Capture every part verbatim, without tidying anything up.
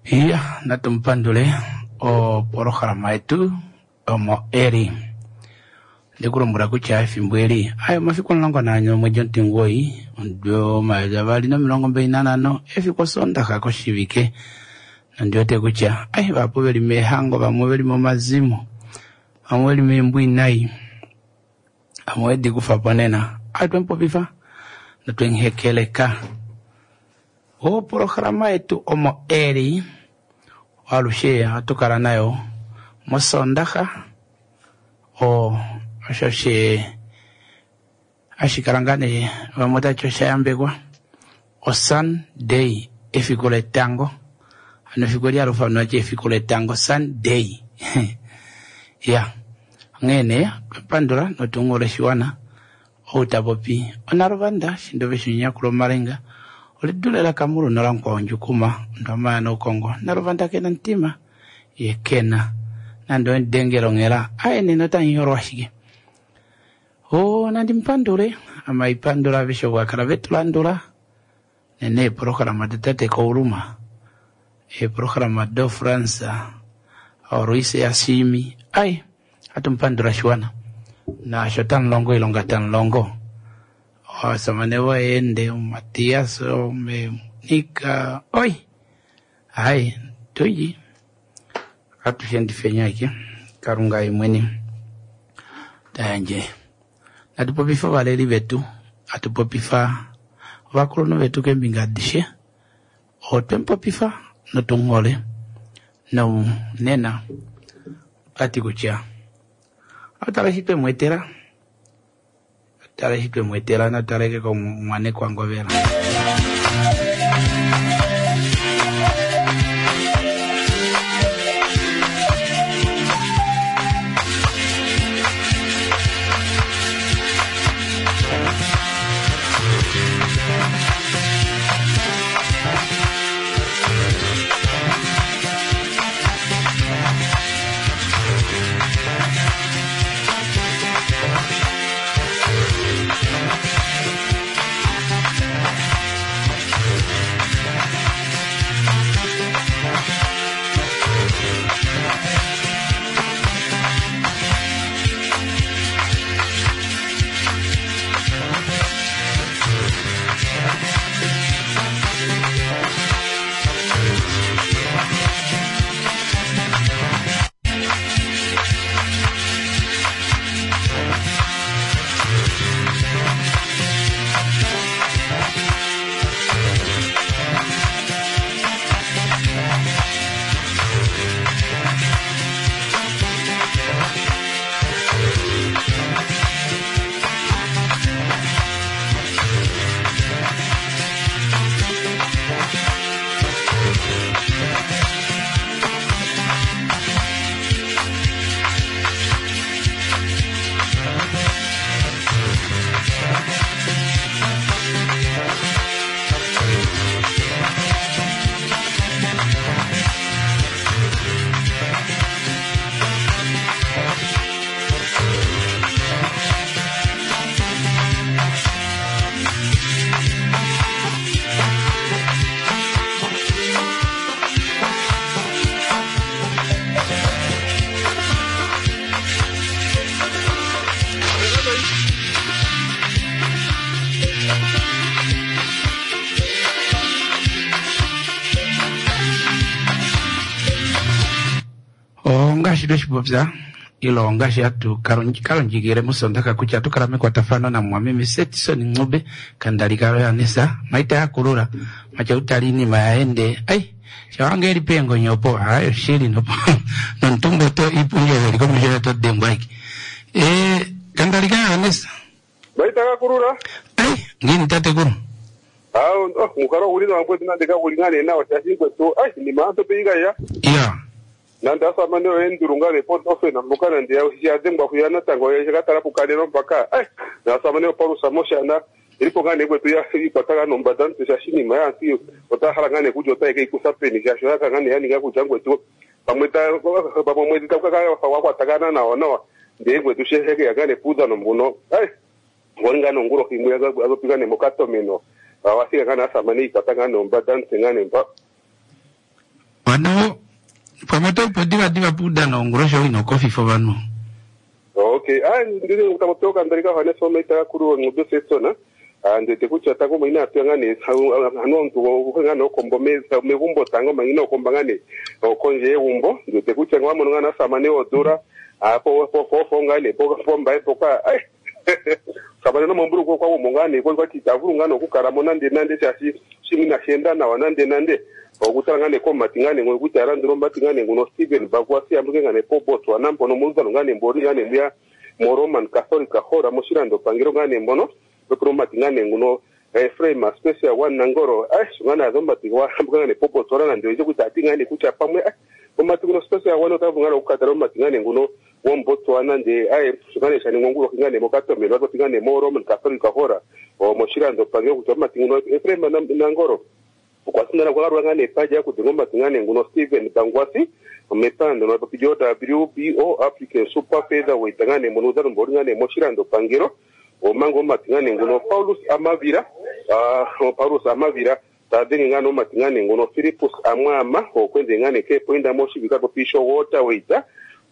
Iya, natu mupandule opolohalama yetu omo eli. Ndikulombwela kutya efimbo eli ayo omafiku omulongo naane omwedi omutimugoyi omudo omayovi avali nomilongo mbali nanhano efiku osondaxa koshivike. Nondiwete kutya ai vahapu veli meehango, vamwe veli momazimo, vamwe veli meembwinayi, vamwe vedi kufapo nena. Ai twemupopifa notwemuhekeleka. Opolohalama yetu omo eli alushe ohatu kala nayo mosondaxa o osho she hashi kala ngaa nee vamwe otati osha yambekwa oSunday efiku letango. Hano efiku eli hali ufanwa ti efiku letango Sunday. Ya, onghee nee twapandula notunghula oshiwana ou tapopi onaluvanda shindove shonyakulo omalenga olidule lakamulu nolamukwawo ndjukuma ondwamaya noukongo naluvanda kena omutima ye kena nande owemudengele onghela aye nena otamunyolwa ashike. O nandi mupandule amaipandula aveshe ovo vakala vetulandula nene eepolohalama datate Kauluma, eepolohalama doFrance oRuise yaShimi ai hatu mupandula oshiwana naasho tamulongo oilonga tamulongo ovasamane voyeende Matias Nika oi ai tuyi atushe aike Kalunga ye mwene tayandje. Natu popifa ovaleli vetu, hatu popifa ovakulunhu vetu keembinga adishe, otwemupopifa notumuhole nonena otwati kutya otala eshi twemweetela, otala eshi twemweetela nataleke komumwane Ngovela. Ongaashi tweshipopya ile ongaashi hatu kalondjikile mosondaka kutya atukala mekwatafano namumwameme Setison Ncube kandali kaYohanesa maita yakulula matya utali iinima yaende ai shawange eli peengonyo opo ayo shili nopo nomutumba oto iipundi oyo ili komesho oto dengwa aike. Eh, kandali kaYohanesa maita kakulula ai ngiini tatekulu awo mukalo oguli nawa mukwetu nande kaguli nga nee nawa shaashi mukwetu ai inima aantu peikaya iya nande asamane oye ndulunga ne potofena mboka nande yadhengwa kuya natango shakatala pukalelo mpaka ai naasamane opalusa moshana ilipo nga nee kwetu ikwata nombada mutse shaashi inima yaantu otaya hala nga nee kutya otaye keikutha peni shaashi oyaka nga nee yaninga kutya ngwetu pamwe pamwe omwedhi taku kaka wakwatagana nawa nawa ndee ngwetu shehekeya nga nee puudhano mbuno ai ngoli nga nongulohi imwe azopi nga nee mokatomeno awafika nga naasamane ikwata nga nombada mutse nga nee mpa. Ano pamwe oto diva diva puudano ongulosho ino kofifa ovanhu. Okay, ah ndile ngutapopewa kandalika Johannes Omaita kulu ngube setsona. Ah ndete kutya tango ina atu ngane anu omuntu ngane okombo megumbo tango mangina okomba ngane okonje yegumbo ndete kutya ngwa ngana samane odura apo po po po ngane po po mbae poka ai samane no momburu kwa kwa ngane kwa kwa titavuru ngane okukala mo nande nande shashi shimina shenda nawa nande nande okutala ngane komati ngane ngokuti alandula omati ngane nguno Steven Bagwasi ambuke ngane po Botswana mpono muluzano ngane mbori ngane mbuya mo Roman Catholic hora moshilando pangelo ngane mbono opromati ngane nguno Efraim Special One Nangoro ai ngane azombati wa ambuke ngane po Botswana nande oje kuti ati ngane kucha pamwe omati nguno Special One otavu ngane okukatala omati ngane nguno wombotswana nde ai ngane shani ngonguro ngane mokatomelo atoti ngane mo Roman Catholic hora o moshilando pangelo kuti omati nguno Efraim Nangoro okwasindana kwakalwa ngane epaja kuti ngomati ngane nguno Steven Bangwasi omepando no papijo W B O African Super Featherweight ngane muno uzalo mbori ngane moshilando pangelo omango omati ngane nguno Paulus Amavira ah Paulus Amavira tadenge ngane omati ngane nguno Philippus Amwama okwenze ngane ke poinda moshibika popisho waterweight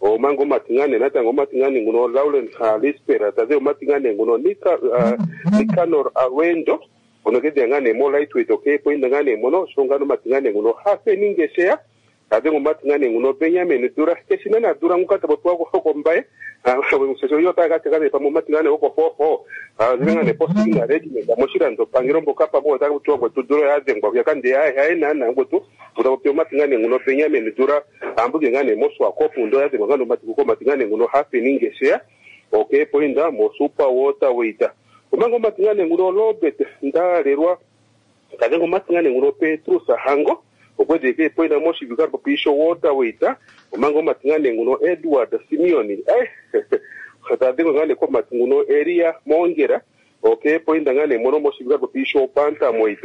omango omati ngane natango omati ngane nguno Lauren Lispera tadze omati ngane nguno Nika uh, Nicanor Awendo onogede ngane mo lightweight okay poinda ngane mono shongano matingane nguno hafe ningesheya ade ngomatingane nguno Benjamin Dura keshina na Dura ngukata botwa ko ko mbae sesho yo taka taka pa mo matingane ko fofo ngane posting na regiment moshilando pangiro mboka pa mo taka kutwa ko Dura ya zengwa ya kande ya ya na na ngotu utapo matingane nguno Benjamin Dura ambuke ngane moswa kopu ndo ya zengwa ngano matikuko matingane nguno hafe ningesheya okay poinda mo super waterweight omango matingane nguno Robert Ndalelwa kazengo matingane nguno Petrus Hango okwedeke poina moshi vikar papisho waterweight omango matingane nguno Edward Simeoni eh kazengo ngane ko matinguno Elia Mongera okay poinda ngane mono moshi vikar papisho bantamweight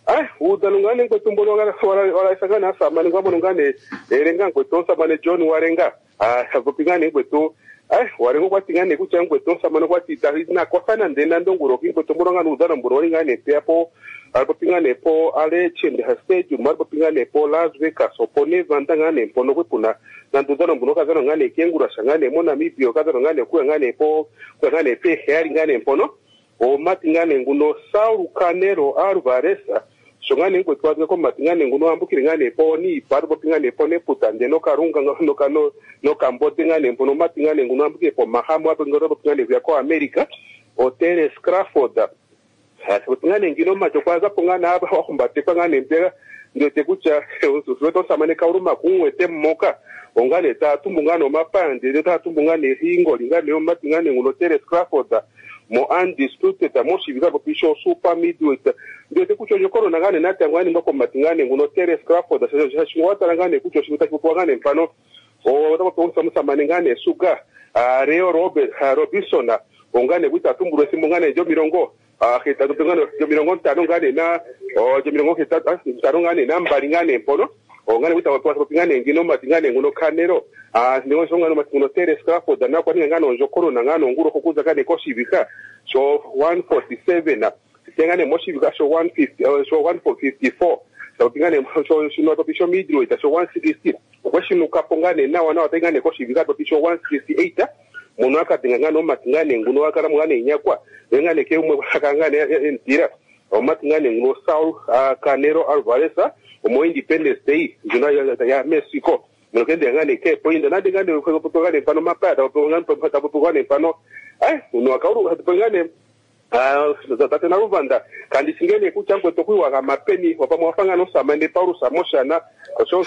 ah udalo ngane ngwetumbo ngane wala wala sangana samane ngwabo ngane erenga ngwetonsa mane John Warenga ah popingane ngweto ai warengo kwati ngane kucha ngwetonsa mane kwati na kwafana ndena ndonguro kingwetombo ngane udalo mboro ngane peapo alipopingane po ale chende stadium alipopingane po Las Vegas opo Nevada ngane mpono kwepuna nandudano mbuno kazano ngane kengura shangane mo Namibia kazano ngane kuya ngane po kuya ngane pe heri ngane mpono o mati ngane nguno Saul Canelo Alvarez shongane ngwetwa ko mati ngane nguno ambukire ngane po ni palipopingane po neputande no karunga no kano no kambote ngane mpono mati ngane nguno ambukire po mahamu apo ngoro pingane kuya ko America o Terence Crawford ngane ngino macho kwaza pongana aba wakumbatekwa ngane mpera ndote kucha usuweto samane kauruma kumwete mmoka ongane tatumbu ngano mapande de tatumbu ngane hingo lingane omati ngane nguno Terence Crawford mo undisputed mo shibika popisho super middleweight ndote kucho jokoro ngane nati ngane ngako mati ngane nguno Terence Crawford shingwata ngane kucho shibika kupo ngane mfano o tapo samane ngane suga Leo Robert Robinson ongane kuita tumburo simbo ngane jo mirongo ah hetatu ngane jo mirongo ntano ngane na o jo mirongo hetatu ntano ngane na mbali ngane mpono o ngane kuita wapo ngane ngino mati ngane nguno Canelo ah ndingo shonga no mati nguno Terence Crawford na kwa ngano njokoro na ngano nguro kokuza kane koshibika so one forty-seven tengane moshibika so one fifty so one fifty-four so ngane so shino to pisho middleweight so one sixty okweshinuka pongane na wana watengane koshibika to pisho one sixty-eight muno akatenga ngano matingane nguno akara mngane nyakwa ngane ke umwe akangane entira omatingane nguno Saul Canelo Alvarez omo Independence Day njuna ya Mexico muno kende ngane ke poinda nande ngane ko ngane pano mapata ko ngane pano ngane pano eh uno akauru ngane ah tate na Ruvanda kandi singene kuchangwe tokuiwa kamapeni wapamwe wafanga samane Paulus Amoshana osho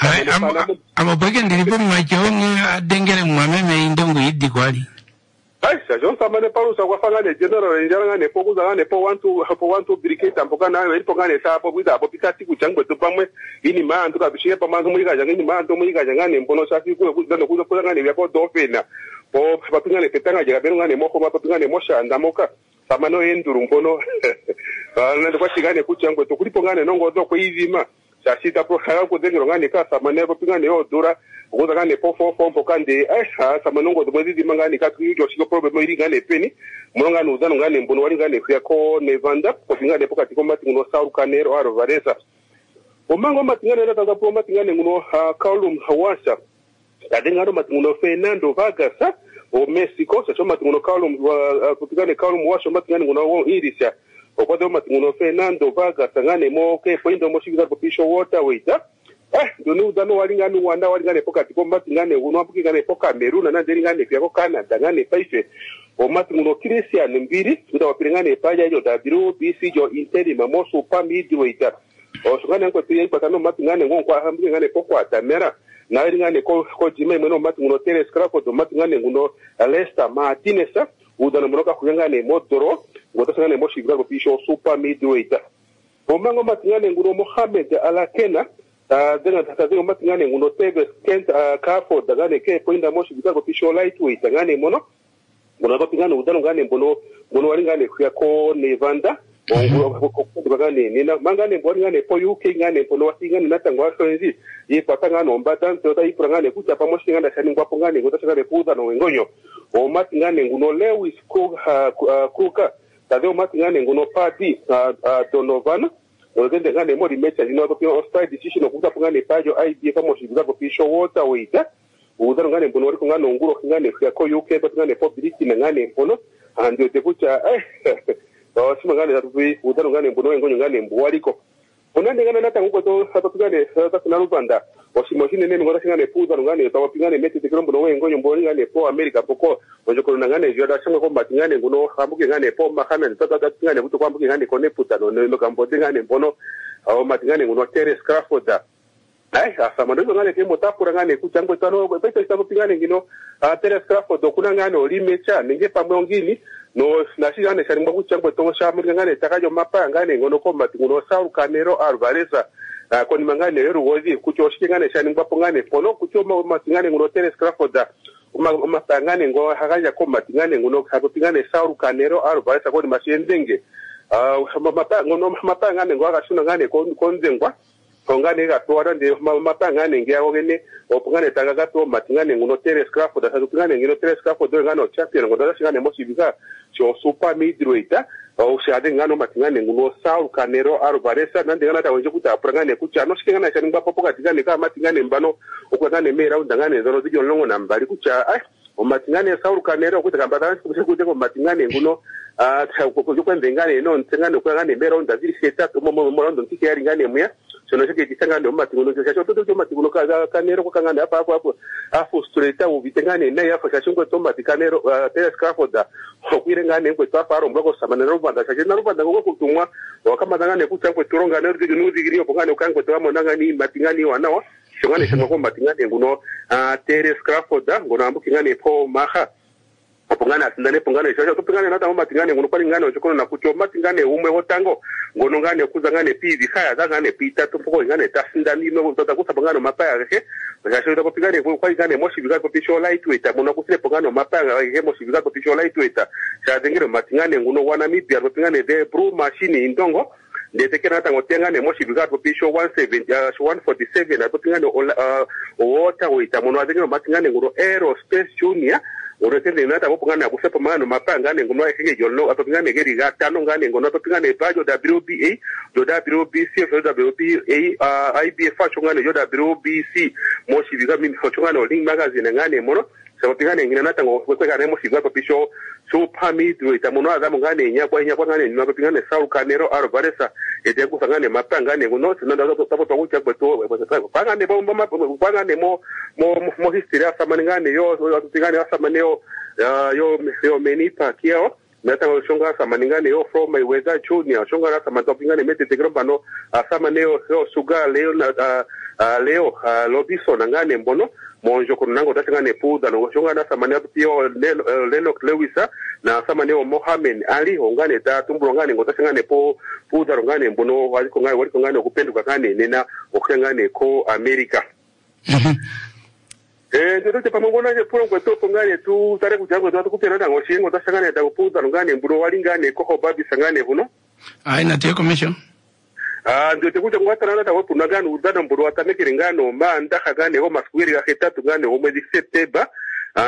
amapeke ndilipo mwachonge adengere mwameme indongo idi kwali ai sajon samane Paulus akwafanga ne general njala ngane pokuza ngane po one two po one two brigade ampoka nayo ilipo ngane sapo kuita apo pikati kuchangwe topamwe ini maantu kabishike pamantu muikaja ngini maantu muikaja ngane mbono safi kuyo kuzana kuzo kuza ngane vyako dofena po papingane petanga jera beno ngane moko mapingane moshanda moka samano enduru mbono nando kwashikane kuchangwe tokulipo ngane nongo zo kuizima shashita po haya kudengero ngane ka samane popingane yodura ukuza ngane po fo fo mpo kande eh samano ngo mwezi mangane ka kuyo shiko problem iri ngane peni muno ngane uzano ngane mbono wali ngane kuya ko Nevada popingane pokati ko mati nguno Saul Canelo Alvarez Omanga omatingane natango po omatingane nguno Kaulum Hawasha tadhenga omatinguno Fernando Vargas o Mexico shasho omatinguno Kaulum kutingane Kaulum Washa omatingane nguno wo Irisha okwa dhe omatinguno Fernando Vargas ngane mo ke pointo moshivika popisho waterweight. Eh, ndoni udano wali ngane wanda wali ngane pokati komatingane uno ambuki ngane po Cameroon na ndeli ngane pya ko Canada ngane paife omatinguno Christian Mbiri uda wapire ngane paja yo W B C jo interim mo super middleweight. Oshungane nkwetu yaikwata nomatingane ngonkwa ambuki ngane po kwatamera na eri ngane ko ko jima imwe nomatinguno Terence Crawford omatingane nguno Lester Martinez udano munoka kuyangane modoro ngotasangane mo shivika popisho super middleweight. Omango matingane nguno Mohamed Alakena tadhenga tadhenga matingane nguno Tevez Kent Crawford ngane ke poinda mo shivika popisho lightweight ngane mono ngono bapingane udano ngane mbono ngono wali ngane kuya ko Nevanda ngane nina mangane mboni ngane po U K ngane mbono wasingane natango wasonzi yikwata ngane ombata ntota ipura ngane kutya pamwe shingana shaningwapo ngane ngotashangane kuudhano wengonyo omati ngane nguno Lewis Kruger tadhe omati ngane nguno Paddy Donovan olugende ngane mori mecha lino atopia style decision okuta ngane pajo I B F moshivika popisho waterweight udhano ngane mbono waliko ngane onguro ngane kuya ko U K but ngane po Britain ngane mbono andio tekucha eh osima ngane tatupi udhano ngane mbono wengonyo ngane mbuwaliko onande ngane natango kweto atopigane tatina lupanda osimo shinene ngota shingane puudhano ngane tawapingane mete tekelo mbono wengonyo mboni ngane po America poko onjokolona ngane jwada shangwe kombati ngane nguno hambuke ngane po mahana tata ngane kuto kwambuke ngane kone putano no kambote ngane mbono omati ngane nguno Terence Crawford. Ai asama ndo ngane ke motapura ngane kuchangwe tano pesa itapopingane ngino Terence Crawford okuna ngane olimecha nenge pamwe ongini no nashingane sharingwa kuchangwe to shamuri ngane takajo mapa ngane ngono kombati nguno Saul Canelo Alvarez konima ngane yorugozi kucho oshingane shaningwa po ngane pono kucho matingane nguno Terence Crawford omapangane ngo hakaja kombati ngane nguno hakopingane Saul Canelo Alvarez konima shenzenge mapa mapangane ngo akashuna ngane konzengwa ongane gapewa nde mapangane ngeyago gene opungane tanga gapewa matingane nguno Terence Crawford asatupingane ngino Terence Crawford ngano champion ngono shingane moshivika sho super middleweight oshade ngano matingane nguno Saul Canelo Alvarez nande ngana tawenje kuti apurangane kucha no shingana shaningwa popo katingane ka matingane mbano okungane me round ngane zono zijo longo nambali kucha ai omatingane Saul Canelo kuti kamba kuti ko matingane nguno ah kukwenzengane no nsengane kwangane me round zili setatu mo mo round ntike ngane muya sono shike kisangane omatinguno shasho toto omatinguno ka Canelo ko kangane apa apo afu straight ubitengane naye afa shashungwe tomati Canelo Terence Crawford okwire ngane ngwe twafaro mbako samana rubanda shashe na rubanda ngoko kutumwa wakamatangane kuchangwe turonga ne nudigiri opongane ukangwe twamona ngani matingani wanawa shongane shangwe ko matingane nguno Terence Crawford ngono ambukingane po maha opongane asindane pongane shasho topingane nata omatingane ngono kwali ngane ochokono na kucho matingane umwe wotango ngono ngane kuza ngane pivi khaya za ngane pita topoko ngane tasindani no tota kusabangano mapaya he shasho topingane kwali ngane moshivika popisho lightweight muno kusile pongano mapaya he moshivika popisho lightweight shadengere matingane nguno wa Namibia topingane the brew machine indongo ndetekera natango tengane moshivika popisho one seventy one forty-seven atopingane waterweight muno adengere matingane nguno Aerospace Junior orotende nata popongana kusepa mano mapanga ne ngono ekege jollo atopingane geri gatano ngane ngono atopingane pajo W B A do W B C W B A I B F chongane yo W B C moshivika mimi chongane Ring Magazine ngane mono sabapingane ngina natango kwekane moshivika papisho super middleweight muno azamu ngane nyakwa nyakwa ngane nopingane Saul Canelo Alvarez ete kusangane mapanga ngono sinanda tapo pakucha kweto pangane bomba pangane mo mo mo history asamane ngane yo atupingane asamane yo yo yo Manny Pacquiao natango shonga asamane ngane yo from Mayweather Junior shonga asamane topingane mete tegrombano asamane yo Sugar Leo Leo Lobison ngane mbono monjo konango tatangane puda no shonga na samane apio Lennox Lewis na samane o Mohamed Ali ongane ta tumbulo ngane ngotasangane po puda ngane mbono waliko ngane waliko ngane okupenduka ngane nena okangane ko America. Eh ndote pamangona je pulongo topo ngane tu tare kujango tu kupera nango shingo tasangane ta puda ngane mbulo walingane ko babi sangane huno ai na te commission. Ah ndote kuja ngwatana ta wepu nagano udana mburu watamekere ngano manda kagane ho maskwiri ga hetatu ngane ho mwezi September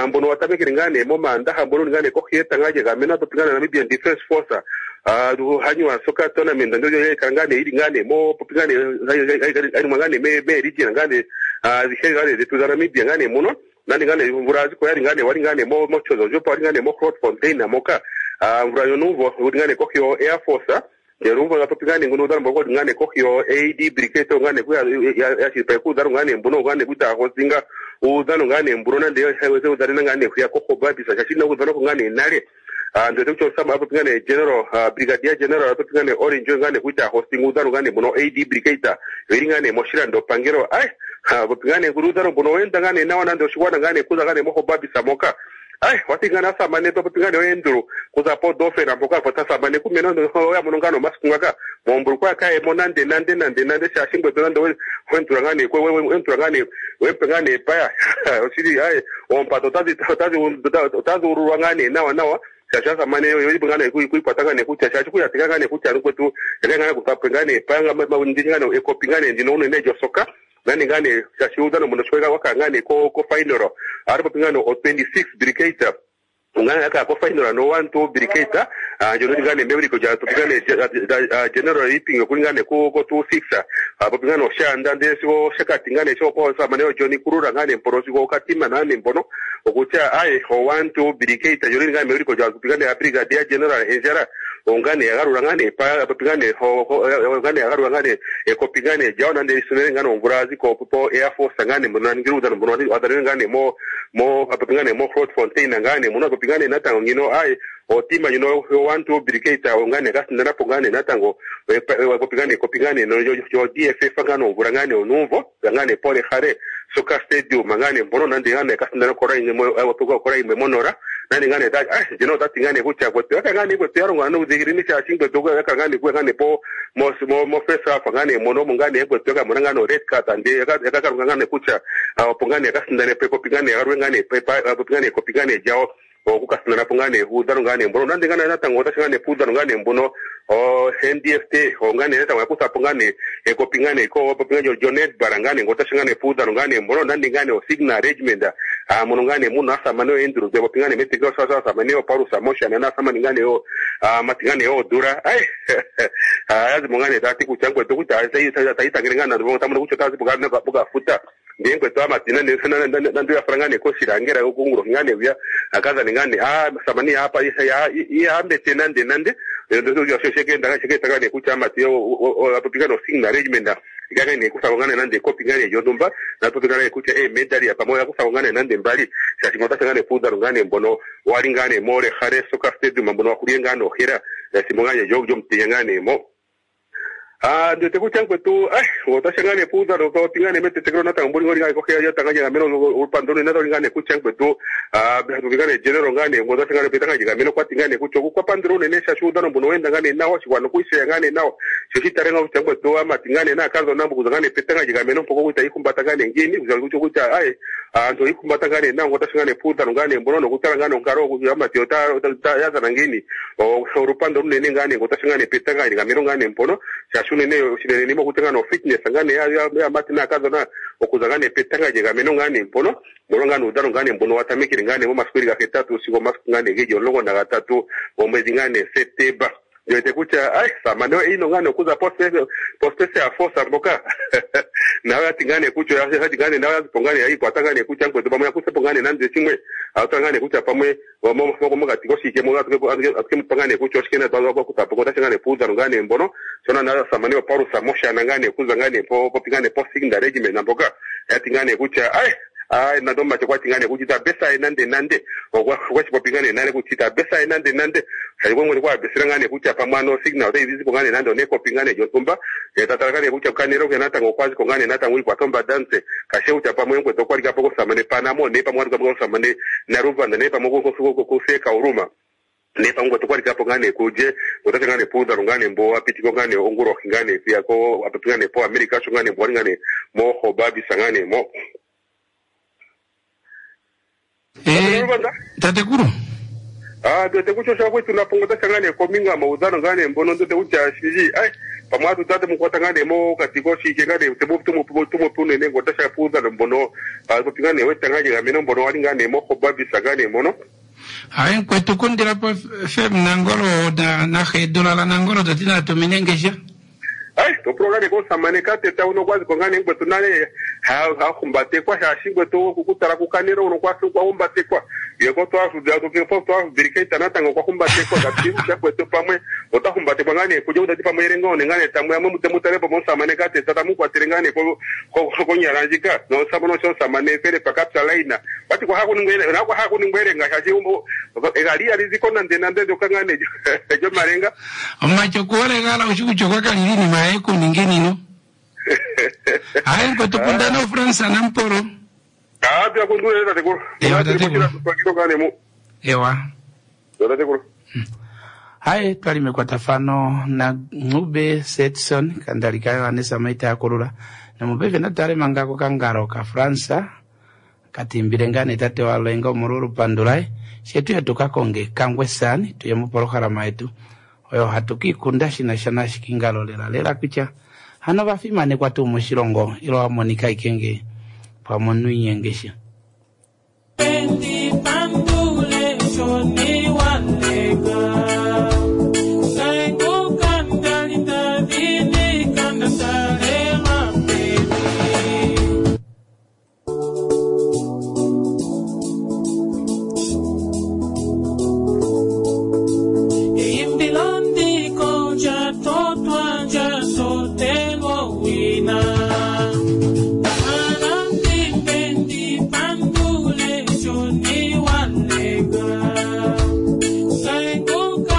Mbono watamekele ngaa nee momaandaha mbono ngaa nee kohi yetanga lyegameno popi ngaa Namibian Defence Force hanywa soccer tournament ndjo yakala ngaa nee ili ngaa nee mo popi ngaa nee hainingwa ngaa nee meeregion ngaa nee adhihe ngaa nee dhetu dhaNamibia ngaa nee muno nande ngaa nee omvula yaziko yali ngaa nee wali ngaa nee mOtjozondjupa wali ngaa nee moGrootfontein moka omvula yonuumvo uli ngaa nee kohi yo Air Force ndele umvo popi ngaa nee nguno uudhano mboka uli ngaa nee kohi yo A D Brigade ngaa nee yashilipaleka uudhano ngaa nee mbuno ngaa nee kutya hostinga uudhano ngaa nee mbuno nande udhanena ngaa nee hwiya koHobabis shaashi ina udhanwako ngaa nee nale. Ndiwete kutya osama popi ngaa nee general brigadier general popi ngaa nee Orange ngaa nee kutya hosting uudhano ngaa nee mbuno A D Brigade oyili ngaa nee moshilandopangelo. Ai popi ngaa nee uudhano mbuno oweenda ngaa nee nawa nande oshigwana ngaa nee kuza ngaa nee moHobabis moka. Ai wathi ngaa asamane popi ngaa nee oyendulu kuza podofena mpoka po tasamane kumene oya mono ngaa nomasiku ngaka mombulukwa kayemo nande nande nande nande shaashi ngwetu nande wentula ngaa nee wentula ngaa nee wempe ngaa nee epaya oshili ai oompato otadhi otadhi otadhi ululwa ngaa nee nawa nawa shaashi asamane oyeli ngaa nee kuikwata ngaa nee kutya shaashi kuyatika ngaa nee kutya ngwetu yaka ngaa nee kuthapo ngaa nee epaya nditye ngaa nee ekopi ngaa nee ndino unene lyosoka nani ngaa nee shaashi uudhano mbono sho waka ngaa nee ko ko final ari popi ngaa nee o twenty six brigade ungana yaka ko final no one two brigade ndjono li ngaa nee mewiliko lya popi ngaa nee general Ipinge okuli ngaa nee ko ko two six popi ngaa nee Oshaanda ndele sigo Oshakati ngaa nee sho osamane oJohn Kurura ngaa nee mpono sigo Okatima ngaa nee mpono okutya aye o one two brigade ndjono li ngaa nee mewiliko lya popi ngaa nee brigadier general Endjala ongane yagalula ngaa nee pa popi ngaa nee ongane yagalula ngaa nee ekopi ngaa nee lyawo nande lisinene ngaa nee omvula yaziko po Air Force ngaa nee mbono yaningile uudhano mbono wadhanene ngaa nee mo mo popi ngaa nee mo Grootfontein ngaa nee muno popi ngaa nee natango ngino aye otima ndjino yo one two brigade ngaa nee yakasindana po ngaa nee natango popi ngaa nee ekopi ngaa nee yo D F F ngaa nee omvula ngaa nee onuumvo ngaa nee pole hale soccer stadium ngaa nee mbono nande ngaa nee yakasindana kola yimwe monora nani ngaa nee ah ndjino otati ngaa nee kutya kwetu yaka ngaa nee kwetu yalongwa nuudhiginini shaashi ngwetu yaka ngaa nee kuya ngaa nee po mo mo first half ngaa nee mono mo ngaa nee kwetu yakamona ngaa nee red card ande yakakalunga ngaa nee kutya opo ngaa nee yakasindane po ekopi ngaa nee yagalule ngaa nee popi ngaa nee ekopi ngaa nee lyawo okukasindana po ngaa nee uudhano ngaa nee mbono nande ngaa nee natango otashi ngaa nee puudhano ngaa nee mbono o N D F T ngaa nee natango yakutha po ngaa nee ekopi ngaa nee ko popi ngaa lyo Netball ngaa nee otashi ngaa nee puudhano ngaa nee mbono nande ngaa nee osigna arrangement mono ngaa nee muno asamane oyendulu popi ngaa nee metekelo asamane oPaulus Moshana naasamane ngaa nee amati ngaa nee oodula ai yazimo ngaa nee tati kutya ngwetu kutya tayitangele ngaa nande tamono kutya otazi pokafuta ndiye ngwetu amati nande nande yafala ngaa nee koshilangela okungulo ngaa nee uya akazane ngaa nee ah samani apa ihambete nande nande shekenda ngaa nee kutya amati apopi ngaa nee osigna arrangement ikanga nee kuthako ngaa nee nande ekopi ngaa nee lyontumba napopi ngaa nee kutya eemedali pamwe oyakuthako ngaa nee nande mbali shaashi otashi ngaa nee puudhano ngaa nee mbono wali ngaa nee moLehale soccer stadium mbono wahulie ngaa nee ohela ethimbo ngaa nee lyomutenya ngaa nee mo. Ah ndiwete kutya ngwetu otashi ngaa nee puudhano popi ngaa nee metetekelo natango mboli ngoli ngaa kohi yetanga lyegameno olupando lunene nali ngaa nee kutya ngwetu popi ngaa nee general ngaa nee otashi ngaa nee petanga lyegameno kwati ngaa nee kutya okwapandula unene shaashi uudhano mbono weenda ngaa nee nawa oshigwana okwiisheya ngaa nee nawa sho shitale ngaa kutya ngwetu amati ngaa nee naakadhona okuza ngaa nee petanga lyegameno mpoka kutya ihumbata ngaa nee ngiini kutya kutya aye aantu oyihumbata ngaa nee nawa otashi ngaa nee puudhano ngaa nee mbono nokutala ngaa nee onkalo amati oyazana ngiini olupando lunene ngaa nee otashi ngaa nee petanga lyegameno ngaa nee mpono shaashi unene oshinene mokutya ngaa nee ofitness ngaa nee yamati naakadhona okuza ngaa nee petanga lyegameno ngaa nee mpono mbono ngaa nee uudhano ngaa nee mbono watamekele ngaa nee momasiku geli gahetatu sigo omasiku ngaa nee geli omulongo nagatatu gomwedhi ngaa nee Septemba. Ndiwete kutya ai samane ino ngaa nee okuza pospecial force mboka nayo yati ngaa nee kutya yati ngaa nee nayo yazipo ngaa nee yayikwata ngaa nee kutya ngwetu pamwe yakuthepo ngaa nee nande shimwe atala ngaa nee kutya pamwe mokati koshike atukemupa ngaa nee kutya oshike nakuthapo otashi ngaa nee puudhano ngaa nee mbono shona nayo samane oPaulus Moshana ngaa nee kuza ngaa nee popi ngaa nee posigna regiment mboka yati ngaa nee kutya ai ai nando omumati okwati ngaa nee kutya itabesa nande nande okwashipopi ngaa nee nale kutya itabesa nande nande mwene kwabesela ngaa nee kutya pamwe ano signal otayi zipo ngaa nee nande onekopi ngaa nee lyontumba tatala ngaa nee kutya kanelo ke natango okwaziko ngaa nee natango ikwata ombanda kashe kutya pamwe ngwetu okwalikapo kosamane Panamo ne pamwe walikapo kosamane Naruvanda ne pamwe kuseka Uruma ne pamwe ngwetu okwalikapo ngaa nee kuje otashi ngaa nee puudhano ngaa nee mbo apitiko ngaa nee ongulohi ngaa nee kuya ko apopi ngaa nee po America sho ngaa nee mbo wali ngaa nee moHobabis ngaa nee mo. Eh, tatekulu Ah, ndiwete kutya osha kwetu napo otashi ngaa nee kombinga maudhano ngaa nee mbono ndiwete kutya shili ai Pamwe atu tate mukwata ngaa nee mokati koshike ngaa nee temu tumupe unene ngo otasha puudhano mbono popi ngaa nee wetanga lyegameno mbono wali ngaa nee mohobabisa ngaa nee mono. Hayi mkwetu kundilapo F M Nangolo na naxedulala Nangolo tati natumine ngesha. Ai topula ngaa nee komusamane kateta uno kwaziko ngaa nee ngwetu nale hahumbatekwa shaashi ngwetu okutala kukanelo uno kwahumbatekwa yeko twafubirikaita natango kwahumbatekwa kati kwetu pamwe otahumbatekwa ngaa nee kuja utati pamwe elenga one ngaa nee tamwe amwe mutalepo momusamane kateta tamukwatele ngaa nee konyala ndjika nosamane osho omusamane Felipe Kapsalaina wati kwahakuningwa elenga shaashi egali aliziko nande nande ndyoka ngaa nee lyomalenga. Omacho kuolegala ushi kutya kwa kalili iinima yaye kuninge nino. Hayi mkwetu kundana oFrance Nampolo. Ah, kundule tatekulu. Ewa tatekulu. Ewa. Tatekulu. Hayi twali mekwatafano na Ncube Setson kandalika Yohanesa Maita yakulula nomupaife natale mangako kangalo ka France katimbile ngaa nee tate walenga omolwa olupandu laye shetu yatukakonge kangwe sani tuye mopolohalama yetu oyo hatu kiikunda shinasha nashikingalo lela lela kutya hano vafimanekwa tuu moshilongo ilo wamonika ikenge pamwe inyengesha. Thank you.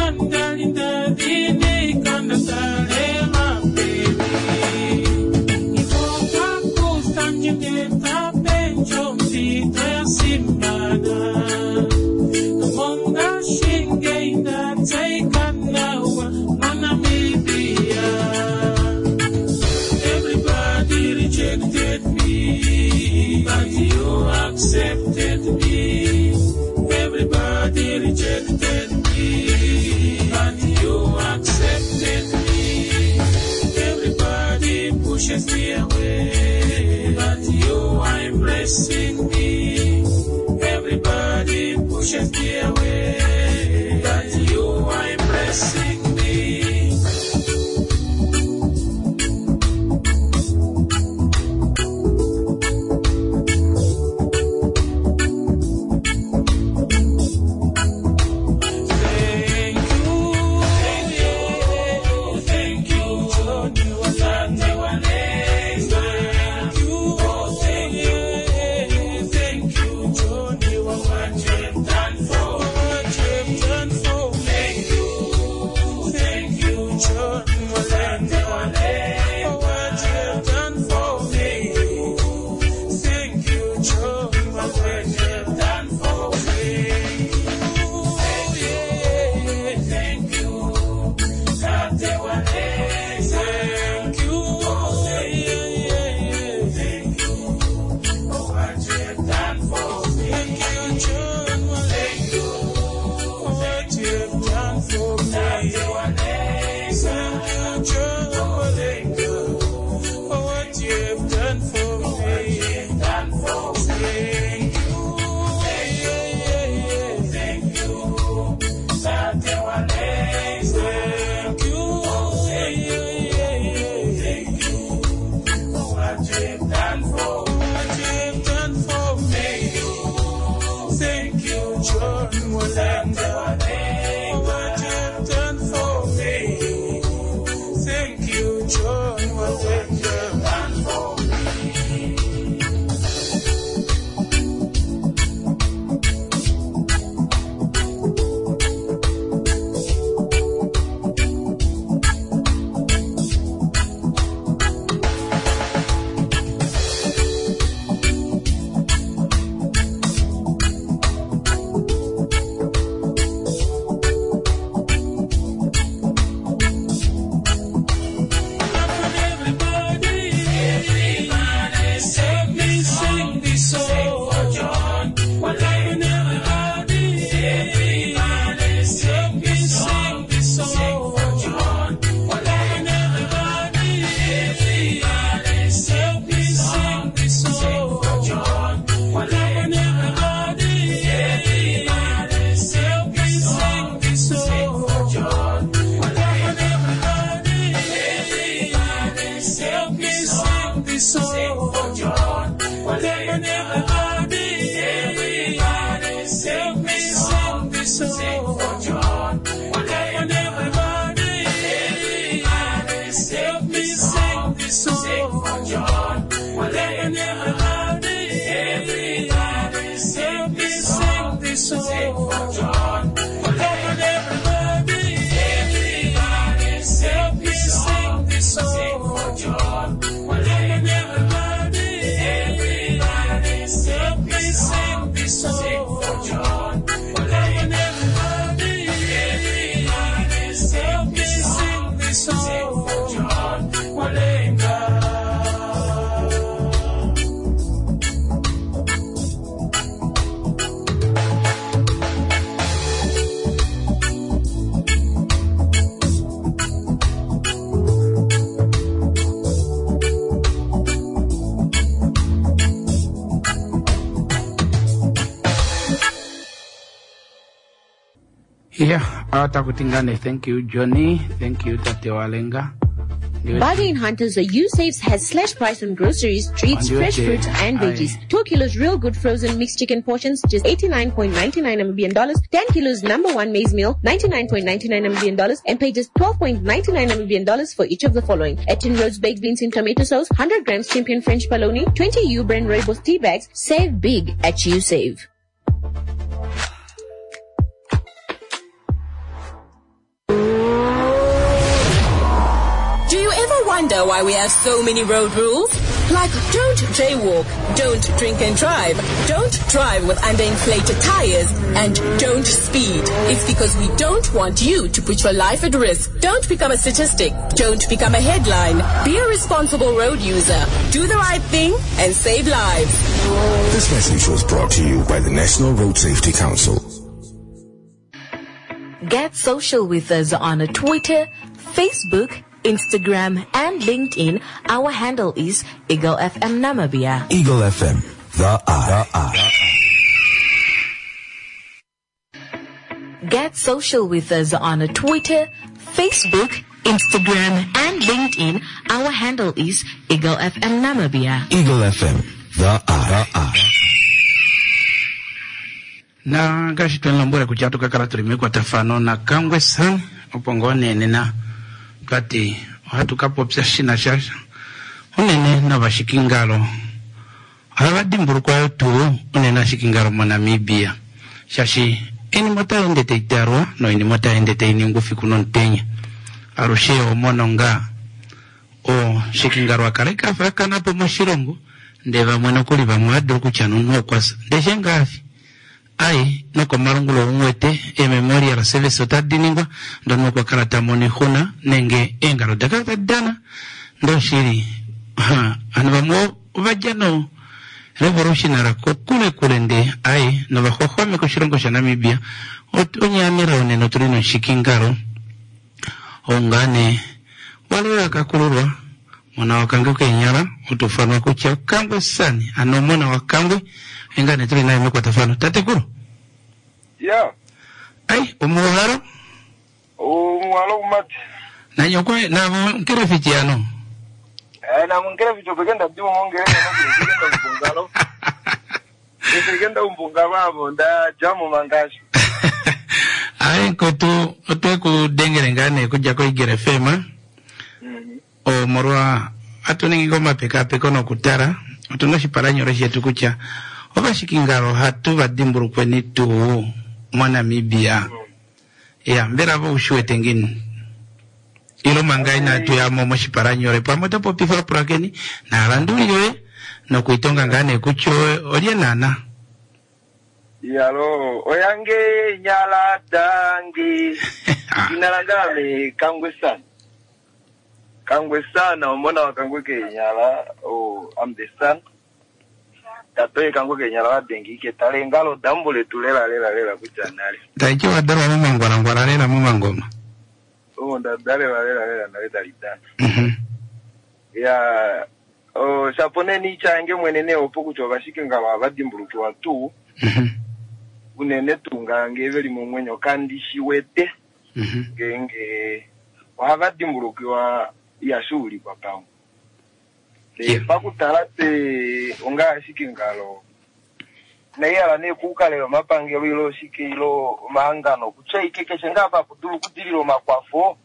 on everybody, everybody, help me sing this song. For John. Come on everybody, everybody, help me sing this song. For John. Come on everybody, everybody, help me sing this song. For John. Come on everybody, everybody, help me sing this song. For John. Come on everybody, everybody, help me sing this song. For John. Come on everybody, everybody, help me sing this song. For John. Walenga. Yeah, atakutingane. Thank you Johnny, thank you Tate Walenga. Ndiwe- Bargain Hunters, the U-Saves has slash price on groceries, treats, Ndiwe- fresh fruits and Aye. veggies. Two kilos real good frozen mixed chicken portions, just eighty-nine point ninety-nine Namibian dollars. ten kilos number one maize meal, ninety-nine point ninety-nine Namibian dollars, and pay just twelve point ninety-nine Namibian dollars for each of the following. Etin Rhodes baked beans in tomato sauce, hundred grams champion French bologna, twenty U brand Rooibos tea bags. Save big at U-Save. Do you ever wonder why we have so many road rules? Like don't jaywalk, don't drink and drive, don't drive with underinflated tires, and don't speed. It's because we don't want you to put your life at risk. Don't become a statistic. Don't become a headline. Be a responsible road user. Do the right thing and save lives. This message was brought to you by the National Road Safety Council. Get social with us on Twitter, Facebook, Instagram, and LinkedIn. Our handle is Eagle F M Namibia. Eagle F M, the eye. The eye. Get social with us on Twitter, Facebook, Instagram, and LinkedIn. Our handle is Eagle F M Namibia. Eagle F M, the eye. The eye. Na ngaashi twenilombwele kutya ohatu ka kala tuli mekwatafano naKangwe San, opo ngoo nee nena twati ohatu ka popya shina sha unene novashikingalo. Ohava dimbulukwa yo tuu unene ashikingalo moNamibia, shaashi oinima otai ende tai talwa noinima otai ende tai ningwa ufiku nomutenya. Alushe omono ngaa oshikingalo akala kafa akana po moshilongo, ndee vamwe nokuli vamwe ohadulu kutya nomunhu okwa fya, ndee she ngaafi ai nokomalungulo umwete e-memorial service otadi ningwa ndono okwa kala ta mono oixuna nenge eengalo da kala tadi dana ndoshili. Ha, ovanhu vamwe ovadja no revolutionary kokule kule ndee ai novaxwaxwameka oshilongo shaNamibia. Ot-, onyaamela unene otuli noshikingalo ongane wale akakululwa mona wakange kenyala otufanwa kutya Kangwe Sani ano mona wakangwe engane tuli naye mekwatafano. Tatekulu. Ya. Ai, omuhalo? Omuhalo kumati. Nanyokwe na nkere fichiano. Eh, na mungere ficho pekenda dimu mongere na mungere mbungalo. Pekenda mbunga babo nda jamu mangashi. Ai kotu otwe kudengere ngane kuja ko igere fema. Mm. Omorwa atuningi ko mapekapeko nokutala otuna oshipalanyolo shetu kutya ovashikingalo ohatu va dimbulukweni tuu moNamibia. Mm. Ya, mbela vo ushiwete ngini? Ilo manga inatu yamo moshipalanyole pamwe oto popifa pulakeni naalanduli yoye nokuitonga ngaa nee kutya olye naana. Yalo, oyange nyala dangi. Inalangame Kangwe Sana. Kangwe Sana, omona wa Kangwe ke nyala, oh, I'm the son. Tatoe Kangwe ke nyala wa dengi ke tale ngalo dambule tulela lela lela kutya nale. Taiki wadalwa momangwalangwala lela momangoma. Oh, ndadalela lela lela nale dalidana. Mhm. Ya, oh, shapone ni change mwenene opo kutya ovashike ngalo avadimbulukiwa tuu. Mhm. Unene tuu ngange veli momwenyo kandi shiwete. Mhm. Ngenge ohava dimbulukiwa yashuulikwa pamwe. Ndee pakutala tse ongaashi ngalo naihala nee kuukalela omapangelo ilo oshike ilo omahangano kutya ike keshe ngaa apa dulu okudilila omakwafo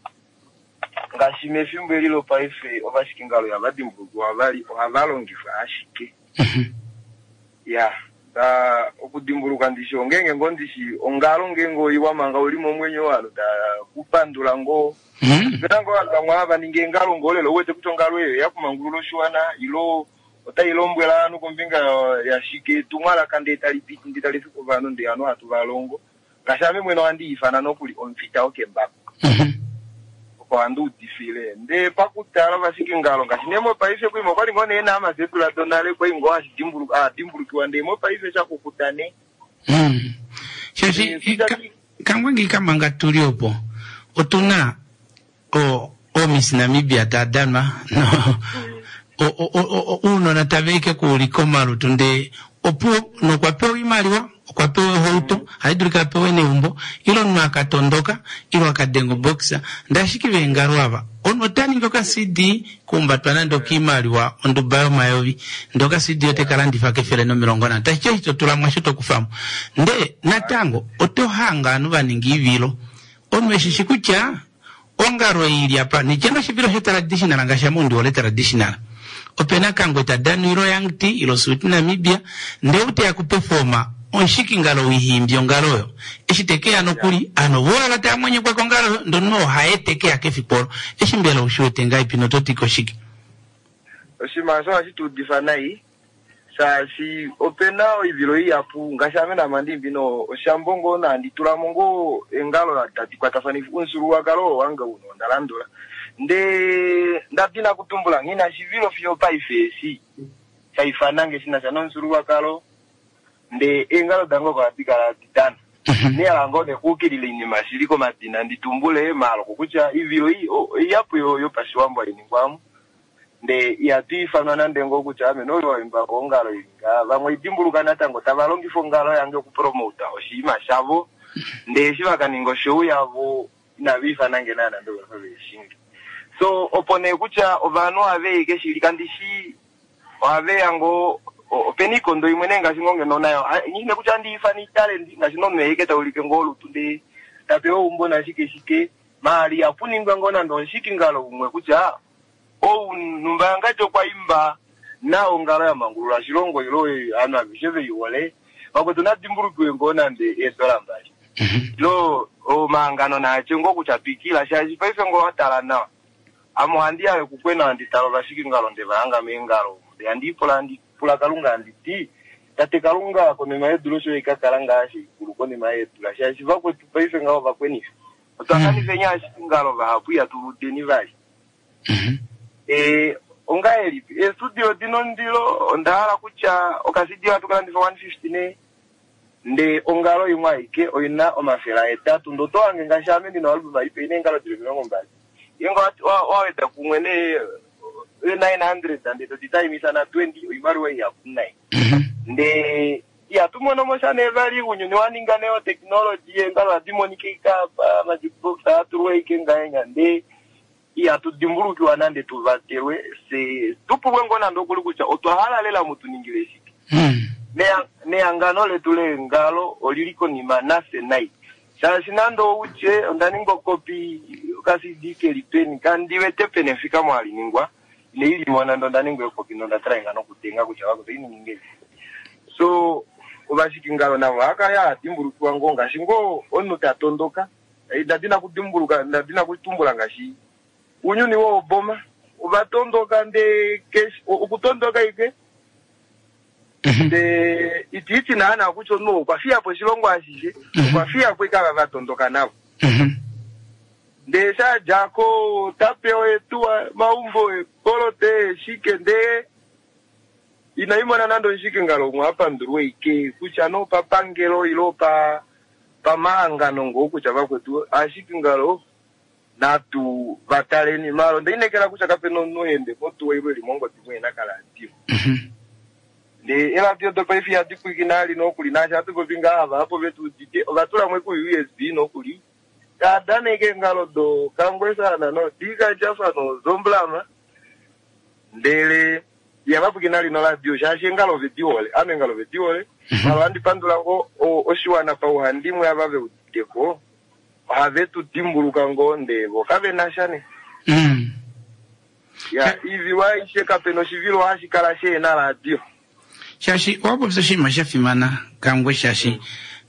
ngaashi mefimbo eli lopaife ovashikingalo ihava dimbulukiwa vali ohava longifwa ashike ya ta okudimbuluka ndishi ongenge ngoo ndishi ongalo ngenge oiwa manga uli momwenyo walo ta kupandula ngoo pena ngoo vanhu vamwe hava ningi eengalo ngoo lelo uwete kutya ongalo eyo yakumangulula oshiwana ilo otai lombwela ovanhu kombinga yashike etumwalaka ndee tali piti ndee tali fiki ovanhu ndee ovanhu hatu valongo ngaashi ame mwene ohandi ifana nokuli omufita wokembako opo handi udifile ndee pakutala ovashikingalo ngaashi nee mopaife kuima okwali ngoo nee naamazetula donale kwai ngoo hadimbulukiwa ndee mopaife shakukuta nee shaashi kangwe ngikamanga tuli opo otuna o Miss Namibia tadanwa no uunona tava ike kuulika omalutu ndee opo nokwa pewa oimaliwa okwa pewa ohauto haidulika apewe neumbo ilo omunhu akatondoka ilo akadenga oboxa ndee ashike veengalo ava omunhu ota ningi oka C D kuumbatwa nande okiimaliwa onduba yomayovi ndee oka C D otekalandifa kefele nomilongo nhano tashi ti eshi totulamo osho tokufamo ndee natango oto hanga ovanhu vaninga oivilo omunhu eshishi kutya ongalo ili apa nityena oshivilo sho-traditional ngaashi ame ondi hole traditional opena Kangwe tadana ilo Young T ilo Sweet Namibia ndee uteya kuperforma omushikingalo wihimbi ongalo oyo eshi tekeya nokuli ano voala taamwenyekwa kongalo oyo ndono ohaye tekeya kefiku olo eshi mbela ushiwete ngaipi nototi koshike oshinima osho ohashi tuudifa nai shaashi opena oivilo ihapu ngaashi ame namandimbi no oshambo ngoo nandi tulamo ngoo engalo tadi kwatafanifa omufyuululwakalo wange uno onda landula ndee ndadina kutumbula nghina shivilo fiyo paife eshi shaifanange shinasha nomufyuululwakalo ndee eengalo dange oko hadi kala didana nehala ngoo nekuukilila oinima shili komadina nditumbule maaloko kutya ivilo ihapu yopashiwambo hainingwamo ndee ihatu ifanwa nande ngoo kutya ame noyo waimba ongalo ilinga vamwe idimbuluka natango tava longifa ongalo yange okupromota oshinima shavo ndee eshi vakaninga oshow yavo inava ifanange naana nde vafa veeshingi so opo nee kutya ovanhu ohaveike shili kandishi ohaveya ngoo opena ikondo imwe nee ngaashi ngoo ngeno nayo nghine kutya andi ifana italenti ngaashi nomunhu eike taulike ngoo olutu ndee tapewa eumbo nashike shike maali apuningwa ngoo nande omushikingalo umwe kutya ou numba yangadji okwa imba na ongalo ya mangulula oshilongo ilo ovanhu aveshe veihole vakwetu nadimbulukiwe ngoo nande eedola mbali ilo omahangano naatye ngoo kutya twikila shaashi paife ngoo watala nawa ame ohandi yayo kukwena handi tala ovashikingalo nde vahanga meengalo ndee handi ipula handi pula Kalunga handi ti tate Kalunga konima yedula osho ikakala ngaashi ikulu konima yedula shaashi vakwetu paife ngaho vakwenifa otwa kanifa ashikingalo vahapu ihatu ludeni vali e ongahelipi estudio dina ondilo onda hala kutya okasidio hatu kalandifa one fifty nee ndee ongalo imwe aike oina omafele ahetatu ndee oto hange ngaashi ame ndina oalbum ipe ina eengalo dili omilongo mbali ngenge waweda kumwe nee nine hundred ndee toditaimisa na twenty oimaliwa ihapu nai ndee ihatu mono sha nee vali ounyuni waninga nee otechnology eengalo ohadi monika ike apa amajukebox aatulwa ike ngahenya ndee ihatu dimbulukiwa nande tuvatelwe se tupulwe ngoo nande okuli kutya otwa hala lela mutuningile shike nehangano letu leengalo olili konima nafye nai shaashi nande outye onda ninga okopi oka C D keli peni kandiwete pene efikamo haliningwa ineilimo nande onda ninga ekopi nonda tala nokutenga kutya vakuto ininingeni so ovashikingalo navo ohakala hadimbulukiwa ngoo ngaashi ngoo omunhu tatondoka ndadina kudimbuluka ndadina kutumbula ngaashi unyuni wooboma ovatondoka ndee okutondoka ike ndee itiiti naana kutya omunhu okwa fiyapo oshilongo ashishe okwa fiyapo ike ava vatondoka navo ndee shadjako tapewa etuwa maumbo ekolote shike ndee inaimona nande omushikingalo umwe apandulwe ike kutya no papangelo ilo pa pamahangano ngoo kutya vakwetu ashikingalo natu vataleni malo ndeinekela kutya kapena omunhu ende motuwa ilo eli mongodi mwena kaladio ndee eladio dopaife ihadi pwiikina ali nokuli naashi hatu popi ngaa ava apo vetuudite ovatulamo ku U S B nokuli tadaneke eengalo do Kangwesana no Dika Jafa no Zomblama ndele Ihava pwiikina lino radio shaashi eengalo ove di hole. Ame eengalo ove di hole. Malo handi pandula ngoo oshiwana pauhandimwe ava ve uditeko. Ohave tu dimbuluka ngoo ndee vo kave na sha ne. Mm. Ya, iivilo aishe kape na oshivilo hashi kala shehena radio. Shaashi owa popya oshinima sha fimana Kangwe, shaashi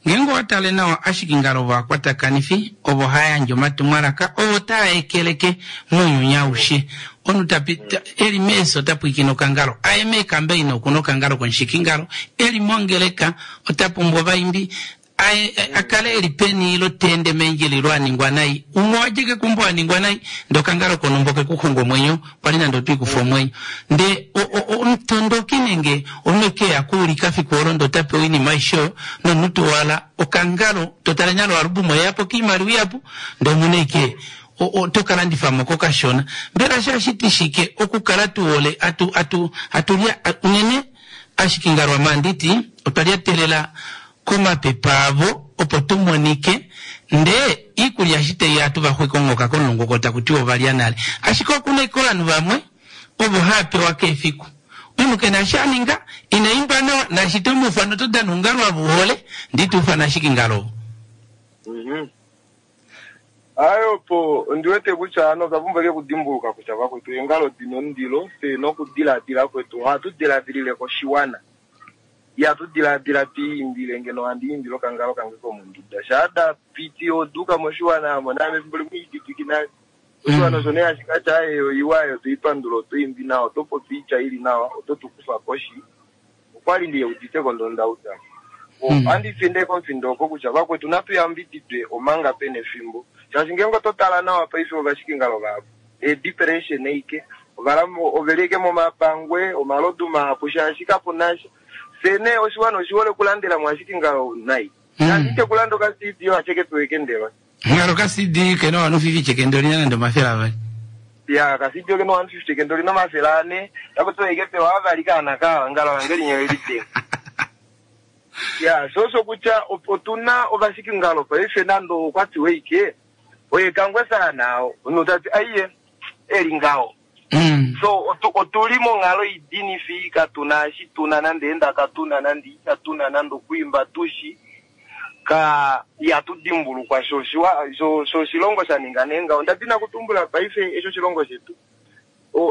ngeenge owa tale nawa ashike ngalo ovakwatakanifi ovo hava yandje omatumwalaka ovo taa ekeleke mounyuni aushe. Omunhu tapita eli meeso ota pwiikine okangalo, aye meekambeina okuna okangalo komushikingalo, eli mongeleka ota pumbwa ovaimbi, aye a kale eli peni ilo teende meendjila ilo a ningwa nai, umwe owadja kekumbo a ningwa nai, ndee okangalo konumba oke kuxunga omwenyo, kwali nande otwiikufa omwenyo. Ndee omutondoki nenge omunhu eke ya kuulika fiku olo ndee ota pewa oinima aishe oyo, nomunhu towala okangalo, totale nale oalbum oyeyapo koimaliwa ihapu, ndee omuna eke oto kalandifamo kokashona. Mbela shashiti shike okukala tuhole atu atu atulya unene ashike ngalo amanditi otwa lyatelela komapepa avo opo tumonike ndee iikulya eshi taiya atu vaxwika omuhoka komulungu oko taku tiwa ovalya nale. Ashike okuna ashike ovanhu vamwe ovo hava pewa keefiku. Omunhu kena eshi aninga, ina imba nawa, naashi tomuufana oto dana oungalo ava uhole, ndee ito ufana ashike ngalo. Ayi opo ondiwete kutya ano otwa pumbwa ike okudimbuluka kutya vakwetu eengalo dina omundilo, fye nokudiladila kwetu ohatu diladilile koshiwana. Ihatu diladila twiimbile ngeno handi imbile okangalo kange komonduda. Shaa da piti oduuka moshiwana amo naame efimbo limwe ididiki nale. Oshiwana osho nee hashi katya aye oiwa ayo toipandula otoimbi nawa, oto popi oitya ili nawa, oto tukufa koshi. Okwali ndiyeuditeko ndoo ndauda. Ohandi finde komufindo oko kutya vakwetu natu yambididwe omanga pena efimbo. Shaashi ngeenge oto tala nawa paife ovashikingalo vahapu eedepression eike, oveli eke momapangwe, omalodu mahapu shaashi kapuna sha. Fye nee oshiwana oshihole okulandela mo ashikingalo nai. Shaashi ite kulanda oka C D ashike kepewa ekendelwa. Ngalo ka C D kena one fifty kendo olina nande omafele avali. Ya, ka C D okena one fifty kendo olina omafele ane, taku tiwa ike pewa avali kaana kawa, ngalo lange linya elidenge. Ya, sho osho kutya otuna ovashikingalo paife nande okwa tiwa ike, oye Kangwe sana, omunhu tati aiye, eli ngaho. So, otuli monghalo idinifi, katuna eshi tuna nande enda katuna nande itatuna nande okuimba tushi, ka ihatu dimbulukwa sho sho oshilongo sha ninga nee ngaho. Onda dina kutumbula paife eshi oshilongo shetu.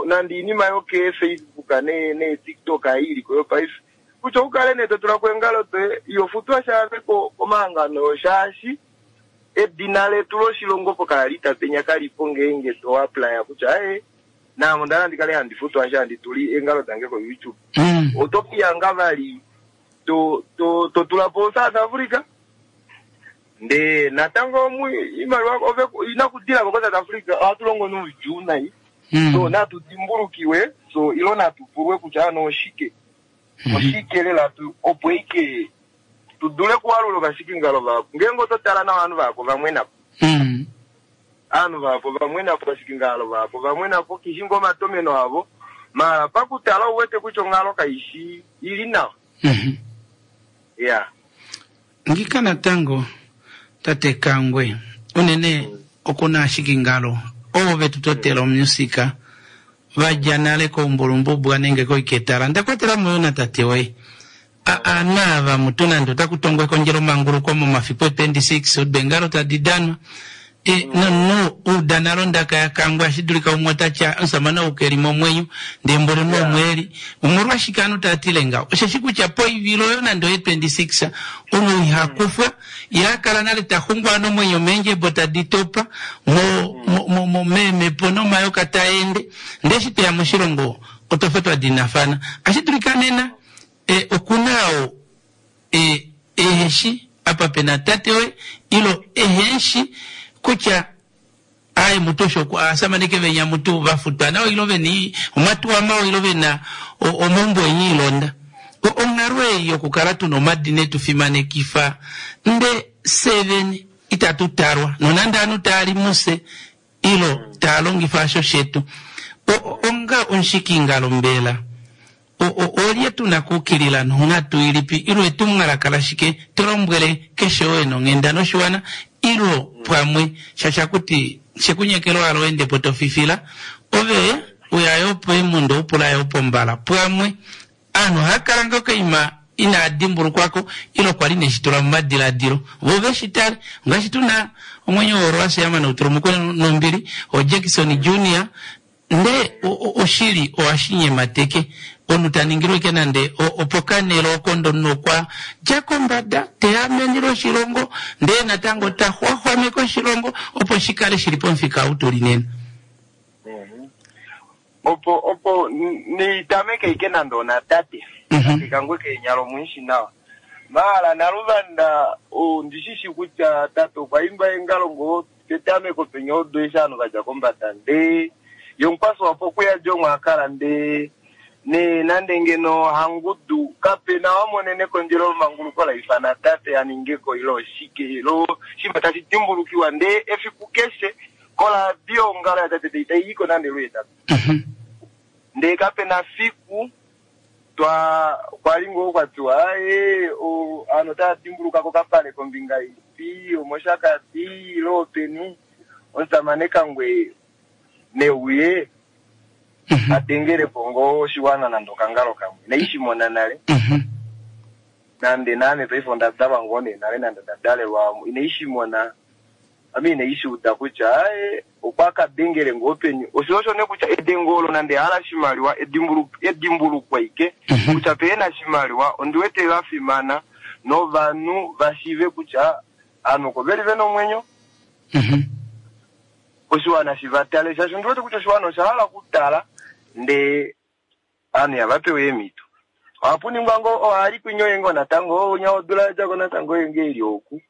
Nande oinima yoke Facebook ne ne TikTok iliko yo paife. Kutya ukale nee to tula ko eengalo doye, iho futwa shaave komahangano shaashi edina letu loshilongo opo kala tapenya kalipo ngeenge to apply kutya aye naame onda hala ndikale handi futwa sha handi tuli eengalo dange ko YouTube. Oto kiyanga vali to to to tula po South Africa. Ndee natango iimaliwa ove inakudilako ko South Africa ohatu longo noudjuu nai. So natu dimbulukiwe, so ilo natu pulwe kutya ano oshike. Oshike lela tu opo ike tu dule kuwalula ovashikingalo vahapu. Ngeenge oto tala nawa ovanhu vahapu vamwenapo. Ovanhu vahapu vamwenapo, ovashikingalo vahapu vamwenapo, kishi ngoo omatomeno avo. Mala pakutala ouwete kutya onghalo kaishi ili nawa. Ya. Ngika natango tate Kangwe unene okuna ashikingalo ovo vetu totela omusika vadja nale koumbulumbubwa nenge koiketala ndakwatela mo na tate woye ana ava mutu nande otaku tongwa ekondjelo manguluko momafiku e twenty-six odengalo tadi danwa e no udana londaka ya Kangwe ashidulika umwe otatya omusamane ou keli momwenyo ndee mboli nomweli omolwashike anu tatile ngaho osheshi kutya poivilo oyo nande oye twenty-six omunhu ihakufwa yakala nale taxungwa nomwenyo meendjebo tadi topa mo mo meemhepo nomayoka taende ndee eshi tweya moshilongo otwafa twa dinafana ashidulika nena e okuna oo e eheshi apa pena tate woye ilo eheshi kutya aye mutu osho asamaneke venya mutu vafutwa nawa ilo vena omatuwa mawa ilo vena omaumbo enyi ilonda. Onghalo ei yokukala tuna omadina etu fimanekifa nde seven itatu talwa nonande anu taali muse ilo taalongifa asho shetu. Onga omushikingalo mbela olye tuna kuukilila nonghatu ilipi ilo etumwalaka shike tolombwele keshe oye nonghenda noshiwana ilo pamwe shasha kuti shekunyekelo alo endepo tofifila ove Uya yo peemundo upula yo pombala pwamwe aanhu ohaya kala nga koima inaa dimbulukwako ile kwali neshitula momadiladilo vo veshi tale ngaashi tuna omwenyo worwasiyama noutulumukwe nombili oJackson Junior nde oshili owashinyemateke omunhu taningilwe ike nande opokanelo okondo nokwa dja kombada teamenile oshilongo ndee natango taxwaxwameke oshilongo opo shikale shili pomufika ou tuli nena. Opo opo nitameke ike nande onatate Kangwe Keenyala omwishi nawa maala naluvanda ondishishi kutya tate okwa imba engalo ngo petameko penya odo eshi ovanhu vadja kombada ndee yomukwaso wapo okuya djo akala ndee ne nande ngeno hangudu kapena wamonene kondjelo manguluko la ifana tate aningeko ilo oshike ilo shima tashi dimbulukiwa ndee efiku keshe kola dio ngalo ya tate itaiyiko nande lwetatu ndee kapena fiku twa kwalingo kwatiwa aye o ano tadimbuluka kokapale kombinga ipi omoshakati ilo peni omusamane Kangwe neuye atengele pongo oshiwana nande okangalo kamwe naishimona nale nande nane paife ondadalwa ngoo nee nale nande ndadalelwa inaishimona ame inaishiuda kutya aye okwa kadengele ngoo peni osho osho ne kutya edengo olo nande hala shimaliwa edimbulukwa ike kutya pena shimaliwa ondiwete lafimana novanhu vashive kutya anu ko veli vena omwenyo oshiwana shivatale shaashi ondiwete kutya oshiwana oshahala kutala ndee anu yavapewe emito ohapuningwa ngo ohali kwinyoye ngo natango onya odula yadjako natango yenge ili oku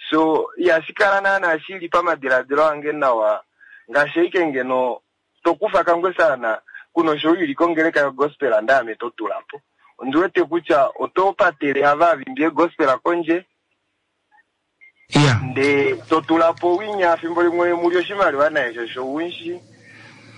so ihashikala naana shili pamadiladilo ange nawa ngaashi ike ngeno tokufa Kangwe sana kuno sho ili kongeleka yo gospel ndame totulapo ondiwete kutya oto patele ava vimbie gospel kondje yeah. nde totulapo winya fimbo limwe muli oshimaliwa naye shosho winshi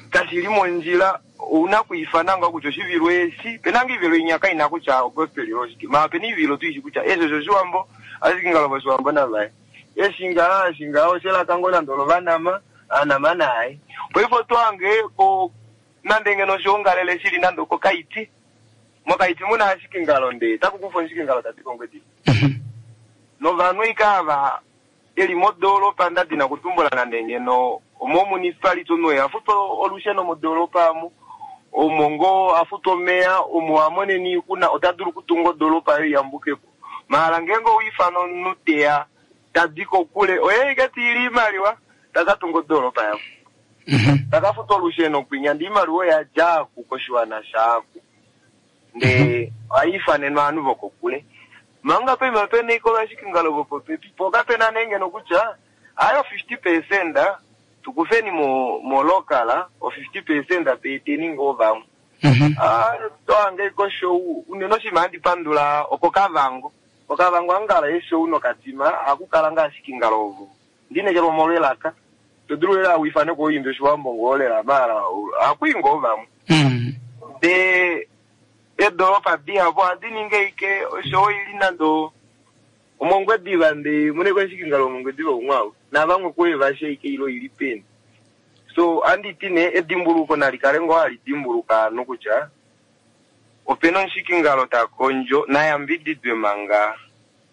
kashili mondjila una kuifana nga kutya oshivilo eshi penanga ivilo inyaka ina kutya gospel yoshike ma peni ivilo tuishi kutya esho shoshiwambo ashike voshiwambo navaye eshinga ashinga oshelaka ngo nande olovanama anama naye poifo twange ko nande ngeno oshiongalele shili nande okokaiti mokaiti muna ashike ngalo nde takukufa oshike ngalo tati kongwedi novanhu ikava eli modolopa ndadina kutumbula nande ngeno omo municipality onoye afuta olusheno modolopa amu omongo afuta omeya omo amoneni kuna otadulu kutunga odolopa yo iyambukepo mahala ngenge owiifana omunhu teya tadi kokule oye ike tiili imaliwa takatunga odolopa yavo takafuta olusheno kwinya ndi imaliwa oyadjaaku koshiwana shaaku ndee ohayiifanenwa ovanhu vokokule manga pema pena iko vashikingalo vopopepi po kapena nengeno kutya ayo fifty percent tukufeni mo mo local o fifty percent peeteni ngoo vamwe ah toange ko show unene oshima handi pandula oko Kavango Okavango angala eshow nokatima akukala ngashikingalo ovo ndinekelwa omolwelaka todulu lela wifane koyimba oshiwambo ngoolela mala akwingo vamwe de edoropa dihapo ohadi ninge ike oshowo ili nando omongwediva nde mune kweshikingalo omongwediva umwawo navamwe kuye vashe ike ilo ili peni so anditi ne edimbuluko nalikale ngo hali dimbuluka anu kutya opena omushikingalo takondjo nayambididwe manga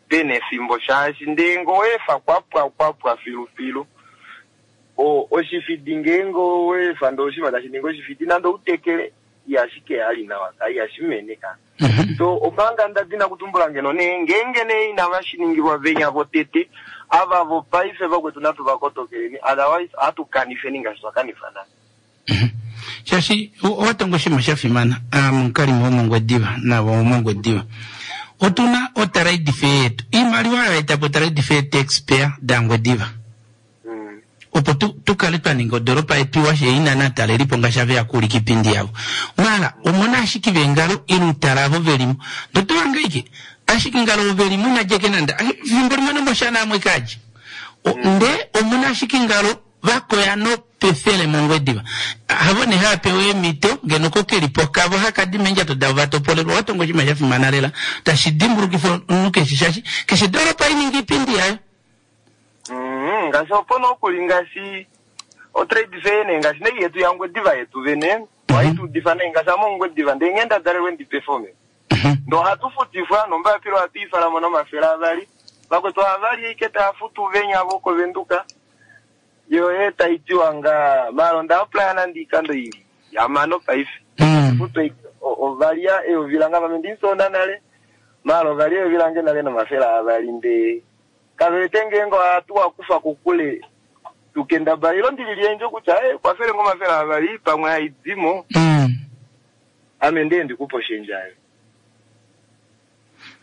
pena efimbo shaashi ndee ngo wefa kwapwa kwapwa filufilu o oshifidi ngeenge wefa ndee oshima tashi ningi oshifidi nande outekele ihashike ali nawa ka ihashimene ka so omanga ndadina kutumbula ngeno ne ngeenge ne inavashiningilwa venya votete ava vopaife vakwetu natu vakotokeleni otherwise atukanifeni ngaashi twakanifa nale. Shashi owatonga oshima shafimana omukalimo womongwediva navo womongwediva otuna otrade fair yetu iimaliwa oyo etapo trade fair taxpayer dangwediva opo tukale twaninga odoropa yetu iwa sheina natalelipo ngaashi ave yakuulika iipindi yavo mala omona ashiki vengalo ilutala avo velimo ndotovangaike ashiki ngalo velimo inajeke nande fimbo limwe nomoshana amwe kaji nde omona ashiki ngalo vakoya nopefele mongwediva havo ne hapewa emito ngeno kokelipo kavo hakadima endjato davo vatopolelwa watonga oshima shafimana lela tashi dimbulukifa omunhu keshe shashi keshe doropa ininga iipindi yayo. Ngaashi opo nokuli ngaashi otrade fair ne ngaashi nei yetu yangwediva yetu vene Ohai tuudifa nai ngaashi ame Ongwediva ndee nghee nda dalelwe ndi performe. Ndee ohatu futifwa nombaapila ohatu i fala mo nomafele avali. Vakwetu ohavali ashike tava futu venya vokoVenduka. Yo ee tai tiwa ngaa maala onda applya nande oikando ili ihamano paife. Futu ashike ovalya eyovi lange ame ndimusoona nale maala ovalya eyovi lange nale nomafele avali ndee kave wete ngeenge ohatu wa kufa kokule tu kendabala ilo ndi liliendje kutya eh, kwafele ngo omafele avali pamwe haidimo ame ndee ndikupe oshendja ayo.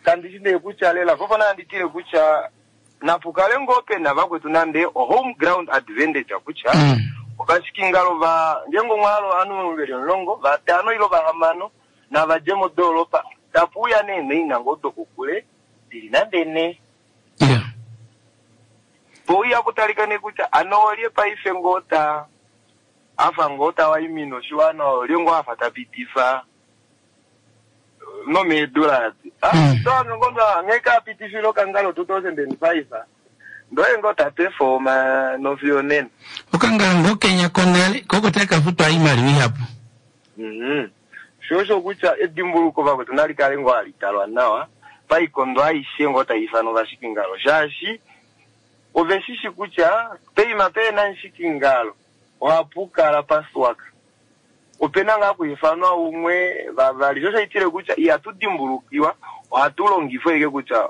Kandi shi nee kutya lela popo nandi tile kutya napukale ngoo pena vakwetu nande o home ground advantage kutya ovashikingalo va ngeenge omwalo ovanhu veli omulongo vatano ilo vahamano nava dje modoolopa tapuuya nee noina ngoo dokokule dili nande ne pouya kutalika nee kutya ano olye paife ngoo ta afa ngoo ta waimina oshiwana olye ngoo afa ta pitifa nomeedula adi. Ah, toange ngoo nghee ka pitifile okangalo two thousand and five ndoye ngoo ta performa nofiyo nena. Okangalo ngoo kenya konale koko taka futwa oimaliwa ihapu. Mhm. Sho osho kutya edimbuluko vakwetu nali kale ngoo hali talwa nawa paikondo aishe ngoo tai ifanwa ovashikingalo shaashi ove shishi kutya peima pena mushikingalo ohapu kala paswaka. Opena ngaa kuifanwa umwe vavali sho shaitile kutya ihatu dimbulukiwa ohatu longifwa ike kutya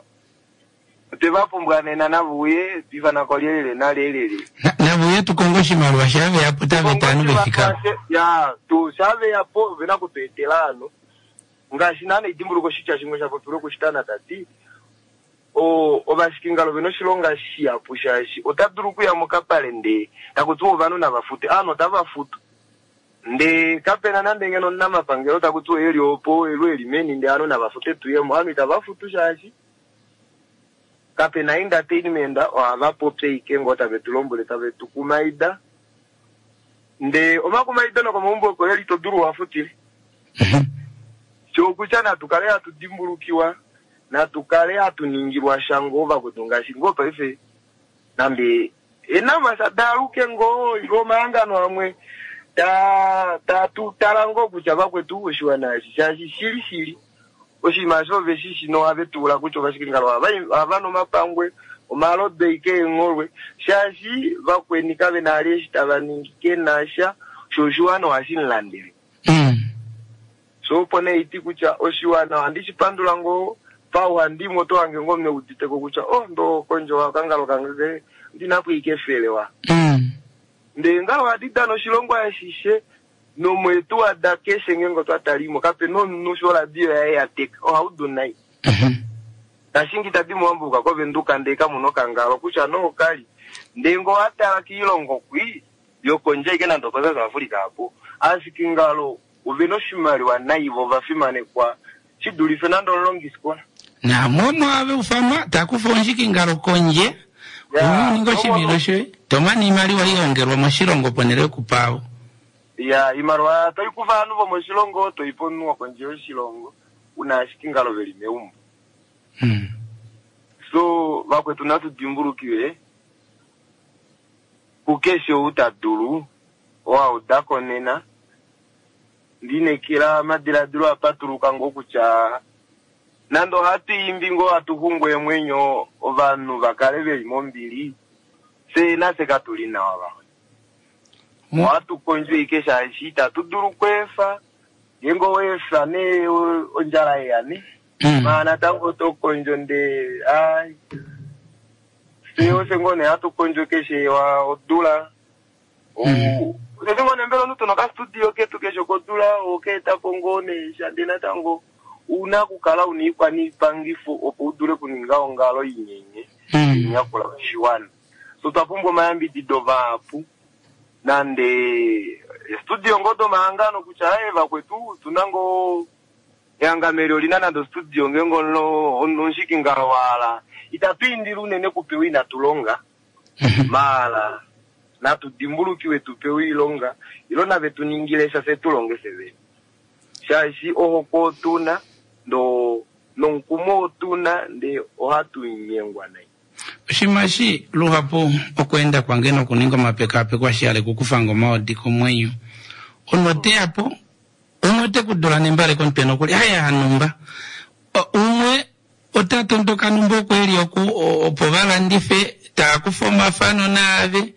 otwe va pumbwa nena navuye tuifana ko lyelele nalelele. Navuye tukonge oshimaliwa shaveyapo tave tanu vefika. Ya tu shaveyapo vena kutu etela ano ngaashi naana edimbuluko oshitya shimwe sha popilwe kushitana tati o ovashikingalo vena oshilonga shihapu shaashi ota dulu okuya mokapale ndee taku tiwa ovanhu nava fute ovanhu otava futu ndee kapena nande ngeno omunamapangelo taku tiwa eli opo elu eli meni ndee ovanhu nava fute tuyemo ovanhu itava futu shaashi kapena entertainment ohava popi ashike ngoo tave tu lombwele tave tu kumaida ndee omakumaido nokomaumbo oko eli to dulu wafutile. Shokutya natu kale hatu dimbulukiwa natu kale hatu ningilwa sha ngoo vakwetu ngaashi ngoo paife nande enamasa daaluke ngoo ilo omahangano amwe ta ta tu tala ngoo kutya vakwetu oshiwana eshi shaashi shili shili oshinima osho ove shishi nohave tuula kutya ovashikingalo ohava nu omapangwe omalodu ike eengholwe shaashi vakweni kave na ali eshi tava ningi kena sha sho oshiwana ohashi mulandele. So opo nee iti kutya oshiwana ohandi shi pandula ngoo pauhandimwe oto hange ngoo meuditeko kutya oh ndo kondjo okangalo kange ndinapo ike efele wa. Ndee ngalo ohadi dana oshilongo ashishe nomwetu wada keshe ngeenge otwa talimo kapena omunhu sho oradio yaye yateka ohaudu nai. Tashingi tadi muwambuka koVenduka ndee kamuna okangalo kutya nookali ndee ngoo watala kiilongo kwi yokondje ike nande oko South Africa apo ashike ngalo ovena oshimaliwa nai vo ovafimanekwa shidulife nande omulongisikola. Namomo ave ufanwa takufa omushikingalo kondje uninga oshivilo shoye tomana iimaliwa ilongelwa moshilongo ponele yokupawo. Ya iimaliwa toikufa ovanhu vomoshilongo toipa omunhu wokondje yoshilongo una ashike ngalo veli meumbo. So vakwetu natu dimbulukiwe kukeshe ou ta dulu owaudako nena ndinekela omadiladilo apatuluka ngoo kutya nande ohatu imbi ngoo hatu xungu eemwenyo ovanhu vakale veli mombili fye nafye katuli nawa vamwe. Ohatu kondjo ike shaashi itatu dulu okweefa ngeenge oweefa nee ondjala yeya ne maala natango oto kondjo ndee ai fye ofye ngoo nee hatu kondjo keshe odula osheshi ngoo nee mbela omunhu tuna okastudio ketu keshe kodula okeetapo ngoo nee sha ndee natango una okukala una iikwaniipangifo opo udule okuninga ongalo inyenye inyakula oshiwana. So twa pumbwa omayambidido vahapu nande studio ngoo domahangano kutya aye vakwetu tuna ngoo ehangano eli olina nande ostudio ngeenge omushikingalo wahala itatu indile unene kupewa inatu longa maala natu dimbulukiwe tupewe oilonga ilo nave tu ningile sha fye tu longe fye vene shaashi ohokwe otuna ndo nomukumo otuna ndee ohatu nyengwa nai. Oshinima eshi luhapu okweenda kwange nokuninga omapekapeko ashihale kukufanga omaodi komwenyo. Omunhu oteya po Umwe ote ku dula nembale komutwe nokuli haya hanumba. Umwe ota tondoka numba oku eli oku opo valandife taa kufa omafano naave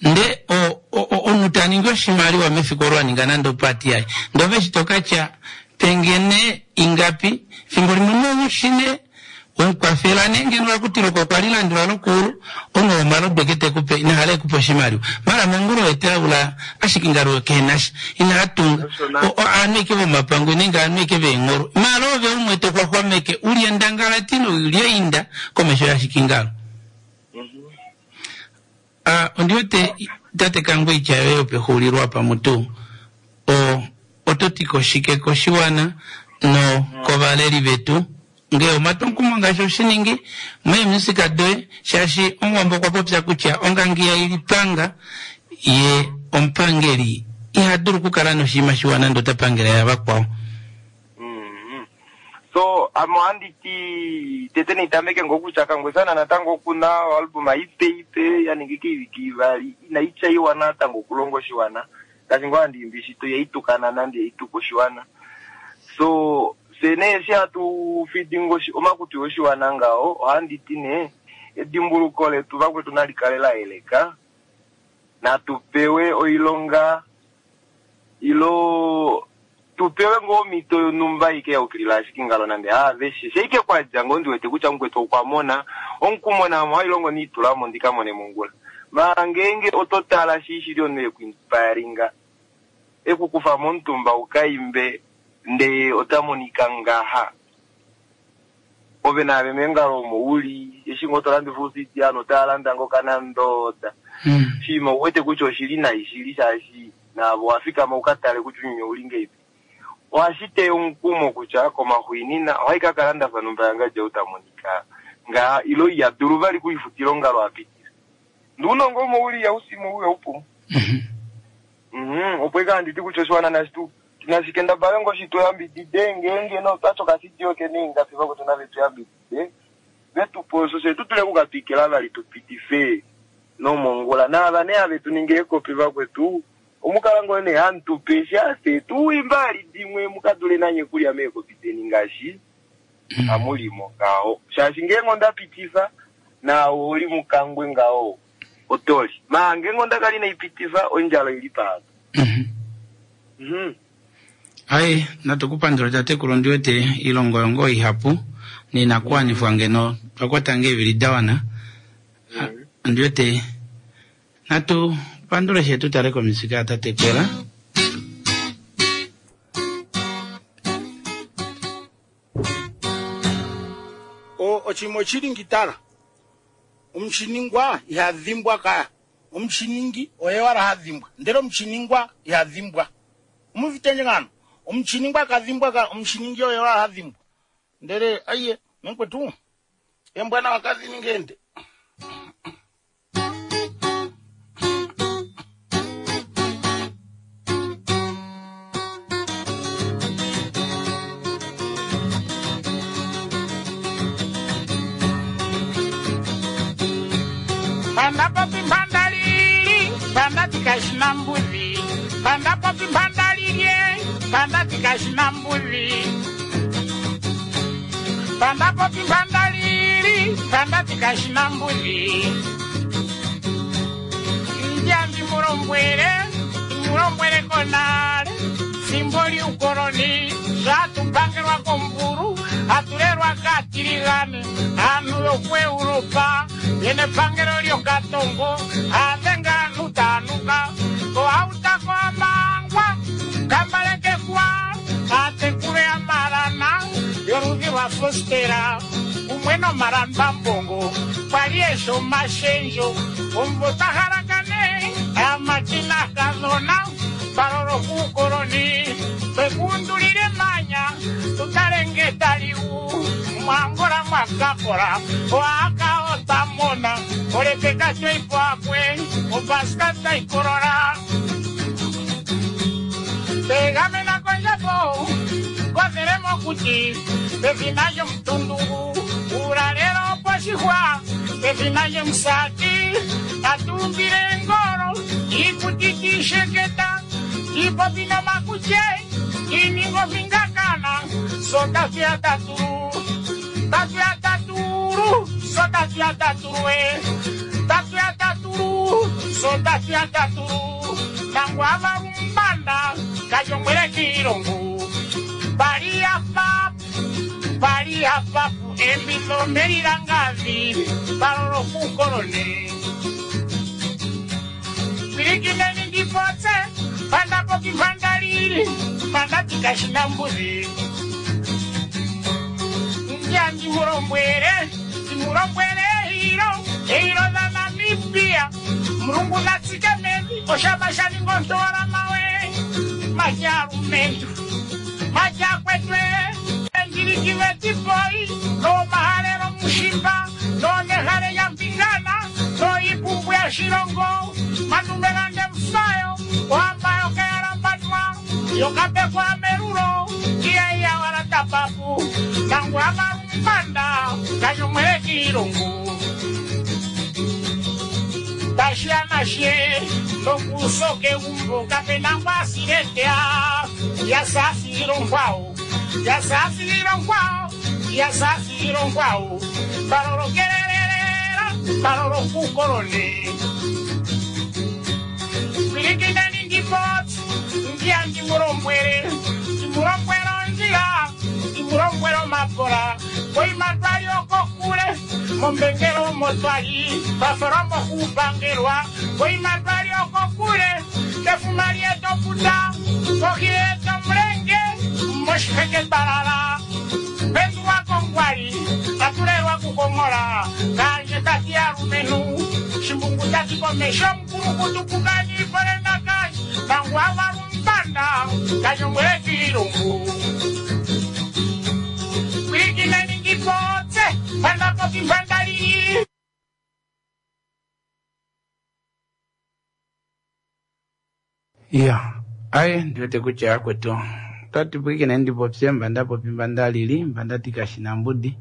nde omunhu ta ningi oshimaliwa mefiku olo a ninga nande opati yaye nde ove eshi tokatya pengene ingapi fimbo limwe noushine wemukwafela nee ngeno lakutiloko okwa lilandula lokuulu omunhu womalodu eke tekupe inahala ekupe oshimaliwa mala mongula oye taula ashike ngalo kenasha inahatunga aanhu eke vomapangwe nenge aanhu eke veengholo mala ove umwe toxwaxwameke ulye ndangalati noulye inda komesho yashikingalo. Ah, ondiwete tate Kangwe itya yoye yopexuulilo apa mutu o oto ti koshike koshiwana no kovaleli vetu ngee omatwomukumo ngaashi oshiningi meemusika doye shaashi omuwambo okwa popya kutya ongangiya ilipanga ye omupangeli iha dulu okukala noshinima shiwa nande ota pangela yavakwao. Mm-hmm. So ame ohandi ti tete nitameke ngoo kutya Kangwesana natango okuna oalbum ipe ipe ya ningi keivike ivali inai tyaiwa natango okulonga oshiwana ngaashi ngoo handi imbi shito ihaitukana nande ihaituka oshiwana. So fye nee eshi hatu fidi omakutu oshiwana ngaho ohandi ti nee edimbuluko letu vakwetu nali kale la yeleka, natu pewe oilonga ilo tupewe ngoo omhito yonhumba ike yaukilila ashike ngalo nande haaveshe sheike kwadja ngoo ndiwete kutya mukwetu okwa mona omukumona amo hailongo niitulamo ndikamone mongula mara ngeenge oto tala shi shili omunhu ekuinspiringa ekukufa momutumba ukaimbe ndee ota monika ngaha ove naave mengalo omo uli eshi ngoo tolandifa usiti ano otaalanda ngoo kanandoda shima ouwete kutya oshili nai shili shaashi naavo wafikama ukatale kutya unyuni ouli ngeipi ohashi teya omukumo kutya komaxwiinina ohai kakala ndafa numba yangadja utamonika nga ilo iyadulu vali kuifutila ongalo apitila ndiunongo omo uli yausimo uya upumu. Mhm, opo ika handiti kutya oshiwana nashitu nashikendabale ngoo shituyambidide ngeenge notwacho kasidio kene ingapi vakwetu navetuyambidide vetupe osho she tutule kukatwikila vali tupitife nomongula naava nee have tuninge eekopi vakwetu omukala ngoo nee hamutupe shase tuimba dimwe mukadule nanye kulya meekopi deni ngaashi amulimo ngaho shaashi ngeenge ondapitifa naawe oli mukangwe ngaho otoli maa ngeenge ondakali naipitifa ondjala ili paapa. Mhm. Ai, natukupandula tatekulu ndiwete ilongo yongo ihapu ninakuwanifwa ngeno twakwata nge evili dawana. Ndiwete natu pandule shetu tale komisika tatekwela. O ochimo chili ngitala omushiningwa ihadhimbwa kaya omushiningi oye wala hadhimbwa ndele omushiningwa ihadhimbwa omuvitenje ngano omushiningwa kadhimbwa ka omushiningi oye wala hadhimbwa ndele aiye menkwetu embwana wakazi ningende. Panda popi mpandalili, panda tikashina mbuzi. Panda popi mpandalili, panda tikashina mbuzi. Panda popi mpandalili, panda tikashina mbuzi. Njambi mulombwele, mulombwele konale, fimbo liukoloni, zvatupangelwa komburu, atulelwa katiligane, anhu yokuEuropa, yene pangelo lyokatongo, adenga anhu tanuka, koautako amangwa, kambaleke kwa, atekule amalana, yoludhi lwa fostera, kumwe nomalamba mbongo, kwali esho mashenjo, ombo tahalakane, amatina kadhona, palolo kuukoloni, twekundulile manya, tutalenge taliu, mwangola mwakakola, oaka otamona, olepeka tweipwakwe, opaska taikolola. Tegamena konjapo, kothele mokuti, pefina lyomutundugu, ulalelo poshihwa, pefina lyomusati, atumbile ngolo, ikuti tisheketa, ipopi nomakutye, Iningo vingakana Sota fia taturu Tatu ya taturu Sota fia taturu eh Tatu ya taturu Sota fia taturu Nangwa marumbanda Kajongwele kirongu Paria pap Paria papu Embilo merirangazi Paroro kukorone Pirikineni ndipotse Panda poki pandalili Panda tikashina mbuzi Ndia ndimurombwere Ndimurombwere hiro Hiro za Namibia Murungu natsike mevi Oshabasha ningontora mawe Majarumentu Majakwetwe Njirikiwe tipoi No maharero mushimba No nehare ya mpingana No ipumbu ya shirongo Manumerande mfayo Wambayo kearambanwa Yokape kwa meruro Kia ya waratapapu Tangu amarumbanda Kanyomwele kirungu Tashia nashe Tokusoke umbo Kapena wasiretea Yasasirongwao Yasasirongwao Yasasirongwao Paroro kererera Paroro kukorone Pilikinani ndipot Ndia ndimurombwere Ndimurombwero njira Ndimurombwero mapora Koimatwali okokule Mombengero motwali Paforomo kupangerwa Koimatwali okokule Tefumali etoputa Kohi etomulenge Moshiheke balala Pendua kongwali Atulelwa kukongola Kanje tati arumenu Shimbungu tati komesho Mkuru kutukukani Polena kanje Tangu amarumbanda Kanyomwele kirungu Pilikinani ndipotse Panda poki pandalili Ya, aye ndiwete kucha kwetu. Tati pwikine ndipopse mbanda popi mbanda lili, mbanda tikashina mbudi.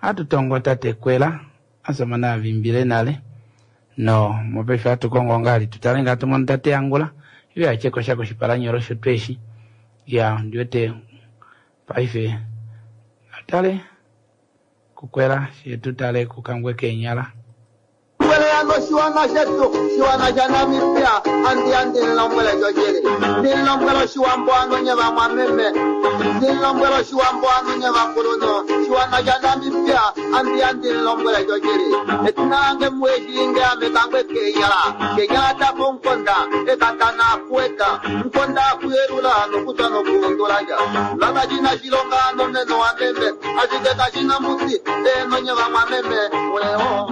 Atutongo tate kwela, asomana avimbile nale. No, mopefe atukongo ngali, tutalenga tumon tate angula. Iwe acheko shako shipalanyoro shotweshi. Ya, ndiwete paife. Atale, kukwela, shetutale kukangwe kenyala. Ano shiwana shetu shiwana sha Namibia andi andi nlombwele jojele ndinlombwele shiwambo ano nye vamwameme ndinlombwele shiwambo ano nye vakuluno shiwana sha Namibia andi andi nlombwele jojele etinange muweshiinge amekangwe kenyala kenyala tapo nkonda ekatana akuweta nkonda akuyelula nokutwa nokuundulaja lava cina shilonga ano meno wa meme ashike kashina mbuti eno nye vamwameme weo.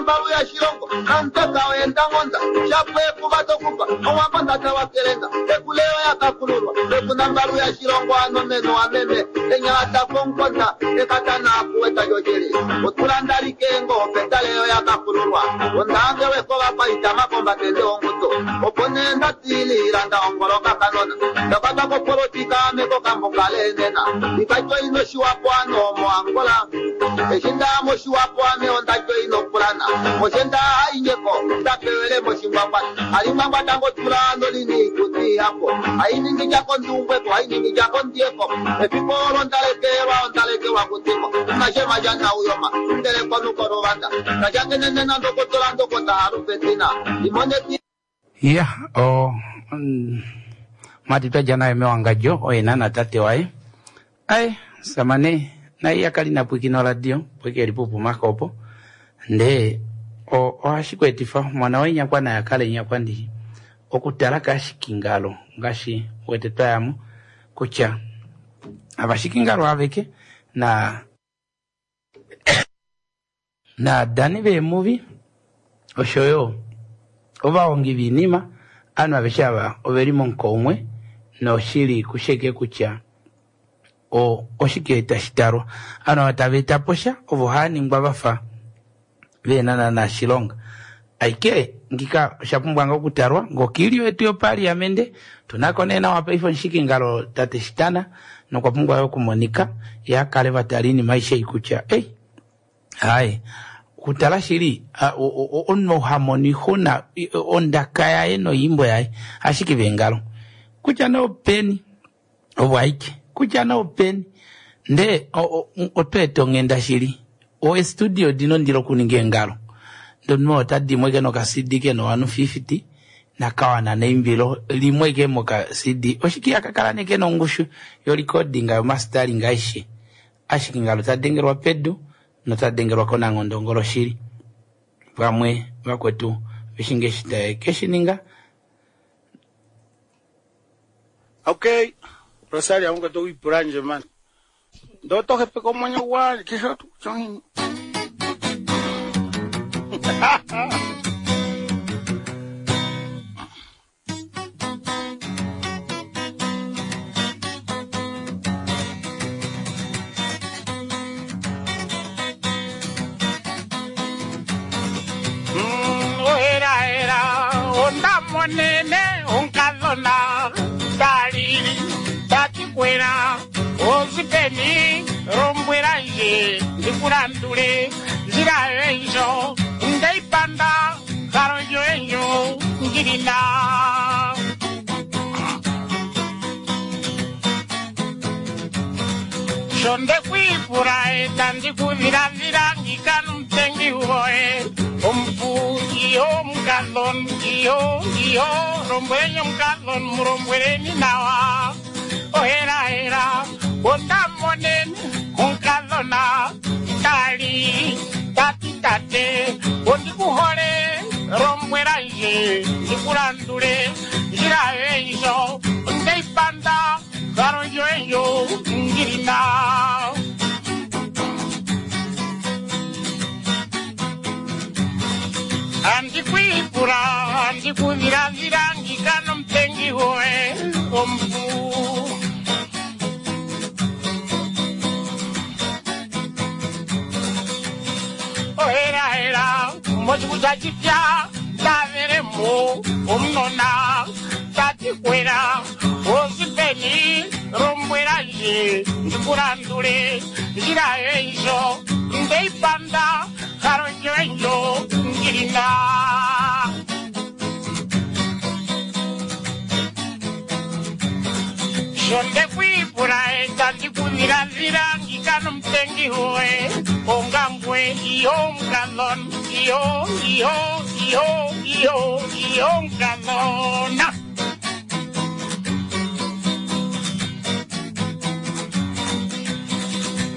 Mbalu ya shilongo nantaka wenda ngonda shapwe kubatokupa owambonda tawakelenga ekuleo yakakululwa ekuna mbalu ya shilongo ano meno ameme enyata konkonda ekatana akuweta jojele otulanda likengo petaleyo yakakululwa ondange wekova paita makomba tende onguto oponenda tililanda ongoloka kanona takatako politika ameko kambokalenena ikacho ino shiwapo ano mo Angola eshinda mo shiwapo ame ondacho ino pulana moshenda ainyeko tapewele moshingwangwa alimangwa tango tula nolini kuti hapo ainingi jako ndumbweko ainingi jako ndieko epikolo ndalekelwa ondalekelwa kutimo nashema jana uyoma ndele konukorovanda kajangenenena ndokotola ndokota harupetina imoneti Ya, o mm, matitwa jana emewangajo oena na tate waye aye samane naye akali napwikino radio pwike elipupu makopo nde o ohashikwetifa mwana wenyakwa naye akale nyakwa ndi okutala kashikingalo ngashi wete twayamo kutya avashikingalo aveke na na dani vemuvi oshoyo ovahongi viinima anu aveshe ava oveli monkoumwe noshili kusheke kutya o oshike tashitalwa anu ava tava etapo sha ovo haaningwa vafa vena na shilonga aike ngika oshapumbwa nga okutalwa ngokilio yetu yopaliamende tunako nee nawa paife onshikingalo tate shitana nokwa pumbwa yo okumonika yakale vatala iinima aishe ei kutya ei hayi Okutala shili, omunhu ou ha mono oixuna ondaka yaye noyiimbo yaye, ashike veengalo. Kutya nee openi, ovo aike. Kutya nee openi. Ndee otwa eta onghenda shili. Oestudio odina ondilo okuninga eengalo. Ndee omunhu oo ota di mo ashike noka C D ke na ovanhu fifty, nakawana neimbilo limwe ashike moka C D. Oshike ihaka kala nee ke na ongushu yorecording, yomastering aishe. Ashike ngalo ta dengelwa pedu, nota dengelwa konangondongolo shili. Vamwe vakwetu veshinge eshi taye ke shi ninga. Okay, Rosalia, unga to ipula nje man. Ndo to hepeka omwenyo gwange, kesho tu chongini. Monene onkadhona talili tatikwela ozipeni lombwela nje ndikulandule nzila yoenjo ndeipanda kalo yoenjo ngilina. Sho ndekwipula eta ndikudhiladhila ngikanu mutengi woye omupu iyo omukadhona iyo iyo lombweleni omukadhona mulombweleni nawa ohelahela ondamoneni omukadhona tali tati tate ondikuhole lombwela nje ndikulandule ndjila yoenjo ondeipanda kalo yoenjo ngilina. Andikwipula andikudhiladhila ngikano mutengi woye omupu. Ohelahela mochikuta chipya ndaveremo omunona tatikwela ozipeni lombwela nje ndikulandule ndjila yoenjo ndeipanda kalo yoenjo ngilina. Sho ndekwipula eta ndikudhiladhila ngikano mutengi woye ongangwe iyo omukadhona iyo iyo iyo iyo iyo omukadhona.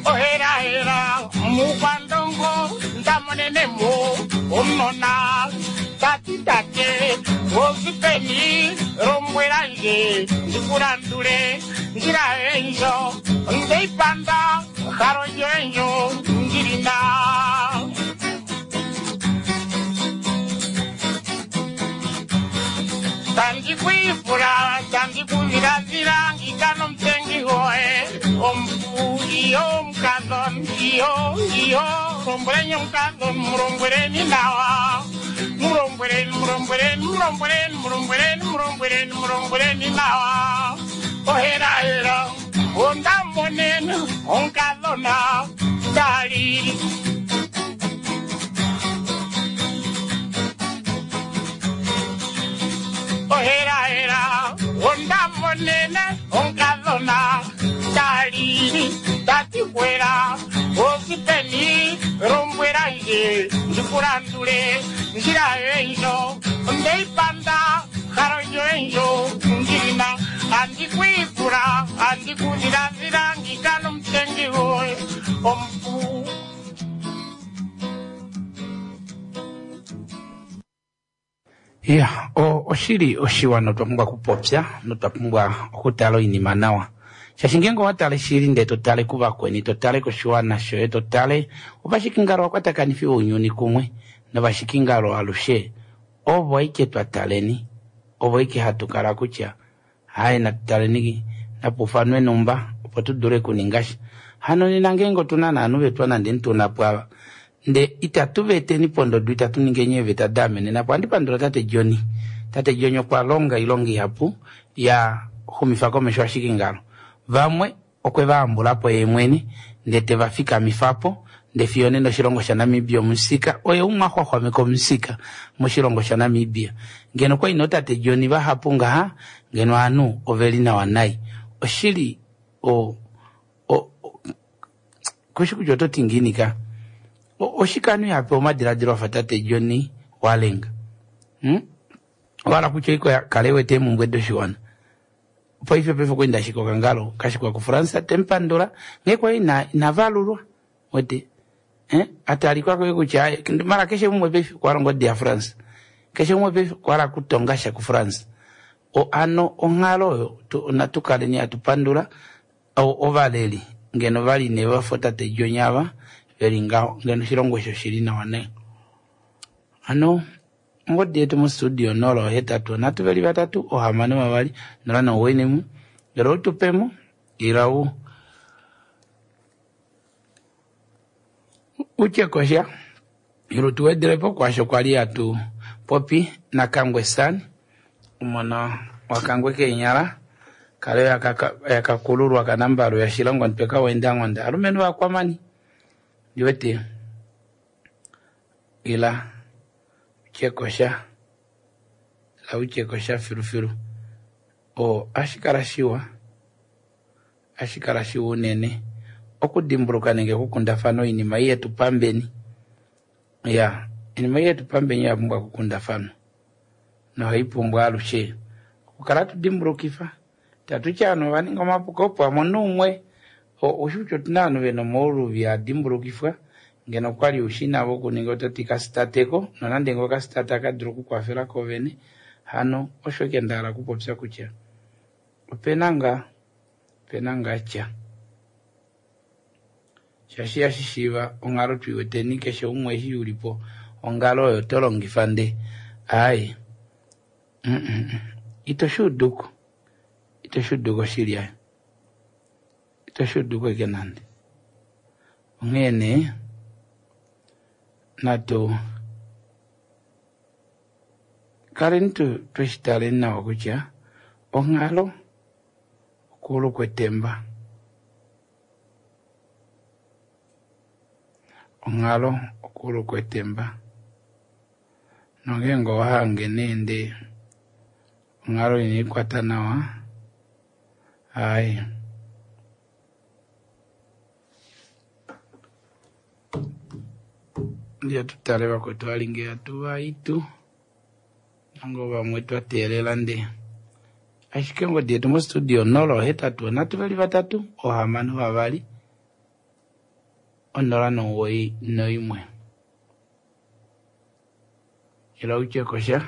Ohelahela mukwandongo ndamonenemo omunona tati tate ozipeni lombwela nje ndikulandule ndjila yoenjo ndeipanda kalo yoenjo ngilina. Tandikwipula tandikudhiladhila ngikano mutengi woye omupu iyo omukadhona iyo iyo lombweleni omukadhona mulombweleni nawa mulombweleni mulombweleni mulombweleni mulombweleni mulombweleni mulombweleni nawa ohelahela ondamonene omukadhona talili. Ohelahela ondamonene omukadhona talili tatikwela ozipeni lombwela nje ndikulandule ndjila yoenjo ndeipanda kalo yoenjo ngilina. Andikwipula andikudhiladhila ngikano mutengi woye omupu. Ya, oshili oshiwa notwa pumbwa okupopya notwa pumbwa okutala oinima nawa. Shaashi ngeenge owa tale shili ndee to tale kuvakweni, to tale koshiwana shoye, to tale ovashikingalo vakwatakanifi ounyuni kumwe novashikingalo alushe ovo aike twa taleni, ovo aike hatu kala kutya haye natu taleni napufanwe numba opo tu dule okuninga sha. Hano nena ngeenge otuna naanhu vetwa nande ntuna pwava nde itatu veteni pondodo, itatu ningeni eeveta da amenena po. Ohandi pandula tate Johnny. Tate Johnny okwa longa oilonga ihapu ya xumifa komesho ashike ngalo. Vamwe okwe va ambula po ye mwene ndee te va fikamifa po Ndee fiyo nena oshilongo shaNamibia omusika oye umwe a xwaxwameka omusika moshilongo shaNamibia. Ngeno okwali nootate John vahapu ngaha, ngeno ovanhu oveli nawa nai. Oshili o o kushi kutya oto ti ngiini ka. Oshike ovanhu ihapewa omadiladilo afa tate John Walenga? Hmm? Owahala kutya oiko kale wete eemhumbwe doshiwana. Paife paife okwa enda ashike okangalo kashikwa kuFrance temupandula nghee kwali ina inavalulwa wete eh atalikwa koye kutya mara keshe umwe paife okwa longa odi yaFrance, keshe umwe paife okwa hala kutonga sha kuFrance. O ano onghalo oyo natu kaleni hatu pandula ovaleli ngeno vali ne vafa tate John ava veli ngaho ngeno oshilongo osho shili nawa nayi. Ano ongodi yetu mostudio nola hetatu nhatu veli vatatu ohamano vavali nola nomugoyi naimwe ngele outupemo ila u utye kosha ila tuwedelepo kwaasho kwali hatu popi naKangwe San omona waKangwe keenyala kale yakakululwa kanambalu yashilongo ntweka wendangonda alumenhu vakwamani ndiwete ila utye kosha ila utye kosha filufilu o ashikala shiwa ashikala shiwa unene okudimbuluka nenge okukundafana oinima ei yetu pambeni. Ya oinima ei yetu pambeni oya pumbwa okukundafanwa nohai pumbwa alushe okukala tudimbulukifa tatutya ovanhu ova ninga omapuko opo amone umwe oushi kutya otuna ovanhu vena omauluvi adimbulukifwa ngeno okwali ushi navo okuninga ototi kasitateko nonande ngoo okasitate akadulu okukwafela kovene. Hano osho eke ndahala okupopya kutya opena ngaa opena ngaa tya shaashi ihashishiiva onghalo tuiweteni keshe umwe eshi ulipo ongalo oyo to longifa nde aaye ito shuuduko ito shuuduko shili ayo ito shuuduko eke nande. Onghee nee natu kaleni tweshi taleni nawa kutya onghalo okuulu kwetemba, onghalo okuulu kwetemba nongeenge owahange nee ndee onghalo inaikwata nawa aaye ndiye tutale vakwetu valinge hatu vaitu nango vamwe twateelela ndee ashike ongodi yetu mostudio nola hetatu nhatu veli vatatu ohamano vavali onola nomugoyi noimwe ila utye kosha.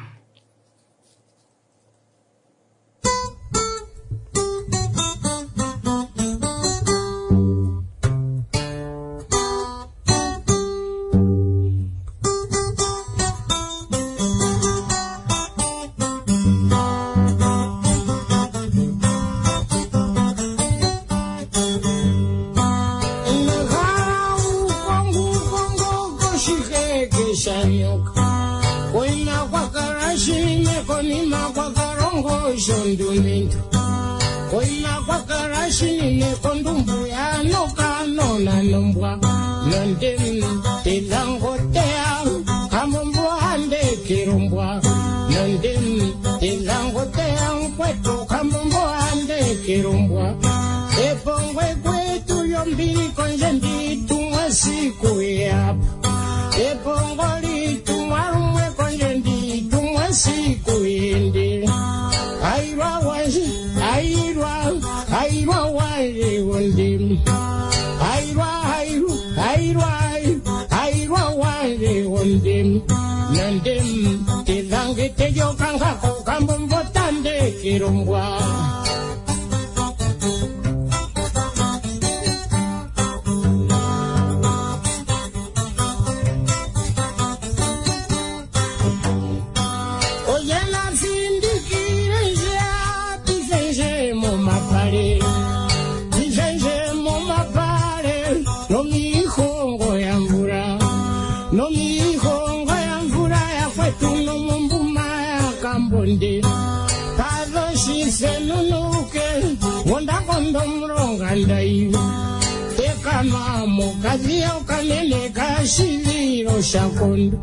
Senunuke, wonda kondo mronga ndai. Teka Pekanwa mokadhiya okanene kashivilo shakondo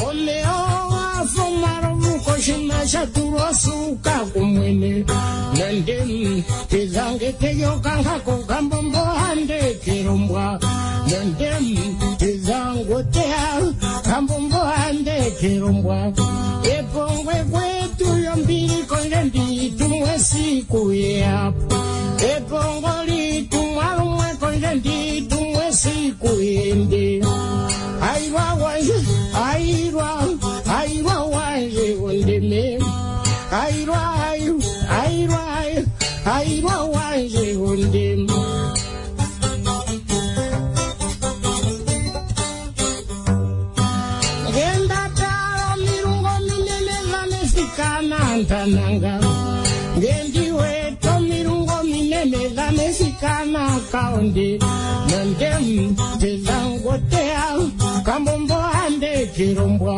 omeya gafa omalovu koshima sha tulwa osuuka kumwene nande tezange teyokankako kambombo hande kelombwa nande tezango teya kambombo hande kelombwa epongwe kwetu yombili konje nditumwe siku yeapo epongo litumwa lumwe konje nditumwe siku yende airwa wanje airwa airwa wanje ondeme airwa airwa airwa airwa wanje ondeme. Ngenda tala mirungo minene vanesikana ntananga ngendiweto mirungo minene vanesikana kaonde nandem tezangotea kambombo ande kirombwa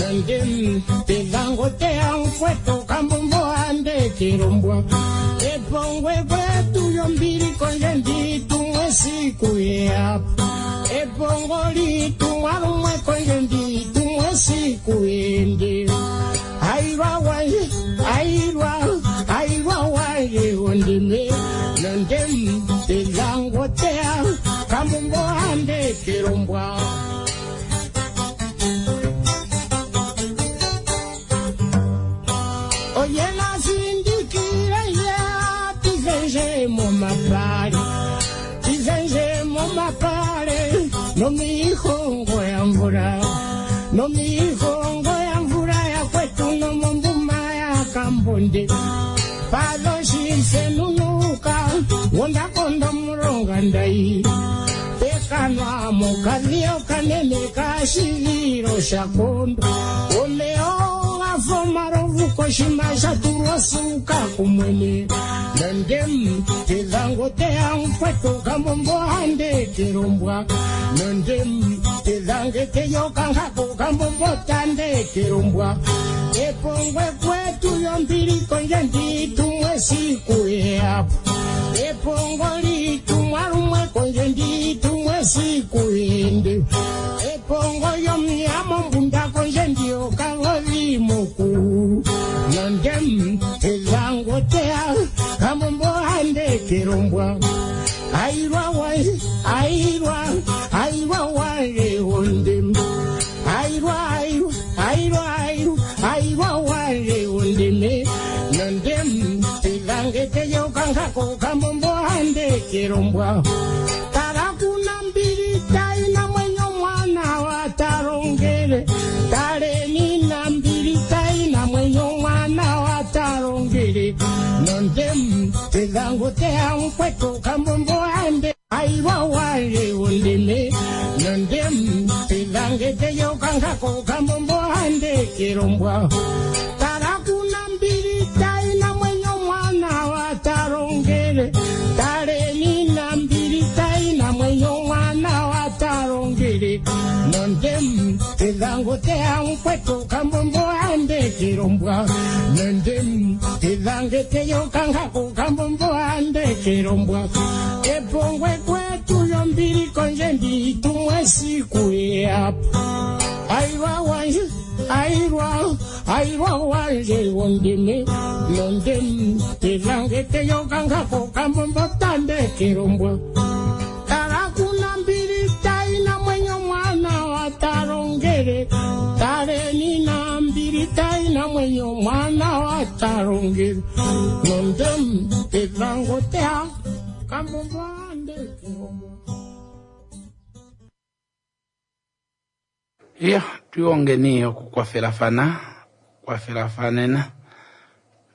nandem tezangotea nkweto kambombo ande kirombwa epongwe kwetu yombili konje nditumwe siku yeapo epongo litumwa lumwe konje nditumwe siku yende airwa wanje airwa airwa wanje ondime nandem tezangotea kambombo ande kirombwa. Oyena sindikire ya tizenje momapale tizenje momapale nomihongo ya mvula nomihongo ya mvula ya kwetu nomombuma ya kambonde padoshisenunuka wondakonda mulonga ndai pekanwa mokadhiyo kanene kashivilo shakondo omeya gafa omalovu koshima sha tulwa osuuka kumwene nandem tezangoteya nkweto kambombo hande kelombwa nandem tezange teyokankako kambombo tande kelombwa epongwe kwetu yombili konje nditumwe siku yeapo epongo litumwa lumwe konje nditumwe siku yende epongo yomnyamo mbunda konje ndiyo kagodhi mukulu nandem tezangotea kambombo hande kelombwa airwa wanje airwa airwa wanje ondem airwa airwa airwa airwa airwa wanje ondeme nandem tezange teyokankako kambombo hande kelombwa tarakuna mbili taina mwenyo mwana watarongele taleni na mbili taina mwenyo mwana watarongele nondem tezangotea nkweto kambombo hande airwa wanje ondeme nondem tezange teyokankako kambombo hande kelombwa tarakuna mbili taina mwenyo mwana watarongele taleni na mbili taina mwenyo mwana watarongele nondem tezangotea nkweto kambombo hande kelombwa nondem tezange teyokankako kambombo hande kelombwa epongwe kwetu yombili konje nditumwe siku yeapo airwa wanje airwa airwa wanje ondeme nondem tezange teyokankako kambombo tande kelombwa tarakuna mbili taina mwenyo mwana watarongele taleni na mbili taina mwenyo mwana watarongele nondem tezangotea kambombo ande kelombwa. Iya, tuongeni okukwafelafana kwafelafana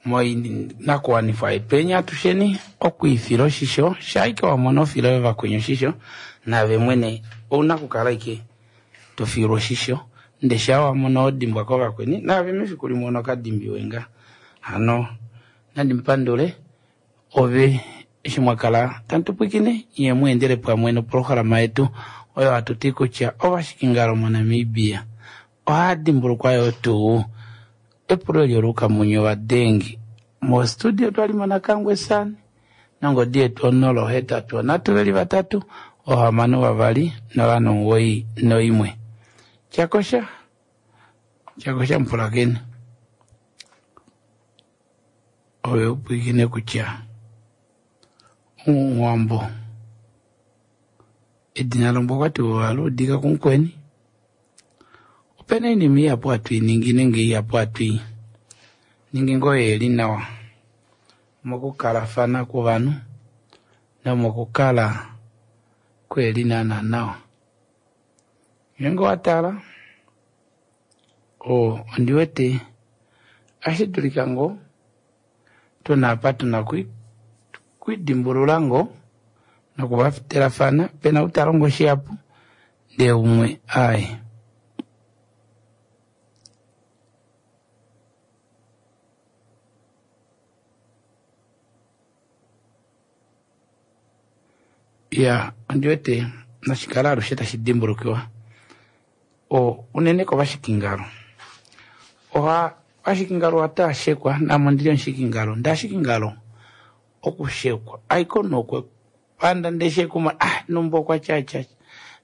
moinakuwanifwa yetweni atusheni okwiifila oshisho shaike wamona ofila yo vakweni oshisho nave mwene ouna kukala ike tofilwa oshisho nde sha wamona odimbwa kovakweni nave mefiku limwe onokadimbiwe nga hano nandimupandule ove eshi mwakala tantupwikine iye muendele pamwe noprograma yetu oyo hatuti kutya ovashikingalo moNamibia ohaya dimbulukwa yo tuu epulo lyolukamunyo vadengi mostudio twalimo nakangwe sani nongodi yetu onolo hetatu onatu veli vatatu ohamano vavali nola nomuwoi noimwe. Tyakosha tyakosha mupulakeni ove upwiikine kutya omuwambo edina lombwa okwati ohaluudika kumukweni. Opena oinima ihapu hatu iningi nenge ihapu hatu i ningi ngoo yeli nawa mokukalafana kwovanhu nomokukala kweli naana nawa. Ngeenge owatala o ondiwete ohashi dulika ngoo tuna apa tuna kwidimbulula ngoo nokuvafelafana pena ou talongo shihapu ndee umwe aaye. Ya ondiwete nashikala alushe tashi dimbulukiwa o unene kovashikingalo. Oha vashikingalo ohatashekwa name ondili omushikingalo ndashikingalo okushekwa aiko nokwe panda ndeshekuma ah numba okwa tyatya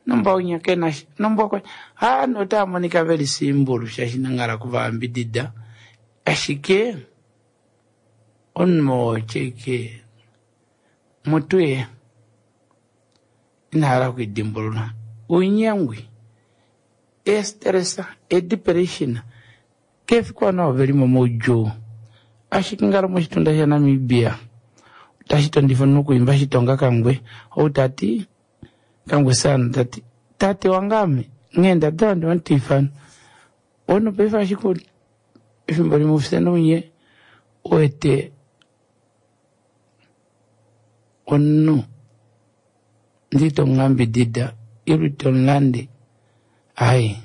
numba unya kenasha numba okwa ah notaamonika veli simbulu shaashi nanghala kuvayambidida ashike omunhu oo tyeke mutuye inahala okwidimbulula unyengwi estressa edepression kefiku ovanhu avo velimo moudjuu. Ashike ngalo moshitunda shaNamibia otashi tondifa omunhu okuimba shitonga kangwe ou tati kangwe sana tati tate wange ame nghee ndadala ndiwamutiifana omunhu paife ashike efimbo limwe ufye nounye uwete omunhu ndee tomuyambidida ile tomulande ai.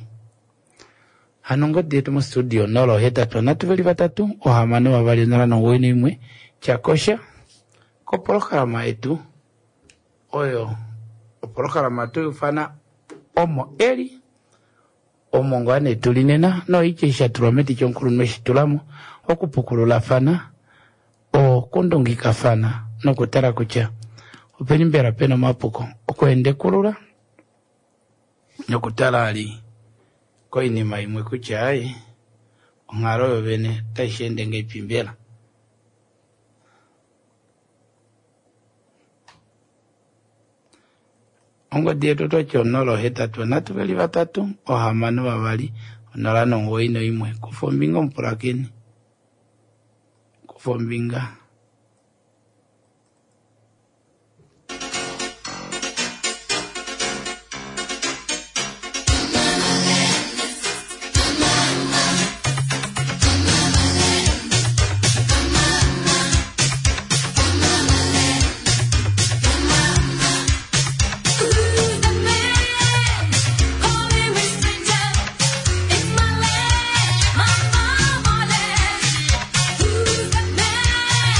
Hano ongodi yetu mostudio nola ohetatu nhatu veli vatatu ohamano vavali onola nomuwoi noimwe tyakosha kopolohalama yetu oyo opolohalama toyufana omo eli omo ngoo nee tuli nena noitya eshi shatulwa meti chomukulunhu eshitulamo okupukululafana okundungikafana nokutala kutya openi mbela pena omapuko okuendekulula nokutala ali koinima imwe kutya ai onghalo yo vene otashi ende ngahelipi mbela. Ongodi yetu otwati onola ohetatu nhatu veli vatatu ohamano vavali onola nomuwoi noimwe. Kufa ombinga omupulakeni, kufa ombinga. Who's the man?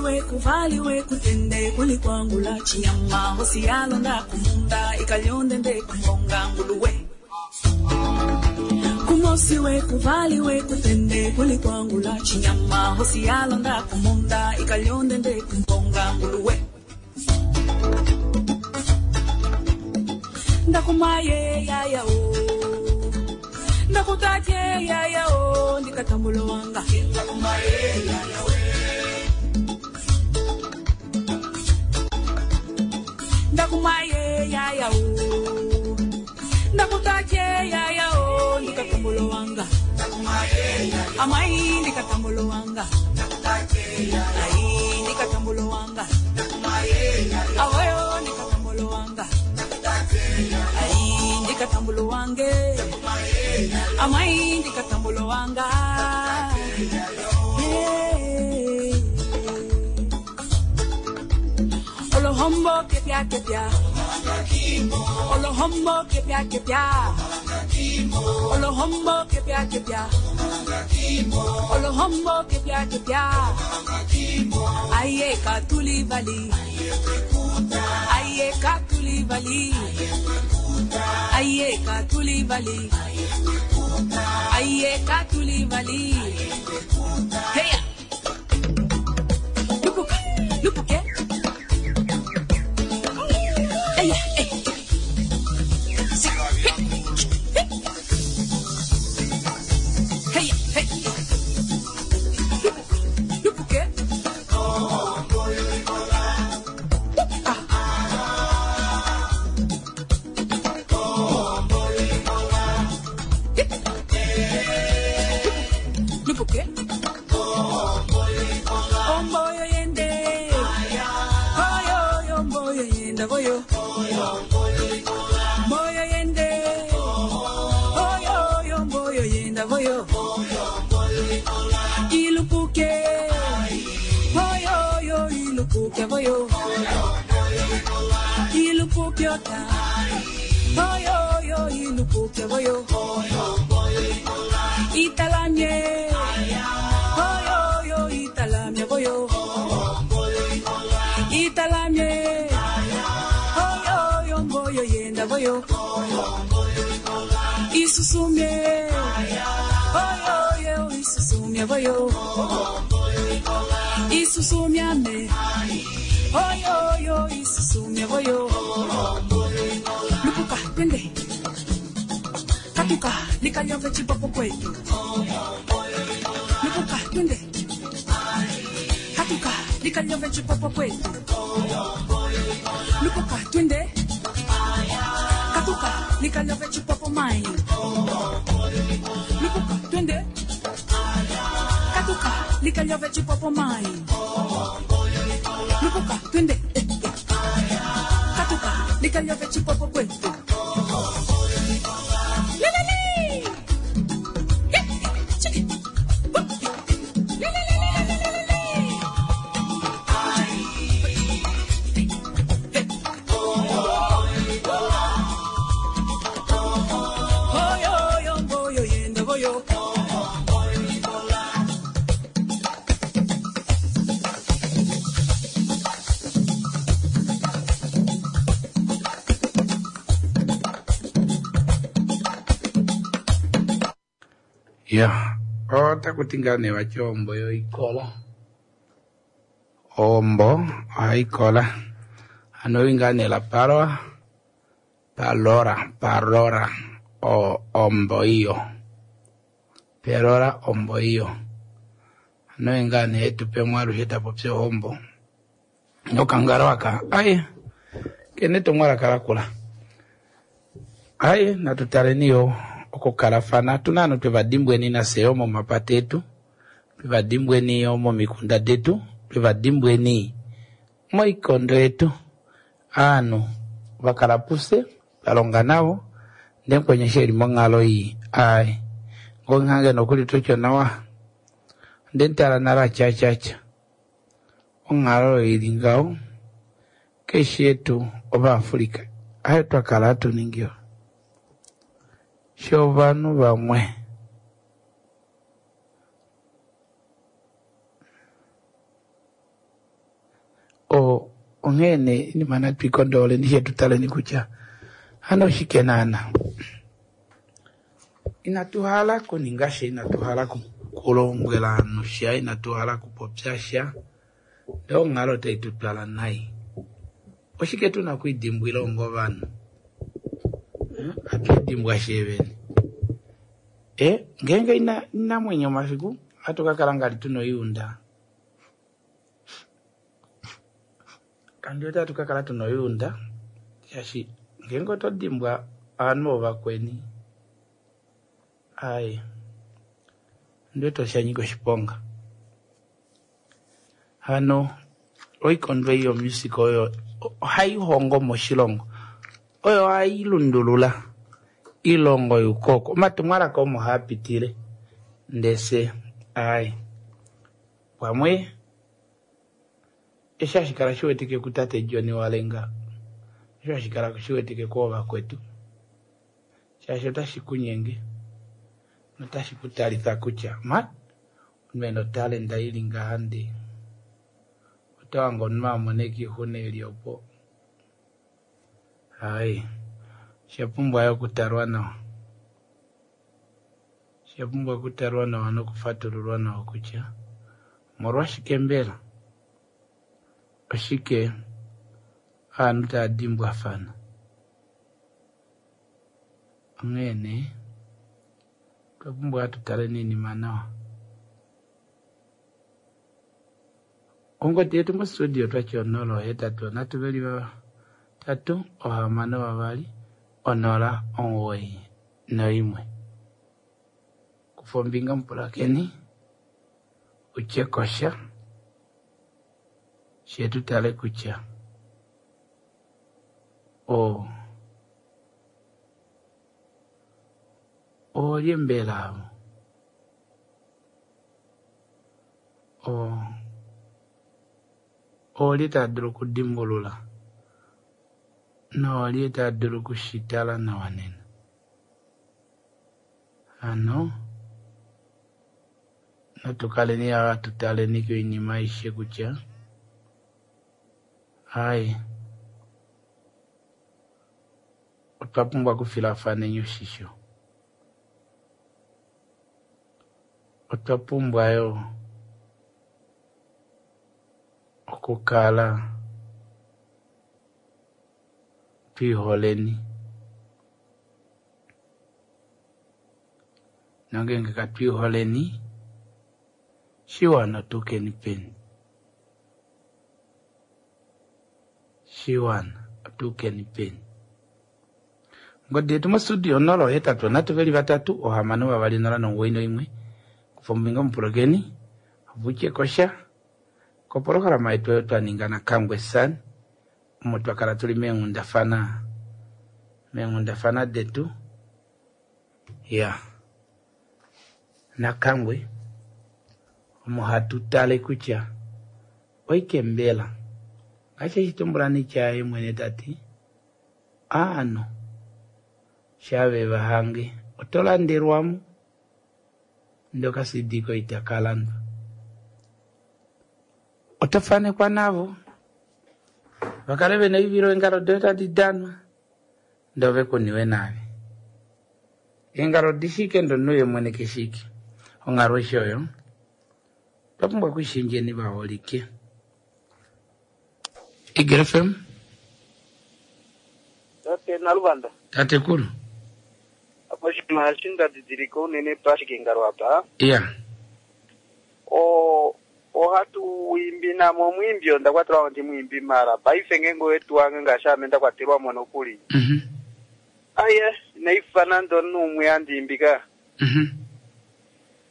Kumosiwe kuvaliwe kutende kulikwangula chinyama hosi yalonda kumunda ikalyondende kumbonga nguluwe Kumosiwe kuvaliwe kutende kulikwangula chinyama hosi yalonda kumunda ikalyondende kumbonga nguluwe Ndakumaye yaya o Ndakutate yaya o ndikatambulo wanga Ndakumaye yaya we Ndakumaye yaya o Ndakutache yaya o ndikatambulo wanga Amai ndikatambulo wanga Ai ndikatambulo wanga Awayo ndikatambulo wanga Ai ndikatambulo wange Amai ndikatambulo wanga Hey. Olohombo kepia kepia Olohombo kepia kepia Olohombo kepia kepia Olohombo kepia kepia Aye katuli vali Aye katuli vali Aye katuli vali Aye katuli vali Hey Lupuka lupuke Hey, hey. Hey, hey. Lupuke. Lupuke. Omboyo yende. Oyo, omboyo yenda boyo. Mboyo yende. Oyo, oyo, mboyo yenda boyo. Ilupuke. Oyo, oyo, ilupuke boyo. Ilupuke ota. Oyo, oyo, ilupuke boyo. Italamye. Oyo, oyo, italamye boyo. Italamye. Oyo, oyo, mboyo yenda boyo. Isusumye. Oyo, oyo, isusumye boyo. Isusumyame. Oyo, oyo, isusumye boyo. Lupuka, twende. Katuka, likanyove chipopo kwetu. Lupuka, twende. Katuka, likanyove chipopo kwetu. Lupuka, twende. Katuka, likanyove chipopo mai. Lupuka, twende. Katuka, likanyove chipopo mai. Lupuka, twende. Eh, eh. Katuka, likanyove chipopo kwetu. Lelele! Eh, chiki. Whoop. Lelelelelelelele. Oyo, oyo, mboyo, yenda, boyo. Ya, otakuti ngaa nee vati ombo yoikola. Ombo ohayi kola. Ano oyi ngaa nee la palwa, palora, palora, o ombo iyo. Pelora ombo iyo. Ano oyi ngaa nee etupemwe alushe tapopi ohombo. Nokangalo aka, aye, kene etumwalaka lakula. Aye, natu taleni yo okukalafana. Otuna ovanhu twevadimbweni nafye yo momapata etu, twevadimbweni yo momikunda detu, twevadimbweni moikondo yetu. Ovanhu vakala pufye, twalonga navo, ndee mukweni eshi eli monghalo ii, aye, ngoo nokuli totya nawa, onde mutala nale atya onghalo oyo ili ngaho, keshe yetu ovaAfrica ayo twakala hatu ningi shovanhu vamwe. Onghee nee inima natu ikondooleni she tu taleni kutya hano oshike naana. Inatu hala kuninga sha, inatu hala kulombwela ovanhu sha, inatu hala kupopya sha, ndee onghalo otai tu twala nai. Oshike tuna okwiidimbwila onga ovanhu? Hatu idibwa vene. E, ngeenge ina inamwenyo omafiku ohatu ka kala ngali tuna oiunda. Kandi wete hatu ka kala tuna oiunda, shaashi ngeenge oto dimbwa ovanhu ovakweni, ai ondi wete osha nyika oshiponga. Hano oikondo ei yomusic oyo ohai hongo moshilongo, oyo ohai lundulula ilongo yukoko omatumwalaka omo haa pitile ndese ai pamwe eshi hashi kala shiwetike kutate John Walenga, osho hashi kala shiwetike koovakwetu, shaashi otashi kunyenge notashi ku talitha kutya ma omunhu ena otalenda ili ngaha ndee oto hange omunhu amona ixuna eli opo. Ai osha pumbwa yo okutalwa nawa, osha pumbwa okutalwa nawa nokufatululwa nawa kutya omolwashike mbela oshike ovanhu tava dimbwafana. Onghee nee otwa pumbwa tu taleni oinima nawa. Ongodi yetu mostudio otwati onola ohetatu onhatu veli vatatu ohamano vavali onola omugoyi noimwe. Kufa ombinga mupulakeni utye kosha she tu tale kutya o oolye mbela avo o oolye tava dulu okudimbulula noolye tava dulu okushitala nawa nena. Hano natu kaleni hatu taleni koinima aishe kutya ai otwa pumbwa okufilafaneni oshisho, otwa pumbwa yo okukala twiiholeni nongenge katwiiholeni shiwana otukeni peni, shiwana otukeni peni. Ngodi yetu mostudio onola ohetatu onhatu veli vatatu ohamano vavali onola nomugoyi noimwe. Kufa ombinga mupulakeni ovutye kosha kopolohalama yetu oyo twa ninga naKangwe San, omo twa kala tuli meenghundafana meenghundafana detu ya naKangwe, omo hatu tale kutya oike mbela ngaashi eshi tumbula nitya mwene tati aanhu shave vahange oto landelwamo ndee oka-C D koye itaka landwa, oto fanekwa navo vakale vena oivilo eengalo doye tadi danwa ndee ove kuniwe naave. Eengalo odishike ndee omunhu ye mwene keshike. Onghalo aishe oyo otwa pumbwa okwishendjeni vaholike. Eagle F M. Tate Naluvanda. Tatekulu. Oshinima eshi nda didilika unene pashikengalo apa. Iya. O ohatu imbi namo omwiimbi onda kwatelwa ndi mwimbi mara paife ngeenge owetu wange ngaashi ame nda kwatelwa mo nokuli. Mhm. Aye, inaifa nande omunhu umwe handi ka. Mhm.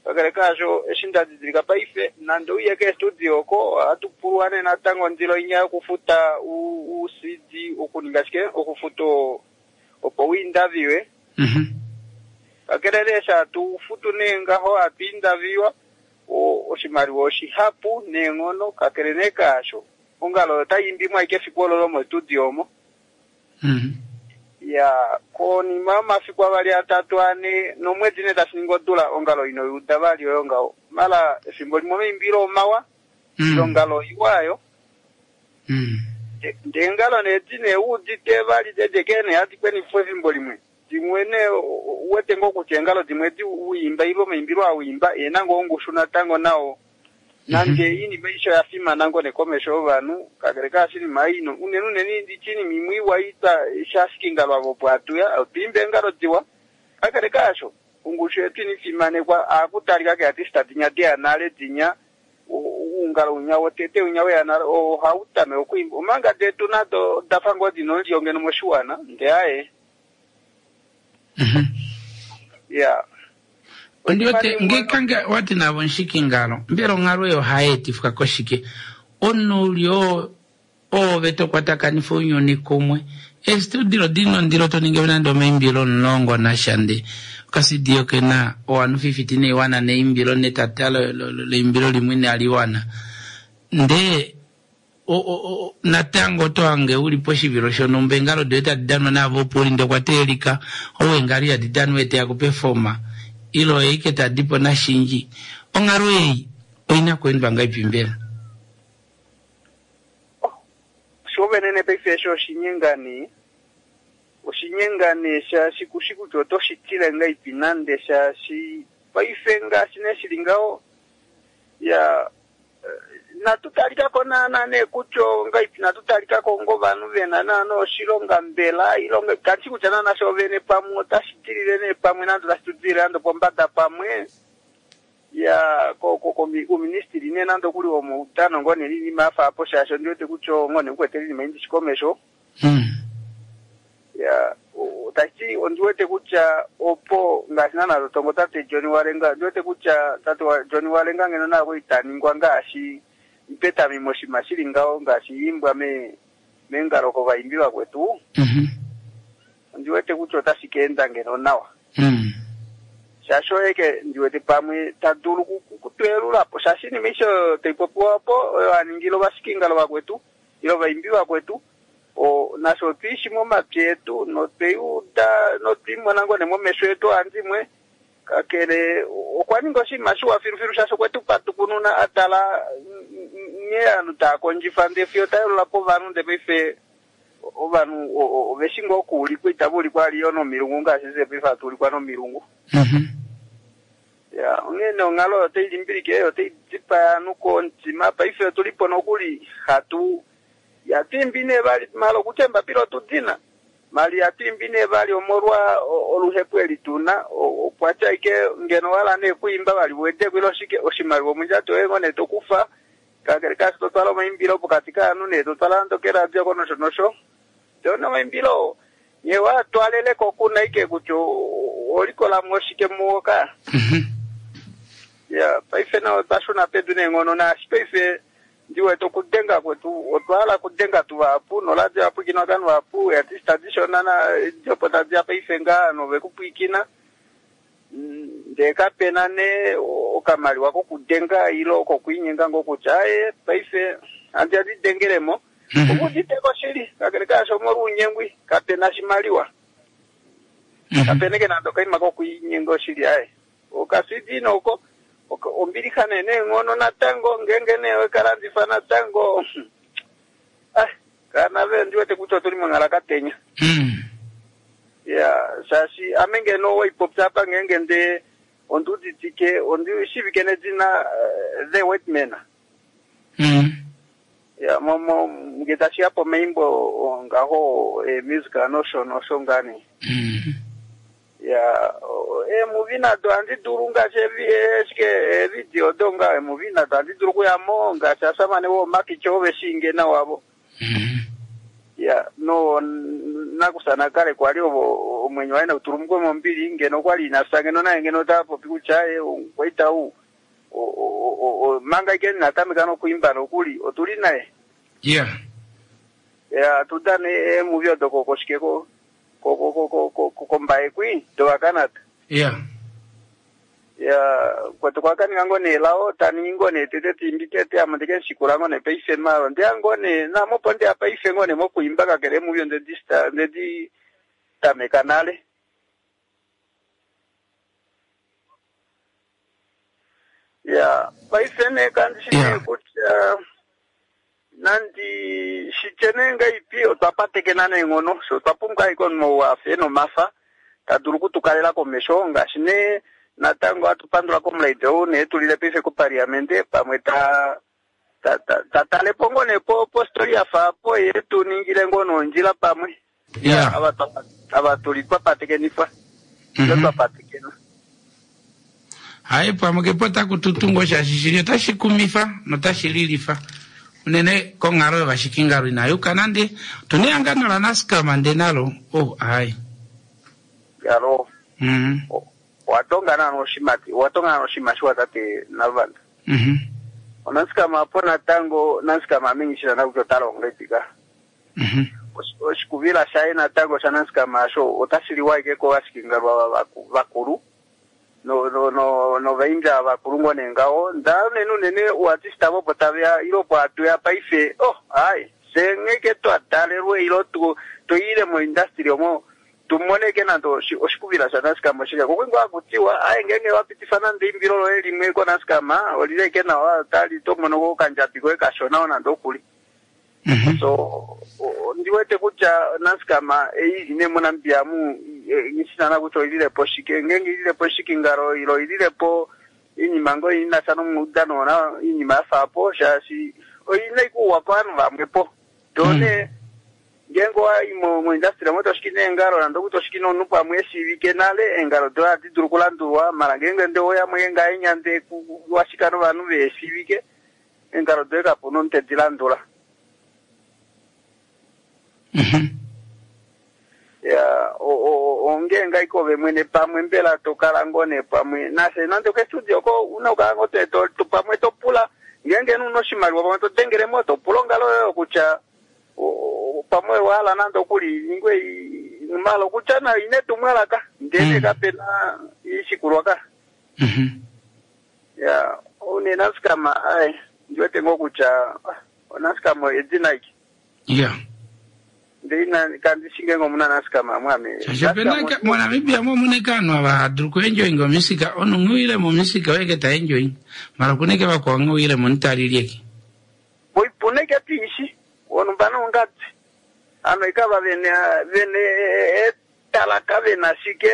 Kakele kaasho eshi nda didilika paife nande uye keestudio oko ohatu pulwa nee natango ondilo inya yokufuta u C D okuninga shike okufuta opo uindaviwe. Mhm. Kakele nee eshi hatu futu nee ngaho hatu indaviwa oshimaliwa oshihapu neenghono kakele nee kaasho ongalo otai imbimwa ashike efiku olo lomostudio omo. Mhm. Ya konima yomafiku avali atatu ane nomwedi nee tashi ningi odula ongalo ino yuda vali oyo ngaho mala efimbo limwe omaimbilo omawa Mm. ongalo iwayo. Mm. Ndengalo nee dine uudite vali dedeke nee hadi kwenifwa efimbo limwe. Dimwe nee uwete ngoo kutya eengalo dimwe di uimba ile omaimbilo auimba ena ngoo ongushu natango nao. Nande inima isho ya fimana ngoo nekomesho yovanhu kakele kaashinima ino unene unene ndichinima imwe iwa ita shashikingalo avo opo atuya otwiimba eengalo diwa kakele kaasho ongushu yetu inifimanekwa akutalika ke artista dinya deya nale dinya uungalo unya wotete unya weya nale ohautame okuimba omanga detu nado dafa ngoo dina ondjo ngeno moshiwana nde aye ya Ondiwete ngekange wati navo nshikingalo mbela onghalo eyo ohayeetifwa koshike omunhu oove tokwatakanifa ounyuni kumwe estudio dina ondilo toningi nande omaimbilo omulongo nasha nde okasidio kena o one fifty neiwana neimbilo netata leimbilo limwe inaliwana ndee natango oto hange uli poshivilo shonhumba eengalo doye tadi danwa naavo opo uli ndee okwa teelika ou eengalo ihadi danwa eteya kupefoma ile oye ike tadipo nashinji onghalo ei oina okweendwa ngahelipi mbela? Shovenene paife esho oshinyengani oshinyengani shaashi kushi kutya otoshitile ngahelipi nande shaashi paife ngaashi neshili ngaho ya natutalikako naana nee kutya ngahelipi natutalikako ngovanhu vena naana oshilonga mbela ilonga kandishi kutya naana shovene pamwe otashi dilile nee pamwe nande otashi tudilile nande pombada pamwe ya kuministry nee nande okuli womaudano ngoo nee inima yafa apo shaashi ondiwete kutya ngoo nee kukwete inima indishi komesho ya tashi ondiwete kutya opo ngaashi naana totongo tate John Walenga ondiwete kutya tate John Walenga ngeno naako itaningwa ngaashi mpetami moshima shili ngaho ngaashi imbwa me mengalo kovaimbi vakwetu ondiwete kutya otashi keenda ngeno nawa shaashi oyeke ndiwete pamwe tadulu kutwelulapo shaashi inima isho taipopiwa opo oyo aningile ovashikingalo vakwetu ile ovaimbi vakwetu o nasho otwiishi momapya etu notweiuda notwiimona ngoo nemomesho etu andimwe kakele okwa ninga oshinima shiwa filufilu shaashi okwetu patukununa atala nghee ovanhu taa kondjifa ndee fiyo tayelulapo ovanhu ndee paife ovanhu oveshi ngoo okuulikwa itava ulikwa aliyo nomilungu ngaashi se paife hatu ulikwa nomilungu. Ya onghee onghalo oyo otai limbilike otai dipaya ovanhu komutima paife otulipo nokuli hatu yatwimbi nee vali mala okutya embapila otudina mali yatwimbi nee vali omolwa oluhepo eli tuna okwatya ike ngeno wala nee kuimba vali wedeko ile oshike oshimaliwa omundjato yoye ngoo nee tokufa kakele kashi totwala omaimbilo pokati kaanhu nee totwala nande keradio ko nosho nosho ndee omaimbilo nye watwaleleko kuna ike kutya olikolamo oshike muwo ka ya paife nao otwashuna pedu neenghono naashi paife ndiwete okudenga kwetu otwahala kudenga tuvahapu noradio yapwikinwa kovanhu vahapu artista dishona diopo tadiya paife ngaa novekupwikina ndee kapena nee okamaliwa kokudenga ile kokwiinyenga ngoo kutya aye paife handi andidengelemo okuditeko shili kakele kaasho omolwa ounyengwi kapena shimaliwa kapena ike nande okaima kokwiinyenga oshili aye okasidi noko ombilixa nee neenghono natango ngeenge nee wekalandifa natango ah kanave ndiwete kutya otuli monghala katenya ya shaashi ame ngeno waipopya apa ngeenge nde ondiuditike ondishivike nedina The White Man ya momo nge tashiya pomaimbo ngaho musical nosho nosho ngani ya emuvi nado handi dulu ngaashi eshike eevidio do nga emuvi nado handi dulu okuyamo ngaashi asamane woomakicho oveshinge nawavo ya no nakusa kale kwali ovo omwenyo waye nautulumukwe mombili ngeno okwali inafya ngeno naye ngeno tapopi kutya aye okwaita u manga ike natameka nokuimba nokuli otuli naye yeah ya tudane emuvi odo kokoshike ko kombaye kwi dovakanata yeah ya kwetu kwakaninga ngoo nee lao taningi ngoo nee tete timbi tete ame ndike nshikula ngoo nee paife malo ndeya ngoo nee namopo ndeya paife ngoo nee mokuimba kakele emuvi ndedi tameka nale ya paife nee kandishi nee kutya Nandi shitye nee ngaipi otwa patekena neenghono so otwa pumbwa ashike omunhu ou afe nomafa ta dulu okutukalela komesho ngaashi nee natango hatu pandula komulaide ou nee tulile paife kopaliamente pamwe ta ta ta ta tale po ngoo nee po postori ya fa po ye tu ningile ngoo nondjila pamwe Yeah. ava twa- ava tuli twa patekenifwa mm twa patekena. Hai pamwe kepo taku tutungo shaashi shili otashi kumifa notashi lilifa unene konghalo yovashikingalo inayuka nande otuna ehangano laNascam nde nalo oh hai Yalo mhm owa tonga naana oshimati owa tonga naana oshinima shiwa tate Naluvanda. Mhm Onasikama apo natango Nasikama amenyishila nakutya ota longo epika. Mhm Oshikuvila shaye natango shaNasikama asho otashi liwa ashike kovashikingalwa vakulu no no no novainja vakulu ngoo nee ngaho nda unene unene uartista vopo taveya ilo opo hatuya paife oh hai fye ngheke twa talelwe ilo tu tuile moindustry omo tumoneke nande oshi- oshikuvila shaNascam oshike kokwingo hakutiwa aye ngenge wapitifa nande eimbilo loye limwe koNascam olileke nawa tali tomono ko okandjabi koye kashona nande okuli. So o- ndiwete kutya Nascam ei ine moNamibia mu ngishinana kutya oililepo shike ngenge ililepo shikingalo ilo ililepo iinima ngo inasha nomuudano na iinima yafapo shaashi oina ikuwa kovanhu vamwepo tone ngenge wayi mo moindustry omo toshiki neengalo nande okuti oshiki nomunhu pamwe eshiivike nale eengalo doye ohadi dulu okulandulwa mala ngenge nde oya ngahenya nde washika novanhu veeshiivike eengalo doye kapuna omunhu tedi landula. Ya onge ngaiko ove mwene pamwe mbela tokala ngoo nee pamwe nafye nande kestudio ko una okukala ngoo to- to- pamwe topula ngenge una oshimaliwa pamwe todengelemo topula ongalo yoyo kutya o- o- pamwe wahala nande okuli ningwe mala okutya nayo ine tumwalaka ndele kapena ishikulwa ka. Ya une Nasikama ai ndiwete ngoo kutya ah, Nasikama edina iki yeah ndeina kandishinge ngo muna Nasikama mwame shaashi opena ka- moNamibia mo mune kaanhu ava hadulu kuenjoyinga omusika omunhu nghiwile momusika oyeke ta enjoyinga mala kuneke vakwao nghiwile monitalilyeke puneke tiishi onumba nongati ano ikava vene vene etalaka vena shike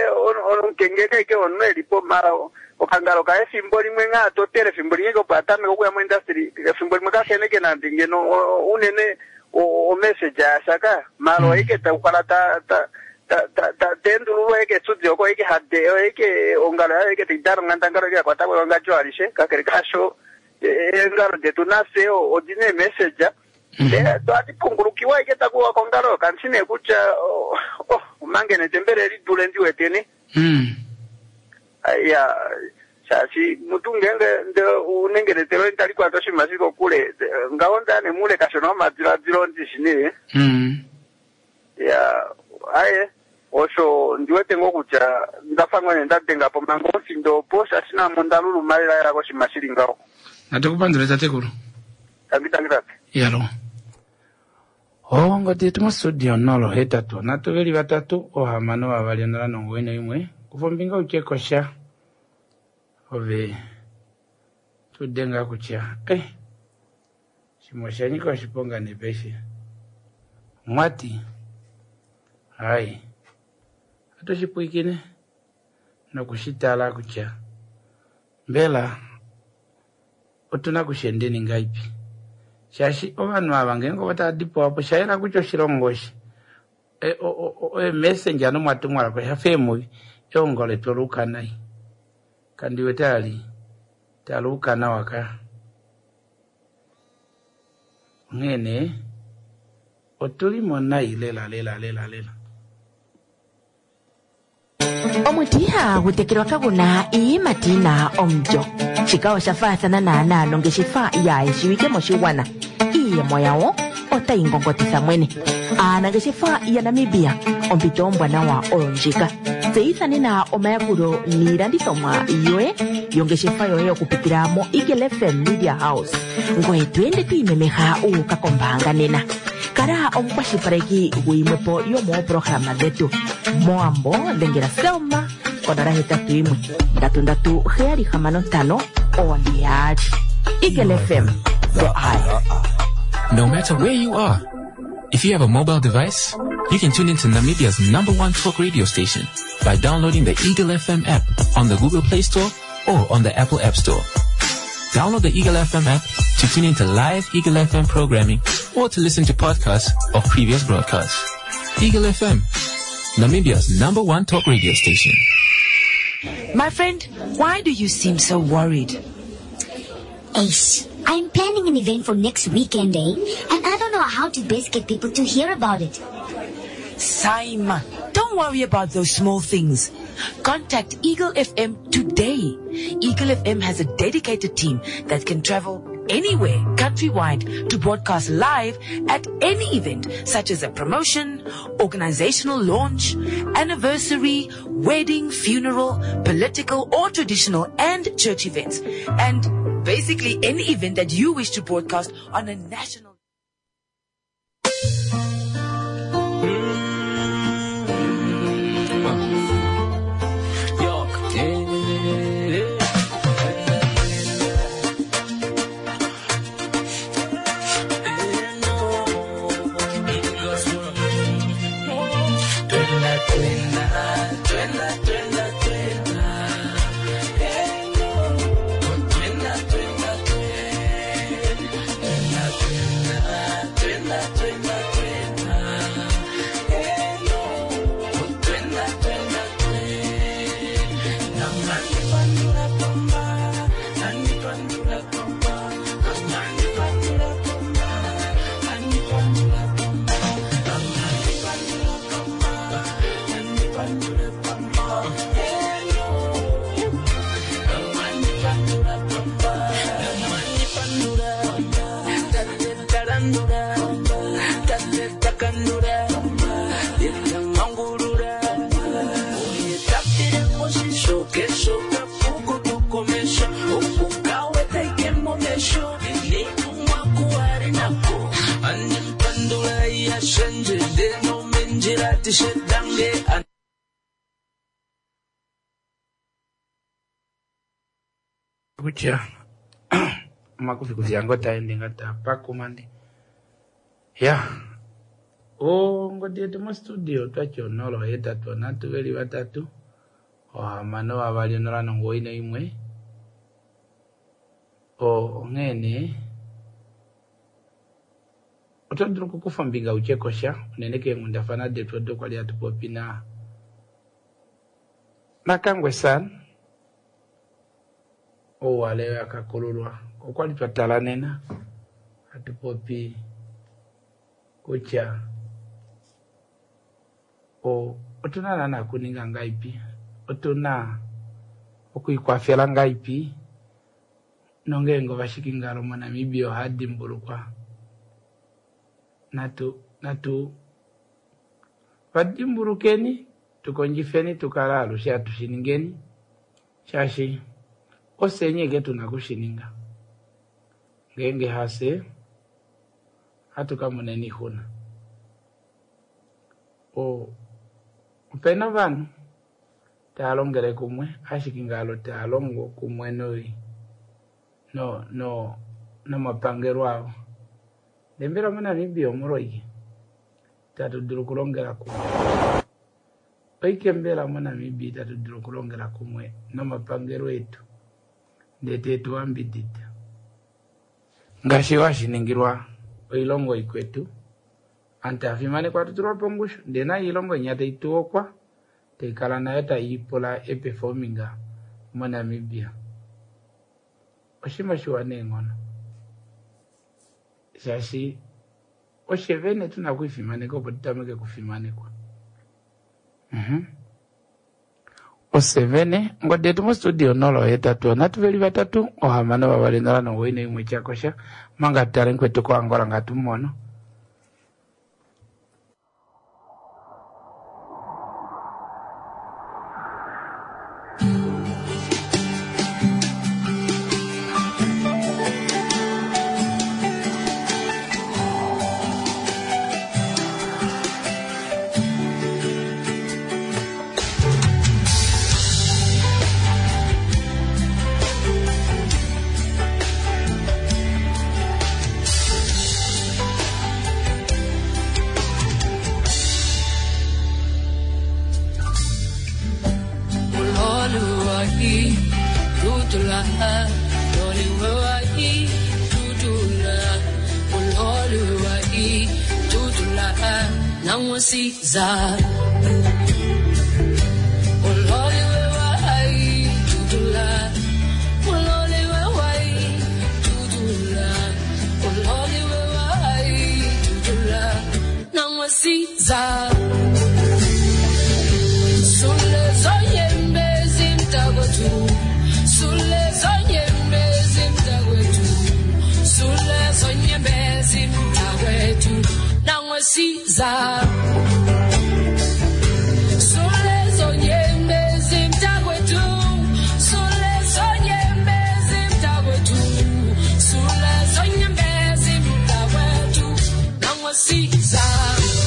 onkengeke ike omunhu elipo mala okangalo kaye efimbo limwe ngaa totele efimbo limwe opo atameke okuya moindustry efimbo limwe kakeneke nande ngeno o- unene omessage yashaka mala oike takukala ta ta ta ta ta tendululwa eke studio ko ike hade ike ongalo yayo ike taidana onghandangalo ike yakwata kwewangadjo alishe kakele kasho eengalo detu nafye odina eemessage twati pungulukiwa ike takuwa kongalo kandishi nee kutya oh, oh, omangene tembele lidule ndiweteni ya shaashi mutu ngenge nde unengenetelo tali kwata oshinima shili kokule ngaho ndane mule kashona omadiladilo ndishi nee ya aye osho ndiwete ngoo kutya ndafa ngoo nee ndadenga po manga omufindo opo shaashi namo ndaluluma lela koshinima shili ngaho. Natukupandule tatekulu. Tangi tangi tate. Yalo ongodi yetu mostudio nolo hetatu nhatu veli vatatu ohamano vavali onola nomugoyi noimwe kufa ombinga utye kosha ove tudenga kutya eh shimwe osha nyika oshiponga nepeshe mwati hai atoshipwikine nokushitala kutya mbela otuna kushendeni ngaipi shaashi ovanhu ava ngeenge otava dipawa po shayela kutya oshilongo eshi emessenger nomwatumwalaka oshafa eemuvi eongo letu oluuka nai kandiwete ali taluuka nawa ka onghee nee otulimo nai lela lela lela lela. Omuti ihagu tekelwa kaguna iiyimati yina omulyo. Shika osha faathana naanaa nongeshefa yaayeshiwike moshigwana. Iiyemo yawo otayi ngongotitha mwene. Aanangeshefa yaNamibia, ompito ombwanawa oyo ndjika. Tseyitha nena omayakulo niilandithomwa yoye yongeshefa yoye okupitila mo Eagle F M Media House. Ngoye to ende to imemeha uuka kombaanga nena. Kala omukwashilipaleki guyimwepo yomoopolohalama dhetu. Moambo dhengela Selma konola hetatu yimwe ndatu ndatu heyali hamano ntano one yaali. Eagle F M, the eye. No matter where you are, if you have a mobile device, you can tune into Namibia's number one talk radio station by downloading the Eagle F M app on the Google Play Store or on the Apple App Store. Download the Eagle F M app to tune into live Eagle F M programming or to listen to podcasts of previous broadcasts. Eagle F M, Namibia's number one talk radio station. My friend, why do you seem so worried? Ace, I'm planning an event for next weekend, eh? And I don't know how to best get people to hear about it. Saima, don't worry about those small things. Contact Eagle F M today. Eagle F M has a dedicated team that can travel anywhere countrywide to broadcast live at any event, such as a promotion, organizational launch, anniversary, wedding, funeral, political or traditional and church events, and basically any event that you wish to broadcast on a national. Kutya omakufikufi yango taende nga tapakumande ya ongodi yetu mostudio twatya onola ohetatu onhatu veli vatatu ohamano vavali onola nongoyi noimwe onghee nee oto dulu okukufa ombinga utye kosha unene keenghundafana detu odo kwali hatu popi na Nakangwe San ouwale akakululwa okwali twatala nena hatu popi kutya o otuna naana kuninga ngaipi, otuna okuikwafela ngaipi nongeenge ovashikingalo moNamibia ohadimbulukwa natu natu vadimbulukeni tukondjifeni tukala alushe hatushiningeni shaashi osenye ke tuna kushininga ngeenge hase hatukamoneni ixuna. O opena ovanhu tava longele kumwe ashike ngalo tava longo kumwe noi no no nomapangelo avo. Ndele mbela moNamibia omolwoike itatu dulu okulongela kumwe? Oike mbela moNamibia itatu dulu okulongela kumwe nomapangelo etu ndele tetu ambidida ngaashi washiningilwa oilongo ikwetu antu tafimanekwa tutulwa pongushu ndele na iilongo inya taituokwa taikala nayo taiipula eperforminga moNamibia. Oshinima shiwa neenghono shaashi oshevene tuna okuifimaneka opo tutameke okufimanekwa. Mhm. Osevene ngodi yetu mostudio onola ohetatu onhatu veli vatatu ohamano vavali onola nongoyi noimwe tyakosha manga tutale nkwetu koAngola ngatumono. tutula loliwe wa tutula uloliwe wa tutula nangwasiza uloliwe wa tutula uloliwe wa tutula uloliwe wa tutula nangwasiza Nangwasiza Sulezo nyembezi mtakwethu Sulezo nyembezi mtakwethu Sulezo nyembezi mtakwethu Nangwasiza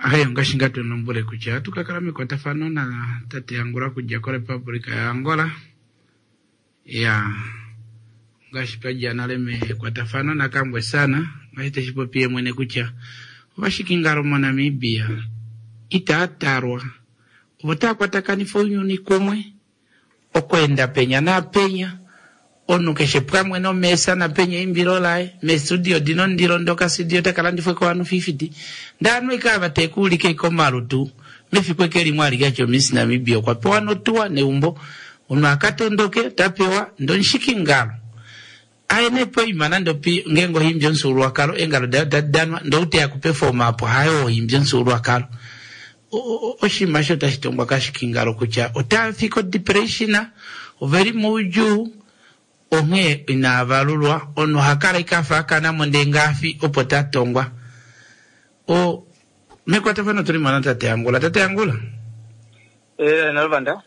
Ayo ngashi nga tunombole kutya tukakala mekwatafano na tate Angola kudja koRepublika ya Angola. Ya ngashi twadja nale mekwatafano na kambwe sana ngashi teshipopie mwene kutya ovashikingalo moNamibia itatarwa ovo taakwatakanifwa ounyuni kumwe okwenda penya napenya onu keshe pamwe nomesa napenya imbilo laye mestudio dino ndilo ndoka studio takalandifwe ko anu fifty ndanu ikava tekuulike ikomalutu mefiku eke limwe alikacho Miss Namibia okwa pewa notuwa neumbo ono akatondoke tapewa ndonshikingalo aene poima nando pi ngengo himbyo nsulwakalo engalo dadanwa ndouteya kupefoma apo hayo himbyo nsulwakalo oshima sho tashitongwa kashikingalo kutya otafika depression oveli muudjuu onghee inaavalulwa ono hakala ikafa akanamo ndee ngaafi opo tatongwa. O mekwatafano tuli mwana tate Angola. Tate Angola eh nalvanda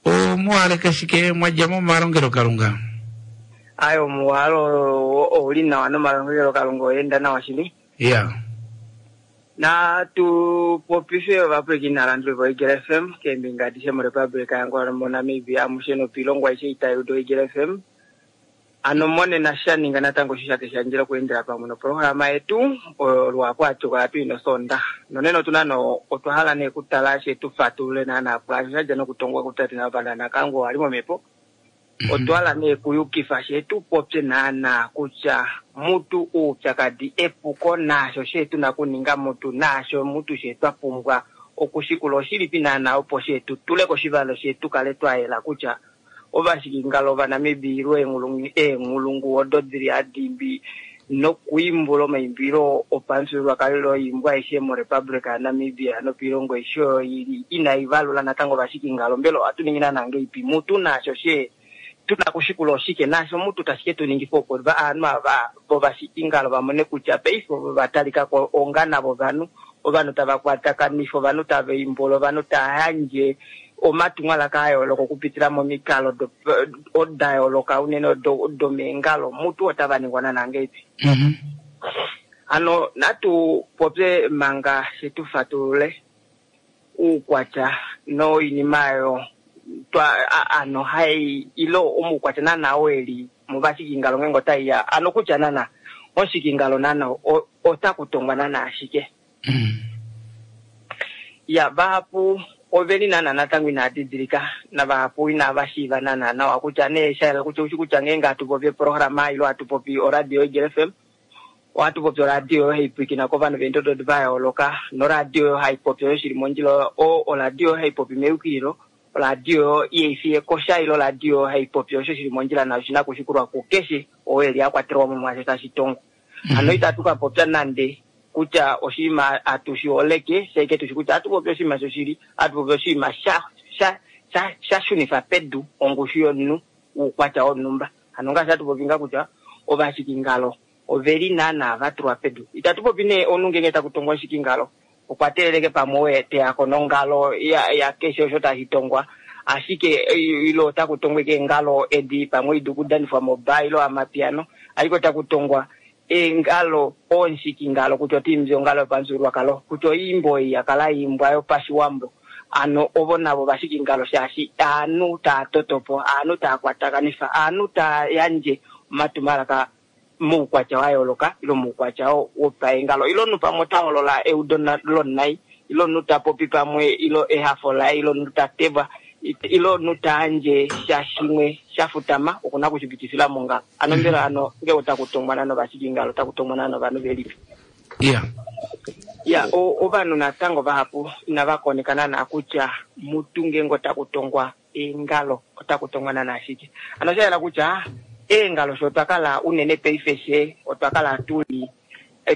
o muwaleka shike mwadja momalongelo kalunga? Ayo muwalo ouli nawa nomalongelo kalunga oyenda nawa shili. Yeah. Na tupopife ovapwilikini nalanduli vo Eagle F M keembinga adishe moRepublika yaAngola moNamibia amushe nopilongwa aishe itayuda Eagle F M. Ano monena shaninga natango shishate shandjela okuendela pamwe noprograma yetu olwapo atuka tuina osonda. Nonena otuna no otwa hala nee kutala shetu fatulule naana pwaasho shadja nokutongwa kutate navanda nakango ali momhepo. Otwa hala nee kuyukifa shetu popye naana kutya mutu oupyakadi epuko naasho shetu nakuninga mutu naasho mutu shetu apumbwa okushikula oshilipi naana opo shetu tule koshivalo shetu kale twayela kutya ovashikingalo ovanamibia eenghulungu odo dili adimbi Nokuimbula omaimbilo opamufyuululwakalo loimbwa aishe moRepublic yaNamibia nopiilongo aishe oyo ili inai valula natango ovashikingalo. Mbela ohatu ningi naana ngeipi mutu naasho she tuna kushikula oshike naasho mutu tashi ke tu ningifa opo ovanhu ava vovashikingalo vamone kutya paife ovo va talika ko onga navo ovanhu, ovanhu tava kwatakanifa, ovanhu tava imbula, ovanhu tava yandje omatumwalaka a yooloka okupitila momikalo do- da yooloka unene do- domeengalo mutu otava ningwa naana ngeipi. Ano natu popye manga shetu fatulule uukwatya noinima ayo twa a- ano hai ilo omuukwatya naana oo eli muvashikingalo ngeenge otaiya ano kutya naana omushikingalo naana o- otakutongwa naana ashike. Ya vahapu oveli naana natango inaa didilika navahapu inava shiiva naana nawa kutya nee shayela kutya ushi kutya ngeenge hatu popi eprograma ilo hatu popi oradio Eagle F M ohatu popi oradio oyo hai pwiikina kovanhu veendodo va yooloka noradio oyo hai popi oyo shili mondjila o oradio oyo hai popi meyukililo oradio oyo ihaifi ekosha ilo oradio oyo hai popi osho shili mondjila nayo shina kushikulwa kukeshe oo eli a kwatelwa mo mwaasho tashi tongwa. Ano itatu ka popya nande kutya oshinima atushi holeke shaike tushi kutya atu popi oshinima shoshili, atu popi oshinima sha sha sha sha shunifa pedu ongushu yomunhu uukwatya wonhumba. Ano ngaashi atu popi nga kutya ovashikingalo oveli naana va tulwa pedu. Itatu popi nee omunhu ngeenge taku tongwa oshikingalo okwa teeleleke pamwe oye teyako nongalo ya, ya keshe osho tashi tongwa, ashike ilo otaku tongwa eke engalo edi pamwe idu kudanifwa moba ilo amapiano, ashike otaku tongwa engalo onshikingalo kutya otiimbi ongalo yopamufyuululwakalo kutya oimbo ei yakala imbwa yopashiwambo. Ano ovo navo vashikingalo shaashi aanhu taa totopo, aanhu taa kwatakanifa, aanhu taa yandje omatumwalaka moukwatya wa yooloka ilo moukwatya wopaengalo ilo omunhu pamwe ota holola eudo lonai ilo omunhu ta popi pamwe ilo ehafo laye ilo omunhu ta teva ilo omunhu ta yandje sha shimwe sha futama okuna kushipitifila mongalo. Ano mbela ano ngee otaku tongwa nano vashikingalo otaku tongwa nano ovanhu velipi. Yeah. Ya ovanhu natango vahapu inava koneka naana kutya mutu ngeenge otaku tongwa eengalo otaku tongwa naana ashike. Ano sha yela kutya eengalo sho otwa kala unene paife she otwa kala tuli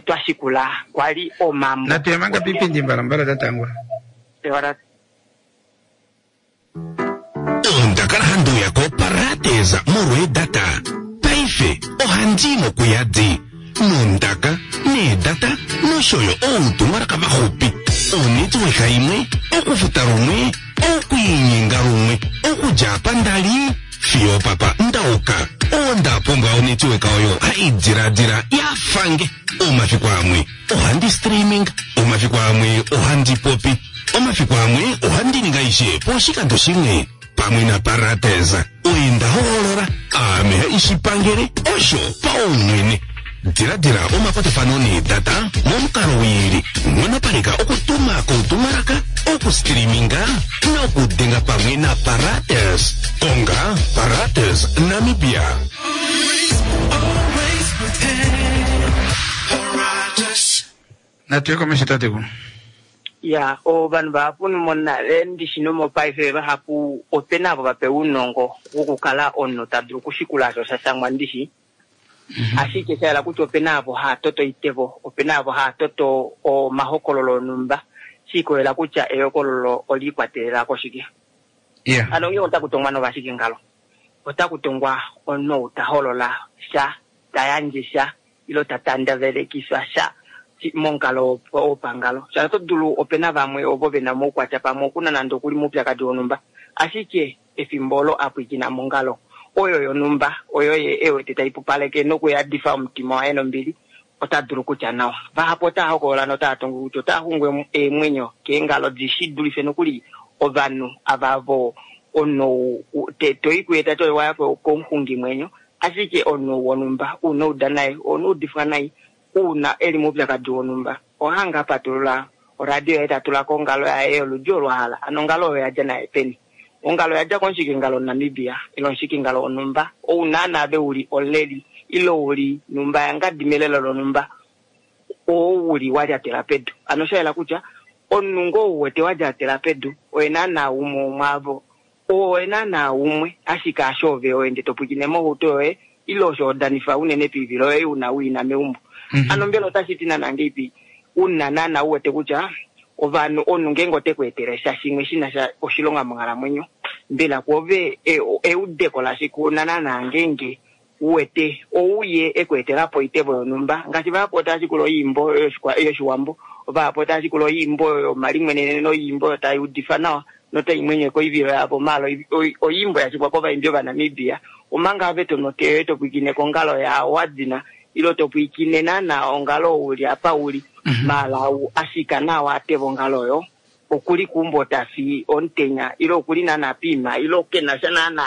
twa shikula kwali omambo. Natuyamanga pipindi mbalambala tatangwa. Ondakala handuya ko parateza molwedata paife ohandi mokuyadi nondaka needata noshoyo outumwalaka vaxupi onetiweka imwe okufuta lumwe okwiinyenga lumwe okudja apa ndali fiyo papa ndauka onda pumbwa onetiweka oyo haidiladila yafange. Omafiku amwe ohandi streaming, omafiku amwe ohandi popi, omafiku amwe ohandi ninga ishe poshikando shimwe pamwe na Parateza oinda hoolola ame ishipangele osho paumwene. Diladila omakwatafano needata momukalo wiili monopaleka okutuma koutumwalaka okustreaminga nokudenga pamwe na Parates. Konga Parates Namibia. Natuye komesho tateku. Ya ovanhu vahapu monale ndishino mopaife vahapu opena avo vapewa ounongo wokukala omunhu ta dulu okushikula osho sha shangwa ndishi. Ashike shayela kutya opena avo haa toto oitevo, opena avo haa toto omahokololo onhumba shiikolela kutya ehokololo oliikwatelela koshike. Yeah. Ano ngee otaku tongwa novashikingalo otaku tongwa omunhu ta holola sha, ta yandje sha ilo ta tandavelekifa sha momukalo wopangalo. Sha oto dulu opena vamwe ovo vena omaukwatya pamwe okuna nande okuli moupyakadi wonhumba, ashike efimbo olo apwiikina mongalo oyo yonhumba oyo ye ewete tai pupaleke nokuyadifa omutima waye nombili ota dulu kutya nawa. Vahapu otaa hokolola notaa tongo kutya otaa xungwe eemwenyo keengalo dishi dulife nokuli ovanhu ava vo omunhu toi kuye tati waya komuxungimwenyo, ashike omunhu wonhumba una uda naye ouna udifwa nai una eli moupyakadi wonhumba ohanga patulula oradio yaye tatula kongalo yaye yoludi olo a hala. Ano ongalo oyo yadja naye peni? Ongalo yadja komushikingalo Namibia ilo omushikingalo wonhumba ou naana ave uli oleli ilo uli numba yangadi melelo lonhumba oo uli walyatela pedu. Ano sha yela kutya omunhu ngoo ou wete walyatela pedu oye naana umwe womwaavo, oye naana umwe ashike asho ove oende to pwiikine mohauto yoye ile osho hodanifa unene piivilo yoye una uina meumbo. Ano mbela otashi ti naana ngeipi una naana u wete kutya ovanhu omunhu ngeenge ote ku etele sha shimwe shina sha oshilonga monghalamwenyo, mbela kwoove eudeko lashike una naana ngeenge uwete ouye e ku etela po oitevo yonhumba ngaashi vahapu otava shikula oyiimbo yoshiwambo, vahapu otava shikula oyiimbo yomalimweneneno noyiimbo oyo tai udifa nawa notai mwenyeke oivilo yavo, maala oyiimbo yashikwa kovaimbi Ovanamibia, omanga ove tono oteyo yoye topwiikine kongalo yaawadina ile topwiikine naana ongalo uli apa uli, maala ashika nawa ateva ongalo oyo okuli keumbo tafi omutenya ile okuli naana piima ile kena sha naana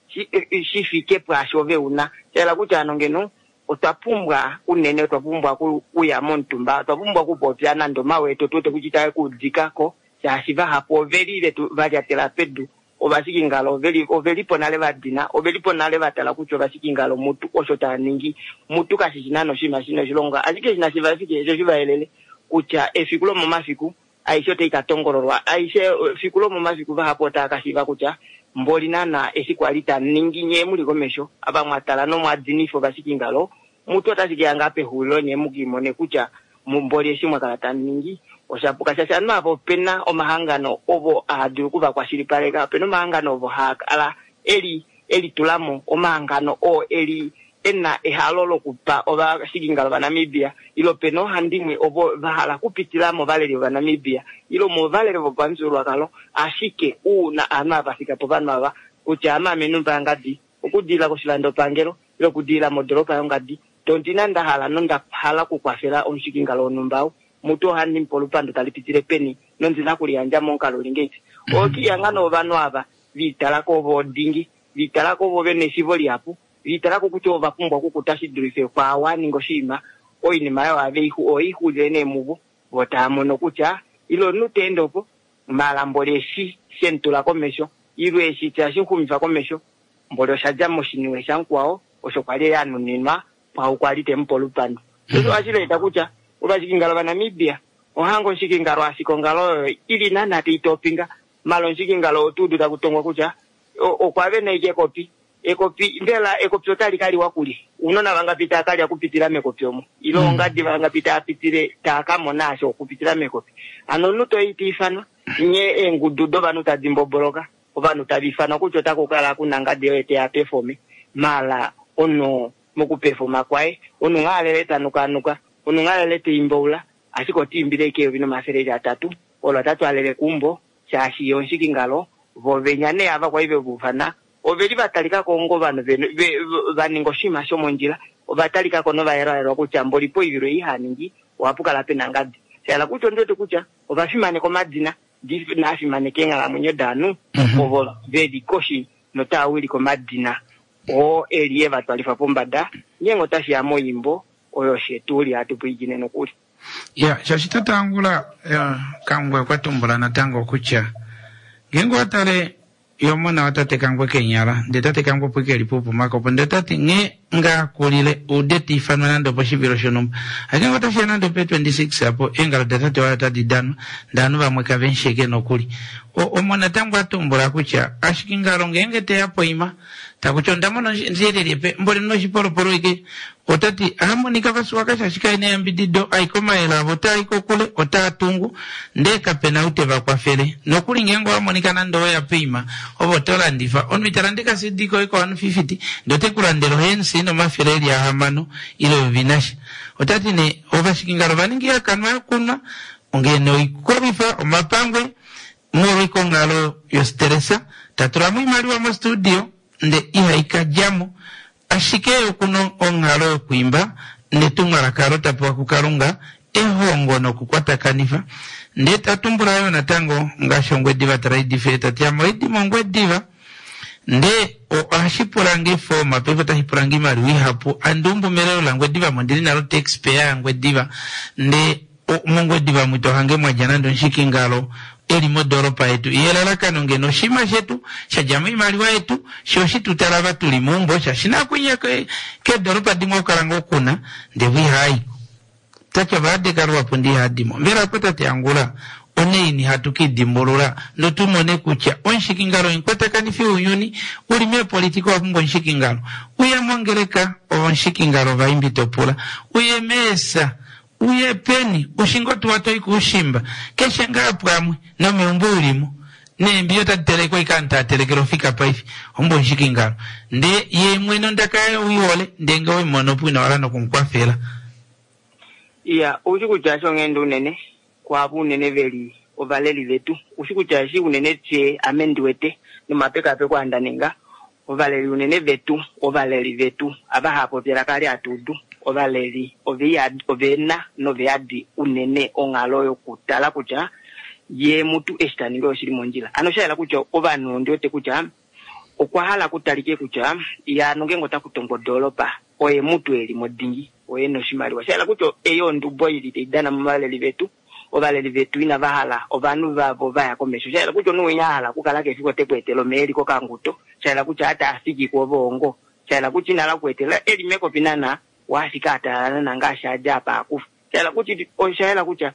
shi fike pwaasho ove una. Shahala kutya ano ngeno otwa pumbwa unene otwa pumbwa okuya momutumba, otwa pumbwa okupopya nande omawi etu otu wete kutya itae kuudikako shaashi vahapu oveli vetu valyatela pedu, ovashikingalo ovelipo nale vadina, ovelipo nale vatala kutya ovashikingalo mutu osho taaningi mutu kashishi naana oshinima shina oshilonga, ashike eshi nashi vafike sho shivayelele kutya efiku lomomafiku aishe otai katongololwa, aishe efiku lomomafiku vahapu otava kashiiva kutya mboli naana eshi kwali taningi nyee muli komesho ava mwatala nomwadinifa ovashikingalo mutu otashi keya ngaa pexulilo nyee mukiimone kutya mboli eshi mwakala tamuningi oshapuka shaashi ovanhu ava opena omahangano ovo haadulu okuvakwashilipaleka, opena omahangano ovo haakala eli elitulamo, omahangano oo eli ena ehalo lokupa ovashikingalo vaNamibia ile opena oohandimwe ovo vahala okupitila movaleli vovanamibia ile movaleli vopamufyuululwakalo, ashike uuna ovanhu ava vafika povanhu ava kutya ame ame numba yangadi okudilila koshilandopangelo ile okudilila modoropa yongadi tondina ndahala nondahala okukwafela omushikingalo wonhumba ou mutu ohandi mupe olupandu tali pitile peni nondina okuliyandja momukalo uli ngeipi. Okiiyanga novanhu ava viitalako ovo dingi, viitalako ovo vena eshiivo lihapu, viitalako kutya ova pumbwa okukuta shi dulife kwaa aninga oshinima, oinima oyo ohaixuulile nee muvo vo tava mono kutya ile omunhu teende opo maala mboli eshi shemutula komesho ile eshi tashimuxumifa komesho mboli oshadja moshiniwe shamukwao osho kwali anuninwa kwau kwali temupe olupandu. Osho ohashi eta kutya ovashikingalo vaNamibia ohanga omushikingalo ashika ongalo oyo ili naana taitopinga maala omushikingalo otuudu taku tongwa kutya okwa vena ashike ekopi ekopi mbela ekopi otali kaliwa kulye ounona vangapi tava kalya okupitila mekopi omo ile ongadi vangapi tava pitile tava kamona asho okupitila mekopi. Hano omunhu toi tiifanwa nye eengudu dovanhu tadi mboboloka ovanhu tava ifanwa kutya otaku kala kuna ngadi oye teya pefome maala omunhu mokupefoma kwaye omunhu ngaalele tanukanuka omunhu ngaalele taimbaula ashike otiimbile ashike eyovi nomafele atatu olo otatwaalele keumbo shaashi ye omushikingalo vo venya nee ava kwali vemuufana oveli vatalikako onga ovanhu vaninga oshinima shomondjila, ovatalikako novayelwayelwa kutya mboli poivilo ei haningi ohapu kala pena ngadi. Shahala kutya ondiwete kutya ovafimaneka omadina naafimaneka eenghalamwenyo dovanhu ovo veli koshi notava wilike omadina oo eli evatwalifa pombada ngeenge otashiya moimbo oyo shetuli hatu pwiikine nokuli. Ya, shaashi tate Angula Kangwe okwa tumbula natango kutya ngeenge owatale ye omona watate Kangwe kenyala ndee tate Kangwe opo ike elipo pumakopo ndee tati nghee ngaa kulile ude tiifanwa nande oposhivilo shonhumba ashike ngee otashiya nande ope twenty-six apo eengalo datate waye otadi danwa ndee ovanhu vamwe kavemusheke nokuli. Omo natango atumbula kutya ashike ngalo ngeenge teya poima takuti onda mona ndiyelele mboli noshipolopolo ike otati ahamonika vasuwaka shaashi kaina eyambidido aike omayele avo otaai kokule otaa tungu ndee kapena ou teva kwafele nokuli ngeenge owamonika nande oweya poima ove oto landifa omunhu ita lande ka C D koye ko one fifty ndee ote kulandele ohensi nomafele eli ahamano ile eyovi nasha. Otati nee ovashikingalo ovaningi ihakanwa yokunwa ongeene oikolwifa omapangwe molwa onghalo yostressa tatulamo oimaliwa mostudio nde ihaikadjamo ashike okuna onghalo yokwiimba netumwalaka olo tapewa kuKalunga ehongo nokukwatakanifa ndee tatumbula yo natango ngaashi Ongwediva Trade tati ame oidi mOngwediva ndee ohashi pulange efoma paife otashi pulange oimaliwa ihapu andiumbu melelo laNgwediva mo ndili nalo taxpayer yaNgwediva ndee mOngwediva mwito ohange mwadja nande omushikingalo eli modoropa yetu ye elalakano ngeno oshinima shetu shadja moimaliwa yetu sho oshitutala va tuli meumbo shaashi nakunya keedoropa dimwe okukala ngoo kuna ndee vo ihaayiko tati ovaadeka luhapu ndi ihadimo. Mbela apo tate Angula Oneini hatu kidimbulula notumone kutya omushikingalo omukwatakanifo wounyuni uli meepolitika owa pumbwa omushikingalo uye mongeleka omushikingalo vaimbi topula uye meesa uye peni ushingo tuwa toi kuushimba keshe ngaa pwamwe nomeumbo ulimo neembiya otadi telekwa ika atelekela ofika paife ombo omushikingalo nde ye mwene ondaka yaye uihole ndee nge weimona opo ina wala nokumukwafela. Iya, ushi kutya shonghenda unene kwaavo unene veli ovaleli vetu ushi kutya eshi unene tye ame ndiwete nomapekapeko andaninga ovaleli unene vetu ovaleli vetu ava haapopi elaka ali atuudu ovaleli ovena noveyadi unene onghalo yokutala kutya ye mutu eshi taningi oshili mondjila. Ano shayela kutya ovanhu ondiwete kutya okwa hala kutalike kutya ya nongenge otakutongwa odoolopa oye mutu eli modingi oye noshimaliwa shayela kutya eyo ondubo ili taidana movaleli vetu ovaleli vetu inava hala ovanhu vavo vaya komesho shayela kutya omunhu winya ahala okukala kefiko ote ku etela omeya eli kokanguto shayela kutya ata afiki kuove ongo shayela kutya inala kuetela eli mekopi nana waafika atalala nangaashi adja apa akufa shayela kutya oshayela kutya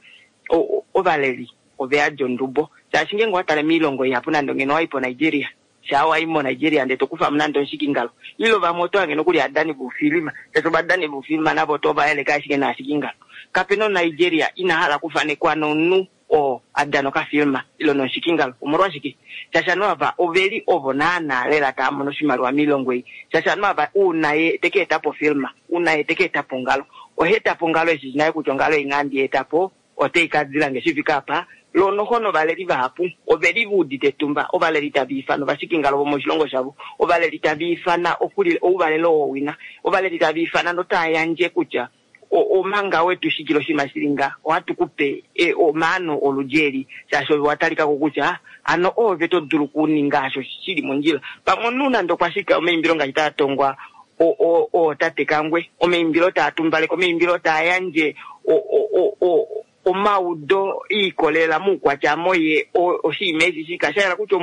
ovaleli oveyadi ondubo shaashi ngenge owatale miilongo ihapu nande ngeno wayi po Nigeria shaa wayi mo Nigeria ndee tokufa nande omushikingalo ile vamwe oto hange nokuli adani voufilima shaashi ovadani voufilima navo oto vayeleka ashike naashikingalo kapena oNigeria ina hala okufanekwa nomunhu oo adana okafilma ile nomushikingalo omolwashike shaashi ovanhu ava oveli ovo naana lela tava mono oshimaliwa miilongo ei shaashi ovanhu ava uuna ye teka etapo ofilma uuna ye teka etapo ongalo oha etapo ongalo eshi naye kutya ongalo ei ngaa ndi etapo otei kadilange shifika apa lonoho novaleli vahapu oveli vaudite etumba ovaleli tava ifana ovashikingalo vomoshilongo shavo ovaleli tava ifana okulila ouvalelo wowina ovaleli tava ifana notava yandje kutya omanga wetu shikila oshinima shili nga ohatu kupe omaano oludji eli shaashi ove watalikako kutya ano oove to dulu okuninga osho shili mondjila pamwe omunhu nande okwa shika omaimbilo ngaashi taa tongwa ootate Kangwe omaimbilo taa tumbaleke omaimbilo taa yandje omaudo iikolelela muukwatya moye oshinima eshi shika shayela kutya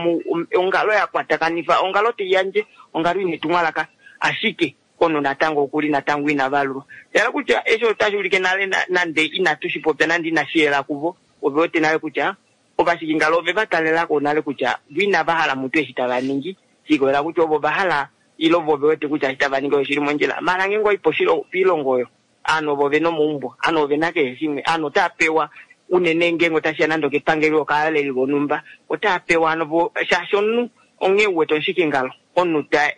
ongalo ya kwatakanifa ongalo taiyandje ongalo ina etumwalaka ashike ono natango okuli natango ina valulwa shayela kutya eshi otashi ulike nale nande inatu shipopya nande inashi yela kuvo ove wete nale kutya ovashikingalo ove va talelako nale kutya vo inava hala mutu eshi tava ningi shiikolela kutya ovo va hala ile ovo ve wete kutya eshi tava ningi oshili mondjila maala ngenge oyi poilongo oyo aanhu ovo vena omaumbo aanhu ovena keshe shimwe aanhu otava pewa unene ngenge otashiya nande okepangelo okaaleli vonhumba otava pewa ano shaashi omunhu onghee uwete omushikingalo omunhu ta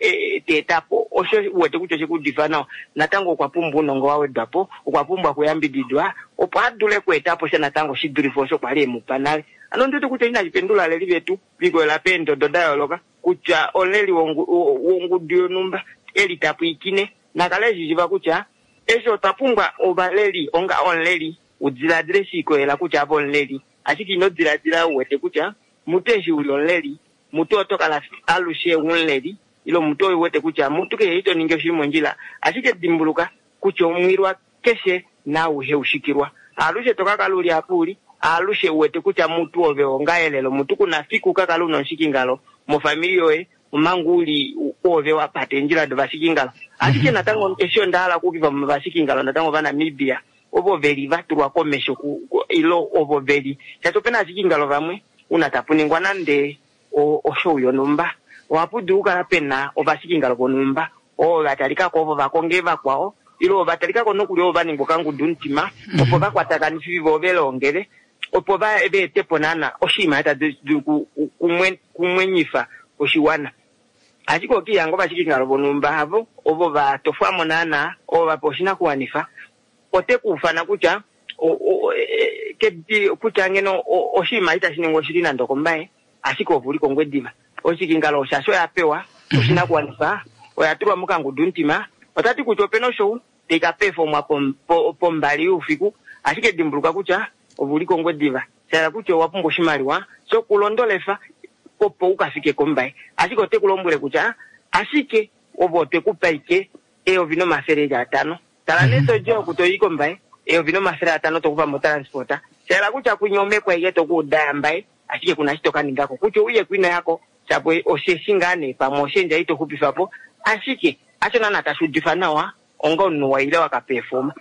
etapo osho uwete kutya oshekuudifa nawa natango okwa pumbwa ounongo wa wedwapo okwa pumbwa okuyambididwa opo adule okweetapo sha natango shidulife osho kwali emupa nale ano ondiwete kutya inashi pendula aleli vetu vikolela peendodo da yooloka kutya omuleli wongudu yonhumba eli tapwiikine nakale eshishiva kutya eshi otwa pumbwa ovaleli onga omuleli udiladile shiikolela kutya ave omuleli ashike ino diladila uwete kutya mutu eshi uli omuleli mutu oto kala alushe umuleli ile mutu uwete kutya mutu keshe ito ningi oshili mondjila ashike dimbuluka kutya omwilwa keshe nauhe ushikilwa alushe tokakala uli apa uli alushe uwete kutya mutu ove onga elelo mutu kuna fiku kakala una omushikingalo mofamili yoye omanga uli ove wapata eendjila dovashikingalo ashike natango eshi onda hala okuukifa movashikingalo natango vaNamibia ovo veli vatulwa komesho ile ovo veli shaashi opena ashikingalo vamwe una tapuningwa nande oshow yonhumba ohapu dulu okukala pena ovashikingalo vonhumba oo vatalikako ovo vakonge vakwao ile ovo vatalikako nokuli ovo vaningwa okangudu mutima opo vakwatakanifwe vo velongele opo va etepo naana oshinima tashi dulu kumwenyifa oshiwana ashike okihanga ovashikingalo vonhumba havo ovo vatofwamo naana ovo vapewa oshinakuwanifa ote kuufana kutya kutya ngeno oshinima itashi ningwa oshili nande okombaye ashike ove uli kOngwediva oshikingalo shaashi oya pewa oshinakuwanifa oya tulwa mokangudu mutima otati kutya opena oshow taika pefomwa pombali youfiku ashike dimbuluka kutya ove uli kOngwediva shahala kutya owa pumbwa oshimaliwa shokulondolefa opo ukafike kombaye ashike ote kulombwele kutya ashike ove otwekupa ike eyovi nomafele eli atano tala nee todja oku toyi kombaye eyovi nomafele atano tokufa motransport shahala kutya kwinya omhepo aike tokuuda yambaye ashike kuna eshi tokaningako kutya ouye kwino yako shapo osheshi ngaa nee pamwe oshendja itoxupifapo ashike hasho naana tashi udifa nawa onga omunhu waile wakapefoma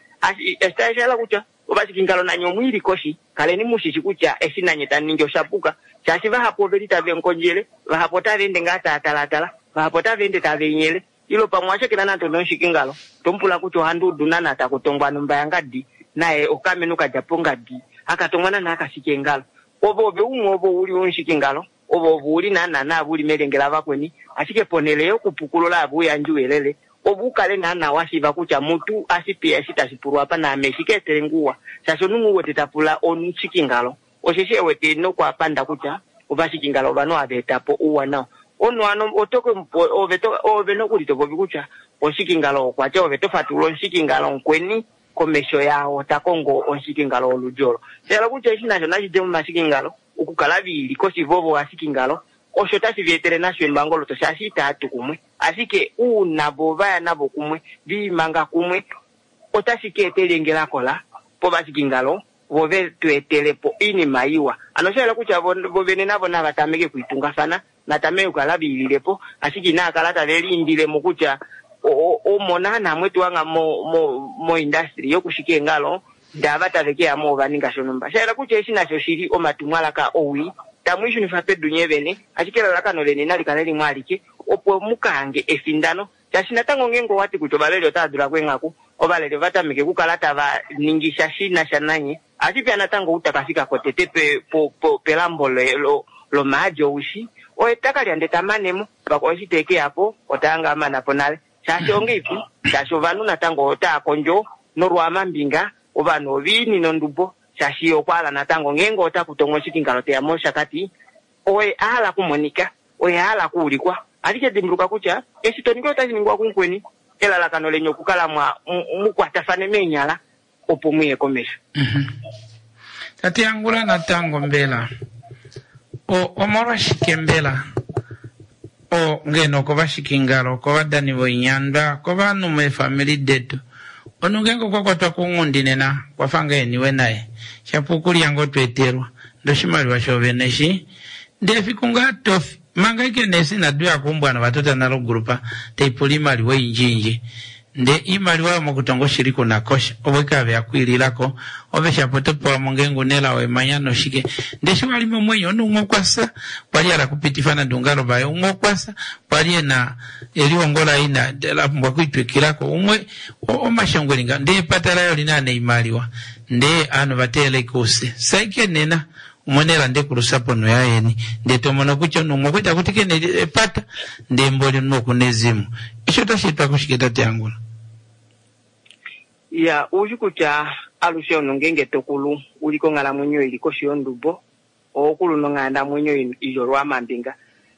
shahala kutya Ovashikingalo nanye omwiili koshi, kaleni mushishi kutya eshi nanye tamu ningi oshapuka, shaashi vahapu oveli tave nkondjele, vahapu otava ende ngaa tava talaatala, vahapu otava ende tava enyele, ilo pamwe owashakena nande nomushikingalo, tomupula kutya ohandi udu naana taku tongwa numba yangadi, naye okamenhu kadja pongadi, akatongwa naana akashika eengalo. Ove ove umwe ovo uli omushikingalo, ove ove uli naana naave uli melyenge lavakweni, ashike ponhele yokupukulula ave uyandje ouyelele, ove ukale naana washiiva kutya mutu ashipeya eshi tashi pulwa apa naame shi ka etele nge ouwa, shaashi omunhu u wete ta pula omushikingalo, osheshi e wete nokwapanda kutya ovashikingalo ovanhu hava eta po ouwanawa. Omunhu hano oto ke ove to ove nokuli to popi kutya omushikingalo okwatya, ove to fatulula omushikingalo mukweni komesho yaao ta kongo omushikingalo woludi olo. Sha kutya eshi nasho nashi dje momashikingalo, okukala viili koshi vovo ovashikingalo, osho tashi va etele nasho embangoloto shaashi itaya tu kumwe. Ashike uuna vo vaya navo kumwe, viimanga kumwe, otashi ka eta elyenge lakola povashikingalo vo ve tu etele po oinima iwa. Hano osha yela kutya vo vo vene navo nava tameke okwiitungafana, natameke okukala viilile po, ashike inava kala tave liindile mo kutya omo naana mwetuwanga mo mo mo-industry yokushika eengalo, ndava tave ke ya mo ova ninga shonhumba. Sha yela kutya eshi nasho oshili omatumwalaka owii, tamu ishunifa pedu nye vene, ashike elalakano leni nali kale limwe alike, opo mu ka hange efindano. Shaashi natango ngeenge owati kutya ovaleli otava dula kweenghaku, ovaleli ova tameke okukala tava ningi sha shi na sha nanye, ohashi peya natango ou taka fika ko tete pe, po, po, pelambo le, lo, lomaadi oushi, oye taka lya ndee ta mane mo, vakwao eshi te ke ya po, otaya nga mana po nale. Shaashi ongeipi, shaashi ovanhu natango otava kondjo nolwaamambinga, ovanhu oviini nondubo, shaashi okwa hala natango ngeenge ota kutongwa oshikingalo teya moshakati, oye a hala kumonika, oye a hala kuulikwa. Ashike dimbuluka kutya eshi to ningi otashi ningwa kumukweni, elalakano leni okukala mwa mukwatafane meenyala opo muye komesho. Tate Angula natango mbela o omolwashike mbela o ngeno kovashikingalo, kovadani voinyandwa, kovanhu meefamili detu, omunhu ngeenge okwa kwatwa kounghundi nena kwafa nga eniwe naye, shapo okulya ngoo tweetelwa ndee oshimaliwa shoovene eshi, ndee efiku ngaa tofi manga ike neesi inadi uya kuumbwa novatota nale ogrupa taipula oimaliwa oyindjiyindji, ndee iimaliwa oyo mokutonga oshili kuna kosha, ovo ike have ya kwiililako, ove shapo oto pewa mo ngeenge una elao emanya noshike, ndee eshi wali momwenyo omunhu umwe okwa fya kwali a hala okupitifa nande oungalo vaye, umwe okwa fya kwali ena elihongo laye ina la pumbwa okwiitwikilako, umwe omashongo eli ngaho, ndee epata laye olina neimaliwa, ndee ovanhu va teelela ike oufye saike nena umwe elande kulusa ponho yayeni, ndee tomono kutya omunhu umwe okwali takuti kena epata, ndee mboli omunhu okuna ezimo. Eshi otashi etwa kushike tate Angula? Ya, oushi kutya alushe omunhu ngeenge tokulu uli konghalamwenyo ili koshi yondubo, oho kulu nonghalamwenyo ili olwaamambinga,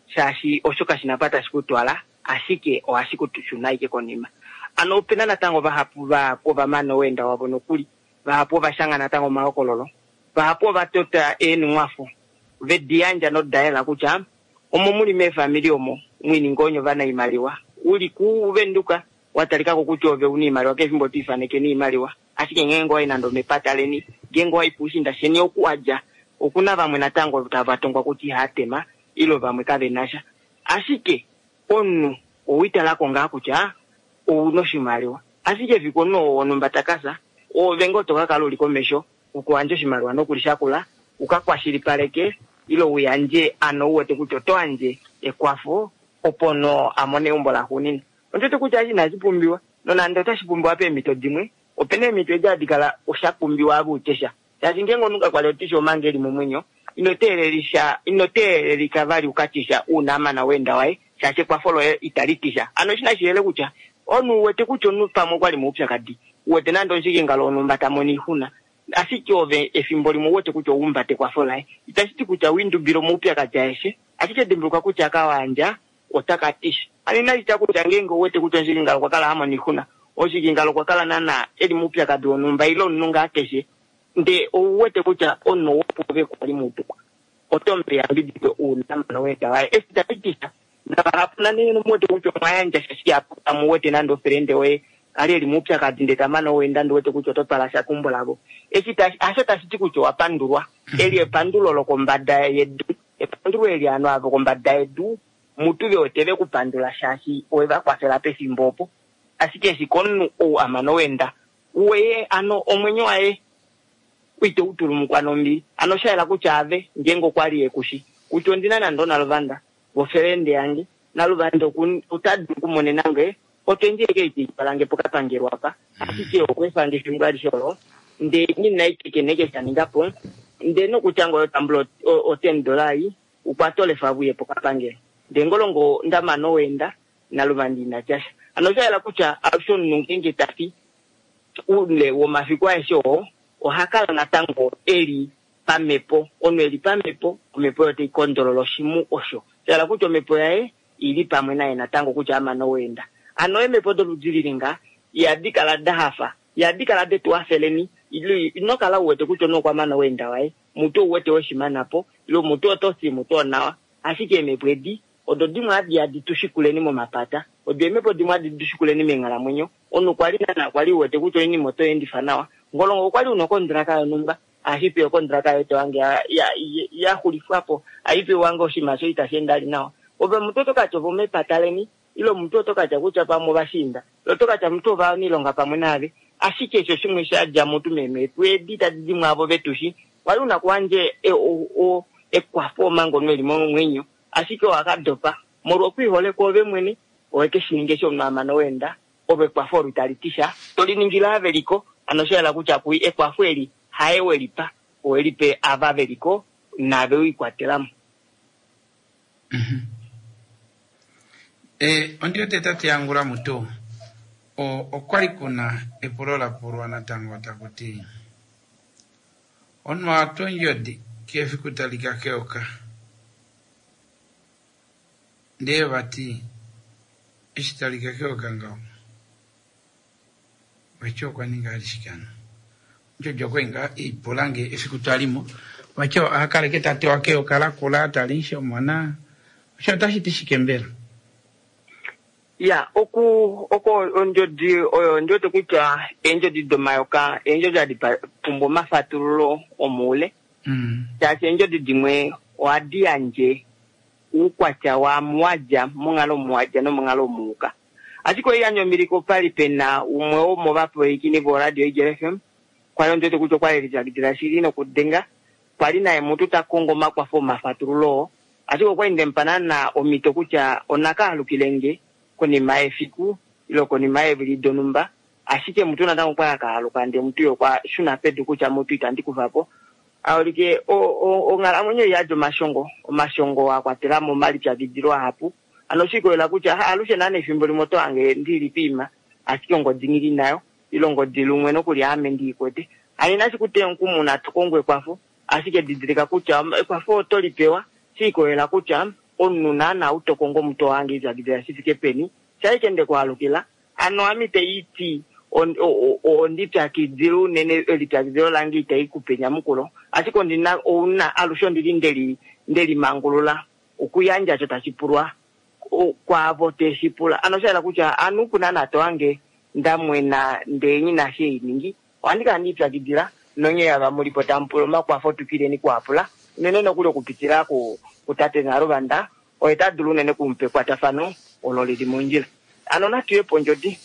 shaashi osho kashina apa tashi kutwala, ashike ohashi kutushuna ashike konima. Ano opena natango vahapu vahapu ovamana oweenda wavo nokuli, vahapu ovashanga natango omahokololo, vahapu ovatota eenhumwafo vedi yandja nodayela kutya omo muli meefamili omo mwiininga onye ovanaimaliwa, uli kuVenduka watalikako kutya ove una iimaliwa kefimbo twiifaneke niimaliwa, ashike ngeenge owayi nande omepata leni, ngeenge owayi puushinda sheni oku wadja, okuna vamwe natango tava tongwa kutya ihaatema ilo vamwe kavenasha, ashike omunhu owiitalako ngaa kutya ouna oshimaliwa, ashike efiku omunhu oo wonhumba takasa, oove ngoo tokakala uli komesho okuyandja oshimaliwa nokulishakula uka kwashilipaleke ilo uyandje ano uwete kutya oto yandje ekwafo opo no amone eumbo laxuuninwa. Ondiwete kutya eshi inashi pumbiwa, nonande otashi pumbiwa peemhito dimwe, opena eemhito edi hadi kala osha pumbiwa ave utye sha, shaashi ngeenge omunhu kakwali otisha omanga eli momwenyo, ino teelelisha ino teelelika vali ukatisha uuna amana weenda waye, shaashi ekwafo loye itali tisha. Hano eshi nashi yele kutya omunhu uwete kutya omunhu pamwe okwali moupyakadi, uwete nande omushikingalo wonhumba ta mono oixuna, ashike ove efimbo limwe uwete kutya oumbate ekwafo laye, itashi ti kutya wiindubile omaupyakadi aeshe, ashike dimbuluka kutya kawandja otaka tisha. Hano inashi tya kutya ngeenge uwete kutya omushikingalo okwa kala ha mono oixuna, omushikingalo okwa kala naana eli moupyakadi wonhumba ile omunhu ngaa keshe, ndee ouwete kutya omunhu wopove kwali mutu oto mupe eyambidido uuna amana weenda waye, eshi tashi tisha. Navahapu nane muwete kutya omwayandja sha shihapu, kamuwete nande ofrende woye ali eli moupyakadi ndee tamana oweenda ndi wete kutya oto twala sha keumbo lavo. Eshi tashi hasho tashi ti kutya owa pandulwa, eli epandulo lokombada yedu, epandulo eli ovanhu ava kombada yedu mutu ve wete ve kupandula shaashi owe va kwafela pefimbo opo, ashike eshi komunhu ou amana oweenda weye ano omwenyo waye ito utulumukwa nombili. Ano osha yela kutya ave ngeenge okwa li ekushi kutya ondina nande onaluvanda vofelende yange naluvanda ota dulu okumonena nge otwendji eke itiitwalange pokapangelo apa ashike okweefange efimbo alishe olo ndee nina ikekeneke shaningapo ndee nokutya ngoye otambula o ten dollar ei ukwate olefa vuye pokapangelo ndee ngolongo ndamana oweenda naluvanda ina tyasha. Ano osha yela kutya alushe omunhu ngeenge tafi oule womafiku aeshe oo oha kala natango eli pamhepo. Omunhu eli pamhepo, omhepo oyo tai kondolola oshimu osho. Sha hala kutya omhepo yaye ili pamwe naye natango kutya amana oweenda. Ano eemhepo doludi lili nga ihadi kala da hafa, ihadi kala detu hafeleni, ino kala uwete kutya omunhu okwa mana oweenda waye, mutu ouwete weshimana po, ile mutu oto fi mutu onawa. Ashike eemhepo edi odo dimwe hadi hadi tu shikuleni momapata, odo eemhepo dimwe hadi tu shikuleni meenghalamwenyo. Omunhu kwali nana kwali uwete kutya oinima oto endifa nawa, ngolongo okwali una okondraka yonhumba, ashipe okondraka yetu wange ya, ya, ya xulifwapo, aipe wange oshinima sho itashi ende ali nawa. Ove mutu oto katya ovomepata leni, ile omuntu oto katya kutya pamwe ovashiinda, ile oto katya mutu ovaniilonga pamwe naave. Ashike esho shimwe sha dja mutu meemhepo edi tadi di mwaavo vetushi, kwali una kuwandje e, o, o, ekwafo omanga omunhu eli momwenyo, ashike owakadopa molwa okwiihole kwoove mwene, owe ke shi ninga eshi omunhu amana oweenda, ove ekwafo olo itali ti sha, to li ningile ava veliko. Ano osha yela kutya kui ekwafo eli haye welipa, owelipe ava veliko nave wiikwatelamo. Mm-hmm. E, ondi wete tate Yangula mutu okwali kuna epulo la pulwa natango taku ti omunhu atwa ondjodi kefiku talika keyoka ndee vati eshi talika keyoka ngaho vati okwa ninga alishikana ondjodi okwali ngaa eipula nge efiku twalimo vati akaleke tatewa keyoka lakula tali omona osho otashi ti shike mbela? Ya, oku oko ondjodi oyo ondi wete kutya eendjodi domayoka eendjodi hadi pumbwa omafatululo omoule, shaashi eendjodi dimwe ohadi yandje oukwatya waamu wa dja monghalo omu wa dja nomonghalo omu uka. Ashike oiyandja ombiliko opali pena umwe womovapwilikini voRadio Eagle F M, kwali ondi wete kutya okwali elipyakidila shili nokudenga, kwali naye mutu ta kongo omakwafo omafatululo oo, ashike okwali ndemupa naana omhito kutya onaka alukile nge konima yefiku ile konima yeevili donhumba, ashike mutu natango okwali akaaluka ndee mutu okwa shuna pedu kutya mutu itandi kufa po. Aulike onghalamwenyo iyadi omashongo, omashongo a kwatela mo omalipyakidilo ahapu. Ano oshikolela kutya alushe naana efimbo limwe oto hange ndili piima, ashike ongodi ngili nayo, ile ongodi lumwe nokuli ame ndiikwete. Ano inashi kuteya omukumo una to kongo ekwafo, ashike didilika kutya ekwafo oto lipewa shikolela kutya omunhu naana ou to kongo omutu ohange ipyakidila shi fike peni, shaike nde kwaalukila. Ano ame itaiti ondipyakidila unene, elipyakidilo lange itai kupe enyamukulo, ashike ondina ouna alushe ondili ndeli ndelimangulula okuyandja osho tashi pulwa kwaavo teshi pula. Ano osha yela kutya anu opu naana to hange ndamwena ndee nghi shi einingi, ohandi kala ndiipyakidila nonye ava mulipo tamu pula omakwafo twikileni kuapula unene nokuli okupitila kutate Naluvanda, oye ta dulu unene kumupa ekwatafano olo lili mondjila. Ano natuye pondjodi.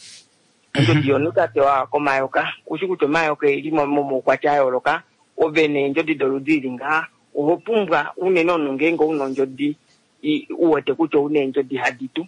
Ondjodi yomunhu ta tewa komayoka, ushi kutya omayoka eli momaukwatya a yooloka, ove neendjodi doludi ili ngaha, oho pumbwa unene omunhu ngeenge una ondjodi uwete kutya ouna eendjodi hadi tu,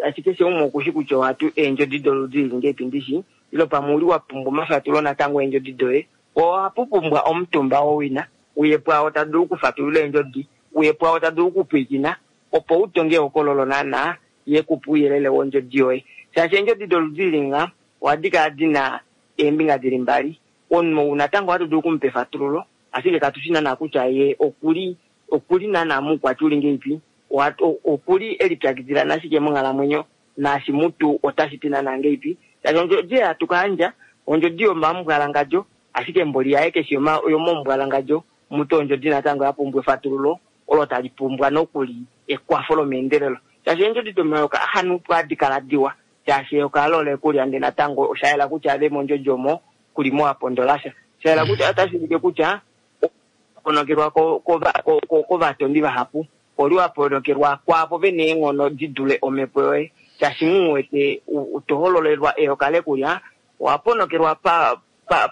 ashike keshe umwe okushi kutya ohatu eendjodi doludi ili ngeipi ndishi, ile pamwe uli wa pumbwa omafatulo natango eendjodi doye, ohapu pumbwa omutumba wowina, uye pwaao ta dulu okufatulula eendjodi, uye pwaao ta dulu okupwiikina, opo utonge ehokololo naana ye kupe ouyelele wondjodi yoye. Shaashi eendjodi doludi ili nga ohadi kala dina eembinga dili mbali, omunhu ou natango ohatu dulu okumupa efatululo, ashike katushi naana kutya ye okuli okuli naana moukwatya uli ngeipi, okuli elipyakidila nashike monghalamwenyo, naashi mutu otashi ti naana ngeipi. Shaashi ondjodi ei hatu kayandja, ondjodi yomambwalangadjo, ashike mboli yaye keshi yomombwalangadjo, mutu ondjodi natango ya pumbwa efatululo olo tali pumbwa nokuli ekwafo lomeendelelo. Shaashi eendjodi domayoka hanuupu hadi kala diwa, shaashi eyoka alo olekulya ndee natango osha yela kutya ave mondjodi omo kulimo wa pondolasha. Sha yela kutya otashi ulike kutya ponokelwa kovatondi vahapu, oli wa ponokelwa kwaavo vena eenghono di dule omhepo yoye, shaashi mu wete to hololelwa eyoka lekulya, owa ponokelwa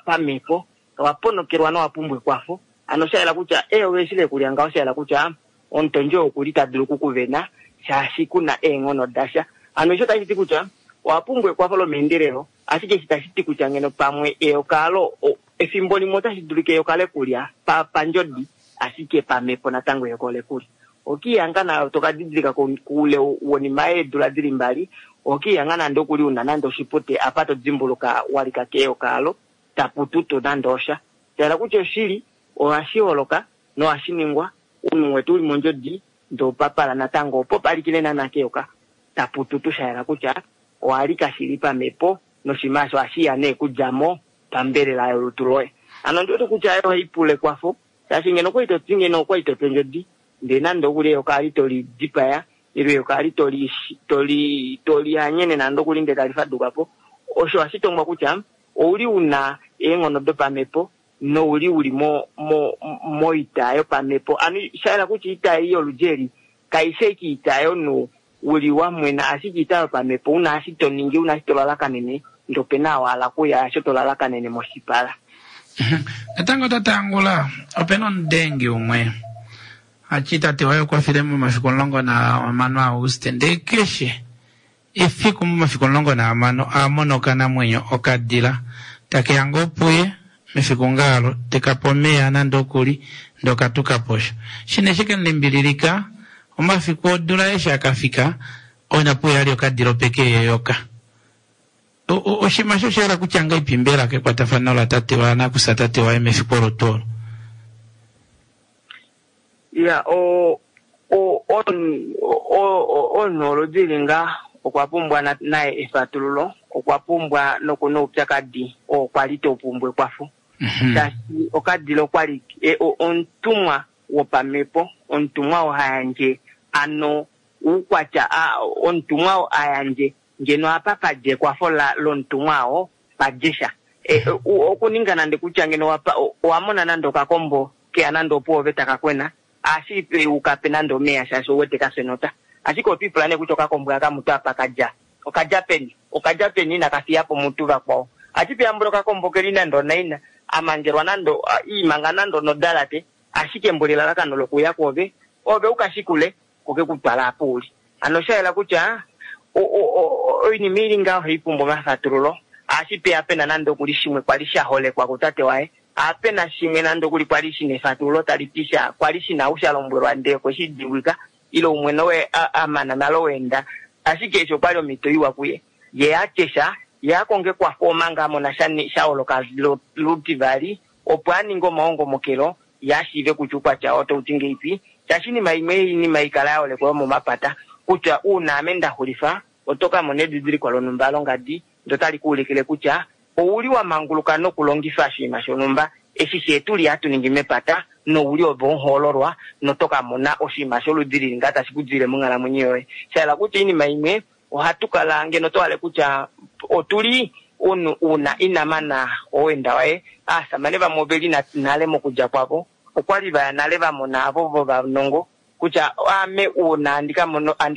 pamhepo, Owa ponokelwa nowa pumbwa ekwafo. Ano osha yela kutya eyoka eshi lekulya ngaho osha yela kutya omutondi oo okuli ta dulu okukuvena shaashi kuna eenghono dasha. Hano osho tashi ti kutya owa pumbwa ekwafo lomeendelelo, ashike eshi tashi ti kutya ngeno pamwe eyoka alo efimbo limwe otashi dulika eyoka lekulya pa pandjodi, ashike pamhepo natango eyoka olekulya. Okiihanga nayo toka didilika koule wonima yeedula dili mbali, okiihanga nande okuli una nande oshipute apa to dimbuluka walika keyoka alo, tapututu nande osha. Shahala kutya oshili ohashi holoka nohashi ningwa, omunhu wetu uli mondjodi ndee opapala natango opo palikile naana keyoka tapututu, shayela kutya owalika shili pamhepo noshinima osho ohashiya nee kudjamo pambelela yolutu loye. Hano ondi wete kutya ohai pula ekwafo, shaashi ngeno okwali toti ngeno okwali toti ondjodi ndee nande okuli eyoka ali toli dipaya ile eyoka ali toli toli toli hanyene nande okuli ndee tali fadukapo, osho ohashi tongwa kutya ouli una eenghono dopamhepo nouli uli mo mo moita yopamhepo. Ano shayela kutya oita ei yoludi eli kaifi ashike oita yomunhu uli wamwena, ashike oita yopamhepo una eshi toningi, una eshi tolalakanene, ndee opena wahala okuya osho tolalakanene moshipala. Natango tate Angula, opena omudengi umwe ati tate waye okwa file momafiku omulongo nahamano aAuguste, ndee keshe efiku momafiku omulongo nahamano a mona okanamwenyo okadila takeya ngoo puye mefiku ngaalo tekape omeya nande okuli ndee okatuka posho. Shine shike mulimbililika omafiku odula eshi akafika onapuya ali okadila opeke yeyoka. Oshinima osho osha hala kutya ngahelipi mbela kekwatafano latate waye nakusa tate waye mefiku olo tuu olo? Ya, o o o omunhu oludi eli ngaa okwa pumbwa naye efatululo, okwa pumbwa nokuna oupyakadi oo kwali tau pumbwa ekwafo. Shaashi okadila okwali omutumwa wopamhepo, omutumwa oo ha yandje ano oukwatya, omutumwa oo a yandje ngeno apa padja ekwafo lomutumwa oo padje sha. Okuninga nande kutya ngeno owa mona nande okakombo keya nande opuove taka kwena, ashike ukape nande omeya shaashi ouwete kafya enota. Ashike otwiipula nee kutya okakombo aka mutu apa kadja, okadja peni? Okadja peni inaka fiyapo mutu vakwao? Ashike ambula okakombo keli nande onaina, amangelwa nande iimanga nande onodalate, ashike mboli elalakano lokuya kwoove, ove ukashikule koke kutwala apa uli. Hano oshayela kutya oinima ili ngaho ohai pumbwa omafatululo, ashipeya pena nande okuli shimwe kwali shaholekwa kutate waye, apena shimwe nande okuli kwali shina efatululo tali ti sha kwali shina ou sha lombwelwa ndee okwe shi dimbwika, ile umwe nowe amana nale oweenda, ashike eshi okwali omhito iwa kuye, ye atye sha, ye akonge ekwafo omanga amona sha sha holoka lutivali, opo aninge omahongomokelo, ye ashiive kutya oukwatya oo otau ti ngeipi, shaashi oinima imwe oinima ikala yaholekwa yomomapata, kutya uuna ame nda xulifa, oto ka mona edidiliko lonhumba longadi, ndoo otali ku ulikile kutya ouli wa manguluka nokulongifa oshinima shonhumba eshi fyee tuli hatu ningi mepata, nouli ove omuhoololwa, noto ka mona oshinima sholudi lili ngaa tashi ku dilile monghalamwenyo yoye. Sha hala kutya oinima imwe ohatu kala ngeno to hale kutya otuli omunhu una ina mana oweenda waye. Aasamane vamwe oveli nale mokudja kwavo, okwali vaya nale va mona avo vovanongo kutya ame uuna handi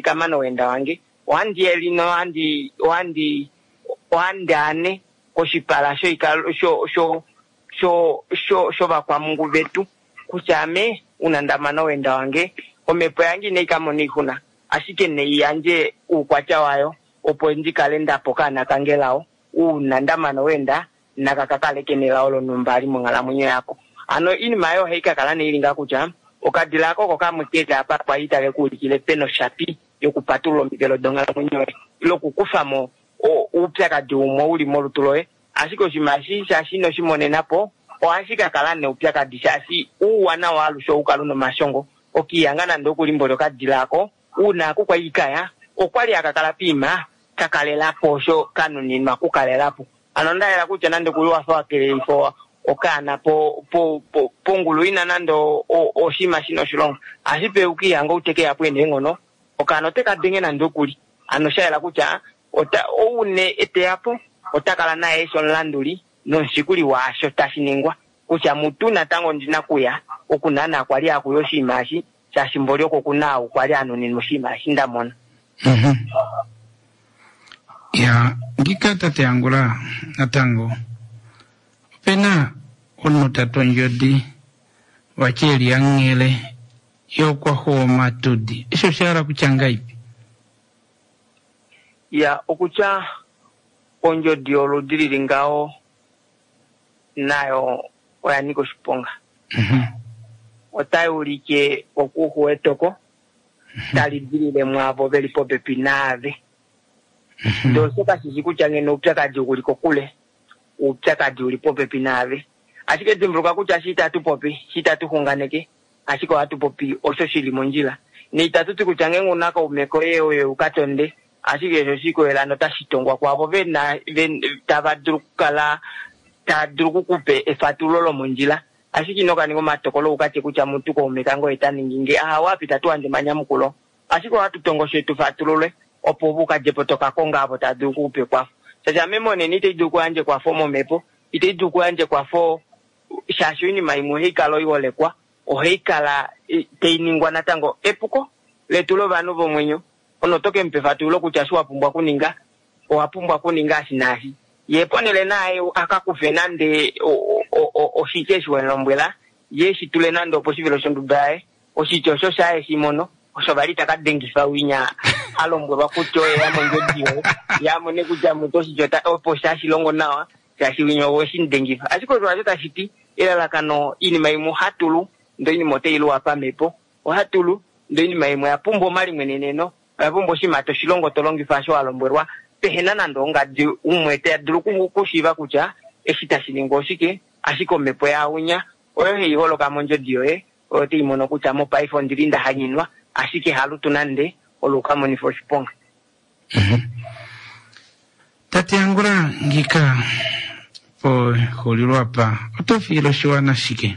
ka mana oweenda wange ohandi yeli nohandi ohandi ohandi ane koshipala shoikalo sho sho sho sho shovakwamungu vetu kutya ame una nda mana oweenda wange omhepo yange inai ka mona oixuna, ashike nei yandje oukwatya wayo opo ndi kale ndapa okaana kange lao, uuna nda mana oweenda naka ka kale kena elao lonhumba ali monghalamwenyo yako. Hano oinima oyo ohai ka kala nee ili ngaa kutya okadila ako oko kamwe keli apa kwali take ku ulikile pena oshapi yokupatulula omivelo donghalamwenyo yoye ile okukufa mo oupyakadi umwe uli molutu loye. Ashike oshinima eshi shaashi ino shi monena po, ohashi ka kala neupyakadi shaashi ouwanawa alushe ohau kala una omashongo. Okiihanga nande okuli mboli okadila ako, uuna aku kwali kaya, okwali haka kala piima ka kalelapo osho ka nuninwa okukalelapo. Hano onda yela kutya nande okuli wafa wa kelelifa okaana po po po pongulu ina nande oshinima shina oshilonga, ashike ukiihanga ou teke yapo ena eenghono, okaana oteka denge nande okuli. Hano sha yela kutya ota ou ne eteyapo ota kala naye eshi omulanduli nomushikuli waasho tashi ningwa, kutya mutu natango ondina kuya oku naana kwali akuya oshinima eshi, shaashi mboli oko kuna ou kwali anuninwa oshinima eshi nda mona. Ya, ngika tate Angula natango opena Omunhu ta tu ondjodi vati e li anghele ye okwa xuwa omatudi. Eshi osha hala kutya ngaipi? Ya, okutya ondjodi yoludi lili ngaho nayo oya nika oshiponga. Otai ulike okuxuwa etoko tali dilile mwaavo veli popepi naave. Ndee osho kashishi kutya ngeno oupyakadi uli kokule, oupyakadi uli popepi naave. Ashike dimbuluka kutya eshi itatu popi, eshi itatu xunganeke, ashike ohatu popi osho shili mondjila. Neitatu ti kutya ngeenge una kaume koye oye u ka tonde, ashike osho shikoyela notashi tongwa kwaavo vena tava dulu okukala tava dulu okukupa efatululo lomondjila. Ashike ino ka ninga omatokolo u ka tye kutya mutu kaume kange oye ta ningi nge, ahawe apa itatu yandje omanyamukulo. Ashike ohatu tongo osho tu fatulule opo u ka dje po toka konga avo tava dulu okukupa ekwafo. Shaashi ame monena itai dulu okuyandja ekwafo momhepo, itai dulu okuyandja ekwafo shaashi oinima imwe ohai kala oiholekwa, ohai kala tai ningwa natango epuko letu lovanhu vomwenyo. Ono to ke mupa efatululo kutya eshi wa pumbwa okuninga, owa pumbwa okuninga eshi naashi. Ye ponhele naye a ka kufe nande oshitya eshi we mu lombwela, ye eshi tule nande oposhivelo shonduda yaye, oshitya osho shaye shi mono, osho vali ta ka dengifa winya a lombwelwa kutya oye ya mondjodi yoye, ye a mone kutya mutu oshitya opo shashi longo nawa, shaashi winya owe shi mu dengifa. Ashike osho hasho tashi ti, elalakano oinima imwe ohatu lu, ndee oinima otai luwa pamhepo, ohatu lu, ndee oinima imwe oya pumbwa omalimweneneno, oya pumbwa oshinima toshilongo to longifa osho wa lombwelwa, pehena nande ongadi umwe ta dulu okushiiva kutya eshi tashi ningwa oshike, ashike omhepo yaaunya oyo hai holoka mondjodi yoye, oyo tai mono kutya mopaife ondili nda hanyinwa, ashike halutu nande olo ukamonifa oshiponga. Tate Angula ngika poxulilo apa oto fiile oshiwana shike?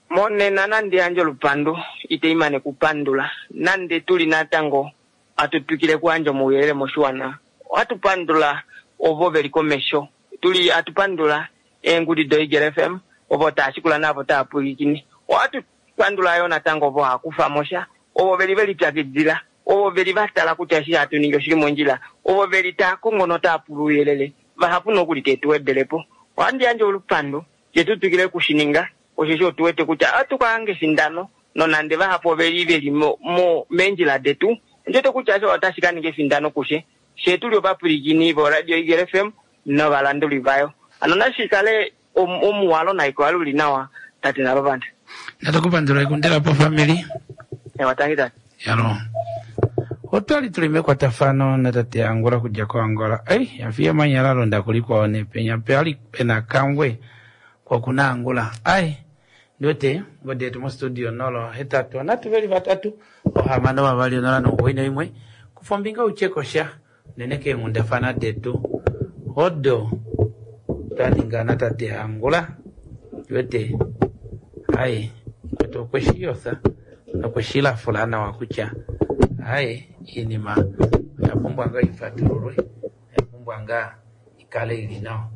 Monena nande yandje olupandu, itai mane kupandula, nande tuli natango atu twikile okuyandja omauyelele moshiwana. Ohatu pandula ovo veli komesho, tuli atu pandula eengudi doEagle F M, ovo tava shikula naavo tava pwilikine. Ohatu pandula yo natango ovo hava kufa mo sha, ovo veli veli pyakidila, ovo veli va tala kutya eshi hatu ningi oshili mondjila, ovo veli tava kongo notava pula ouyelele, vahapu nokuli te tu wedele po. Ohandi yandje olupandu, fye tu twikile okushininga, osheshi otu wete kutya ohatu ka hanga efindano, nonande vahapu oveli veli mo meendjila detu, ondi wete kutya osho otashi ka ninga efindano kushe, fye tuli ovapwilikini voRadio Eagle F M novalanduli vayo. Hano nashi kale omuwalo naiko uli nawa, tate Nalovanda. Natukupandula ekundela po family. Ewa, tangi tate. Yalo. Otwali tuli mekwatafano natate Angula kudja koAngola. Ei, yafiya manyala londa kulikwao nepenya pe ali pena kangwe kwa kuna Angula. Ai, ndiwete ngodi yetu mostudio nolo hetatu natu veli vatatu ohamano vavali onola nomugoyi noimwe kufa ombinga uchekosha unene keenghundafana detu odo twaninga natate Angula. Ndiwete ai kwetu okweshiyotha nokweshilafula nawa kutya ai iinima oya pumbwa ngaa ifatululwe, oya pumbwa ngaa ikale ili nawa.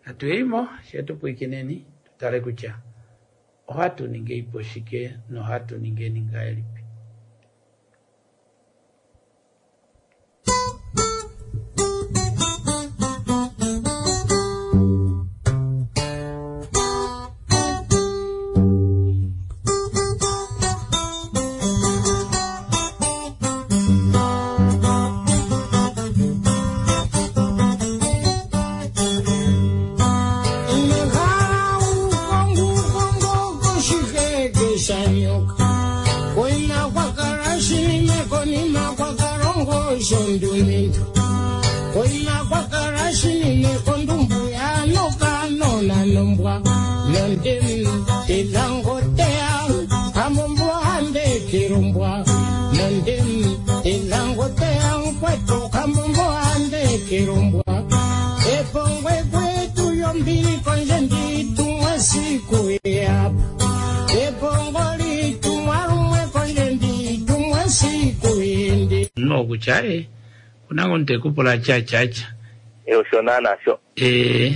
Natuyeimo shetu pwikineni tutale kutya ohatu ninge ipo shike nohatu ningeni ngahelipi. Kutya e kuna ngo ntekupula cha cha cha e osho naana sho eh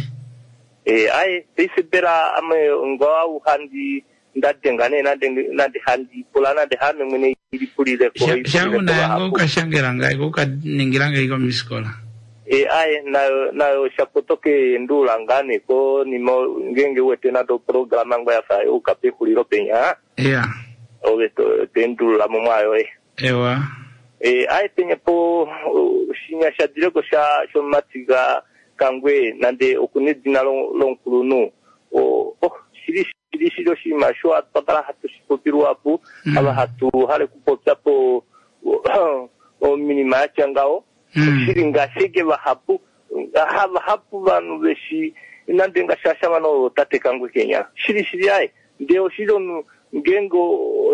eh ai paife mbela ame ngau handi ndadenga nee nande nande handi pula nande hame mwene ilipulile ko shangu nayango ukashangela ngai ukaningila ngai komiskola E aye nayo nayo shapotoke ndula ngane ko nima ngenge wete nado programa ngo yafa yuka pehulilo penya ya ove to tendula mo mwayo e ewa e aye penya po uh, shinya shadireko sha shomatiga kangwe nande okunedina lonkulunu o oh shili shili shili oshima sho atwakala hatu shipopilwa apo ava hatu hale kupopya po ominima yatya ngaho shili ngashike vahapu ha vahapu vanhu veshi nande ngashasha vano tate kangwe kenya shili shili aye ndee oshili omunhu ngeenge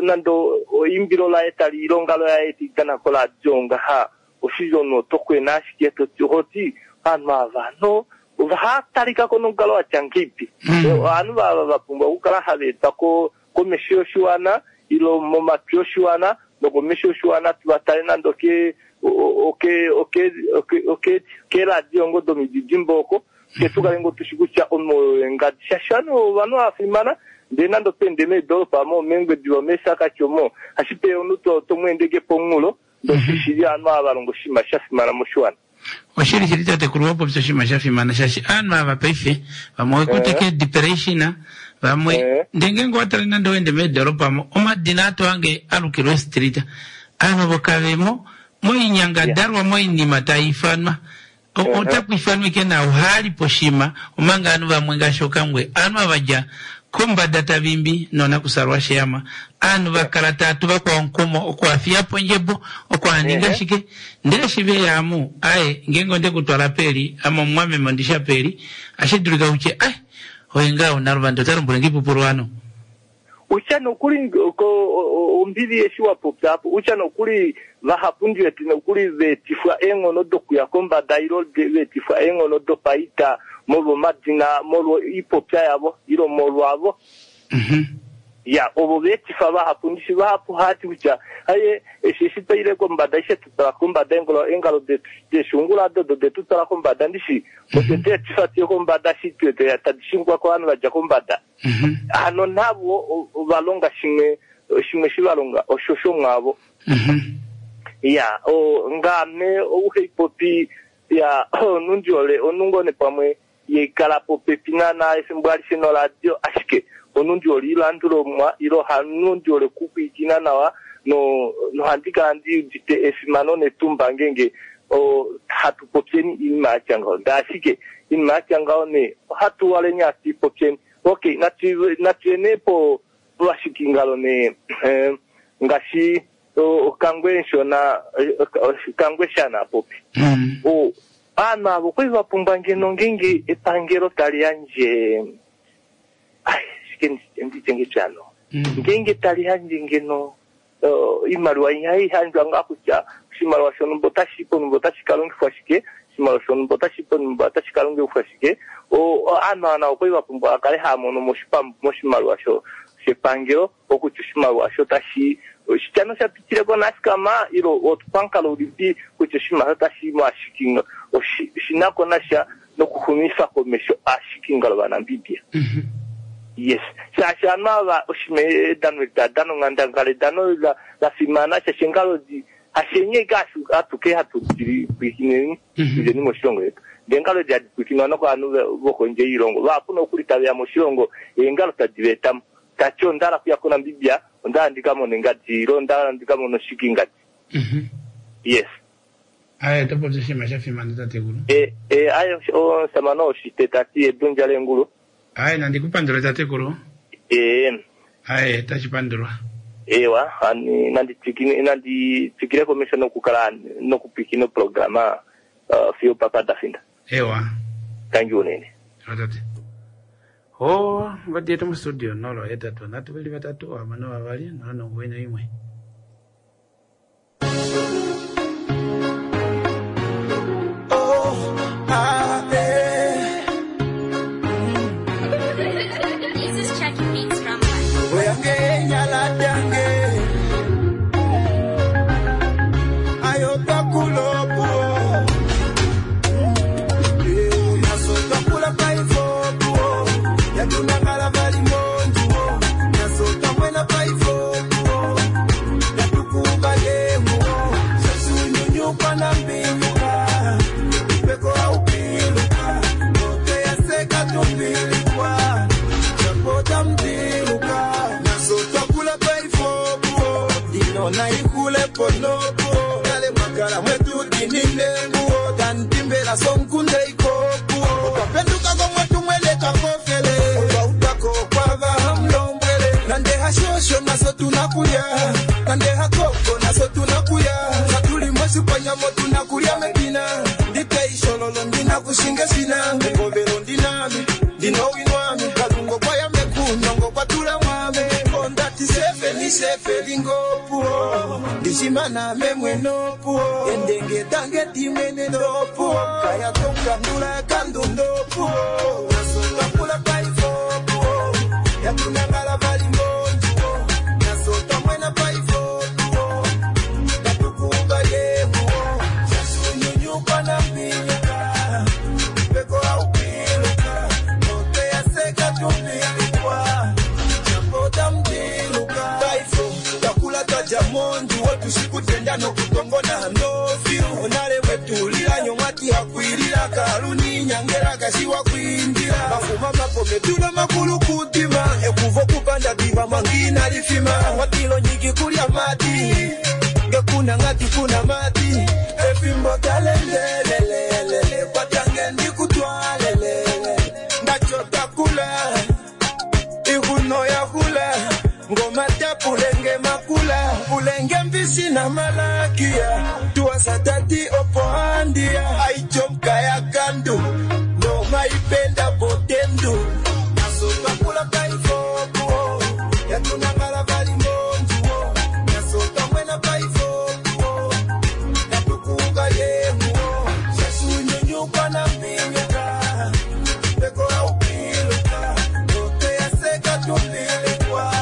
nande oimbilo laye tali ilongalo yaye tiitana koradio ngaha oshili omunhu oto kwena ashike toti hoti ovanhu ava no ovahatalika nomukalo watya ngeipi ovanhu vava vapumbwa okukala hava etwa ko komesho yoshiwana ilo momatwi oshiwana nokomesho yoshiwana tuvatale nande oke oke oke oke oke keradio ngo domididimbo oko ke tukale ngo tushi kutya omunhu engadi shaashi ovanhu ovanhu vafimana ndee nande opende meedoropa mo mengwediva mesakati omo ashipe omunhu to tomweendeke pomunghulo ndoshishili ovanhu ava valonga oshinima shafimana moshiwana. Oshili shili tatekulu wapopya oshinima shafimana shaashi aanhu ava paife vamwe okuteke depression vamwe ndee ngeenge owatale nande owende meedoropa mo omadina ato ange alukilwa street aanhu ovo kavemo moinyangadalwa moinima taifanwa otaku ifanwa ike nawo haali poshima omanga aanhu vamwe ngaashi okangwe aanhu avadja kombada tavimbi nonakusalwa sheyama aanhu vakala tatu vakwa onkumo okuafiyapo ondjebo okuaninga shike ndele shi veyamu aye ngeenge onde kutwala peli ame omumwameme ondisha peli ashidulika kutye ai oye ngaa unaluvanda ota lombwele ngipupulu ano utya nokuli ko ombili eshi wapopya apo utya nokuli vahapu ndiwete nokuli veetifwa eenghono dokuya kombada ilo veetifwa eenghono dopaita molwa omadina molwa oipopya yavo ilo molwavo ya ovo veetifa vahapu ndishi vahapu hati kutya aye eshi eshi twaile kombada ishe tutala kombada engalo engalo detu deshungula dodo detu twala kombada ndishi ode deetifa tiye kombada shi twete tadishingwa kovanhu vadja kombada hano navo valonga shimwe shimwe shivalonga osho shomwavo ya o ngame ouheipopi ya onundiole onungone pamwe yeikala popepi nana efimbo alishe noradio ashike onundiole ilandulomwa ilo hanundiole kupwiikina nawa no nohandi kala ndi udite efimano netumba ngenge o hatu popyeni iinima yatya ngaho ndee ashike iinima yatya ngaho ne ohatu waleni hatu ipopyeni okay natu natuyene po povashikingalo ne eh, ngaashi okangwe nshona kangwe shana popi o aanhu avo kwali vapumbwa ngeno ngenge epangelo tali yandje ai shike nditye ngepyano ngenge tali yandje ngeno iimaliwa ihai handjwa ngaa kutya oshimaliwa shonumba otashi ponumba otashi kalongifwa shike oshimaliwa shonumba otashi ponumba otashi kalongifwa shike aanhu ava okwali vapumbwa vakale haya mono moshimaliwa sho shepangelo okutya oshimaliwa sho tashi oshitya shapitileko nasikama ilo otupamukalo ulipi kutya oshimaliwa otashi mo shinako nasha nokuxumifa komesho ashikingalo vaNamibia. Yes shaashi aanhu ava oshima edano eli tadana onghandangala edano la fimana shaashi engalo hashenye ike atuke hatu pwikineni ileni moshilongo yetu ndee engalo edi hadi pwikinwa nokovanhu vokondje yoilongo vahapu nokuli taveya moshilongo eengalo tadi veetamo tati ondala kuya koNamibia ondala ndikamone ngadi ilo ondala ndikamone oshiki ngadi. Yes aye topopya oshinima shafimana tatekulu e e aye omusamane oshite tati edundja lengulu aye nandikupandula tatekulu e aye tashipandulwa ewa ani nanditwikine nanditwikile komesho nokukala nokupwikina oprograma uh, fiyo papa dafinda ewa thank you unene atate ho ngodi yetu mustudio nolo etatu nhatu veli vatatu hamano vavali nola nonguwe noimwe. Oh, ah, eh. This is Chucky Beats from Oyange nyala dange. Ayota kulopo. Eh, nasota kula paifopo. Yatuna ngala vali monjuo. Nasota mwena paifopo. Naihule po nopo nale mwakala mwetu dinine nguo tandimbela sonkunde ikopuo otwapenduka komwetu mweleka kofele otwautako kwava hamlombwele nande hashosho naso tunakulya nande hakoko naso tunakulya hatuli mosipanyamo tunakulya mepina nditeishololo ndina kushinge sina ekovelo ndinami ndinowinwami kalungo kwayamekunongo kwatula mwame ondati sefe ni sefe lingopuo ndishimana memwenopuo endenge tange timene ndopuo kaya tonkandula kandundopuo nasotwakula paifopuo yatunangala valimonjuo nasotwamwena paifopuo tatukumba yehuo sasunyunyukwa na mbinyuka peko aupiluka noteyaseka tumbilikwa chapota mdiluka taifo takula twaja mondu wotushikutenda nokutongona ndofiu onale wetulila nyomwati hakwilila kaluni nyangela kashiwa kwindila mafuma mapome tuna makulu kutima ekuvo kupanda diva mwangina lifima watilo nyiki kulya mati ngekuna ngati kuna mati efimbo talendelelelele kwatange ndikutwalelele ndachotakula ihuno ya hula ngoma tapulenge makula ulenge mbisi na malakia tuwasatati opoandia aichomka ya kandu ngoma ipenda botendu nasotwakula paifopuo yatunangala valimonjuo nasotwamwena paifopuo natukuka yehuo sasunyunyukwa na mbinyuka peko aupiluka noteyaseka tumbilikwa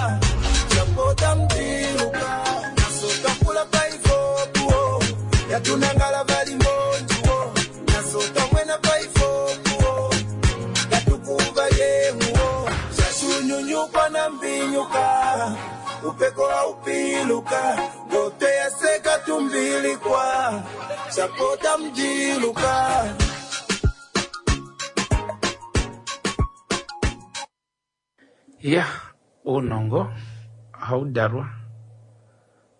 chapota mdiluka nasotwakula paifopuo yatunangala valimonjuo nasotwamwena paifopuo yatukuva yehuo sasunyunyukwa na mbinyuka upeko aupiluka ngoteyaseka tumbilikwa chapota mdiluka. Ya uunongo ohau dalwa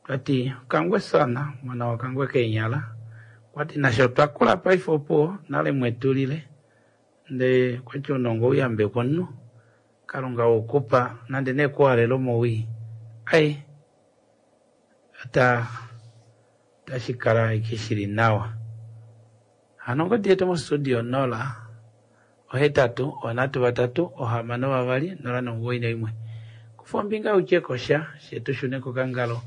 twati kangwe sana mwana wa kangwe keenyala kwati nasho twakula paife opuwo nale mwetulile ndee kwati ounongo ouyambekwa omunhu kalunga wokupa nande nekuhalela omowii ai ata tashikala ashike shili nawa. Hano ongodi yetu mostudio nola ohetatu onhatu vatatu ohamano vavali nola nomuwoi naimwe kufa ombinga utyekosha fye tushune kokangalo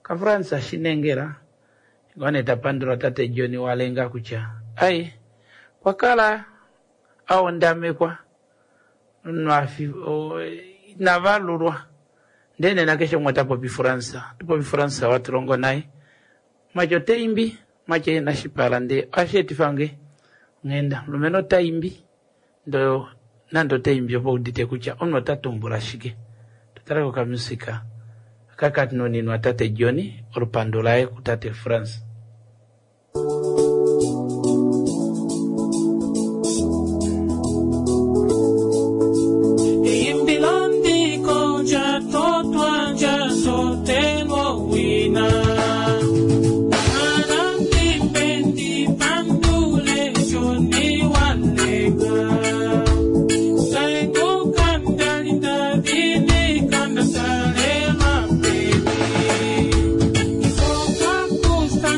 kaFrans Shinengela ngoo tapandula tate John Walenga kutya ai kwakala aondamekwa nwafi inavalulwa ndee nena keshe umwe tapopi Fransa tupopi Fransa watulongo naye macho teimbi macho ena shipala ndee osheetifa nge nghenda mulumenhu otaimbi ndo nande otaimbi opo udite kutya omunhu ota tumbula shike tutale kokamusika kakanuninwa tate John olupandu laye kutate Frans. Imbilandiko jatotwa jatotelwa wina Anandipendi pandule joni walega Saengo kandalinda dini kanda sale mapeni Ifoka kusta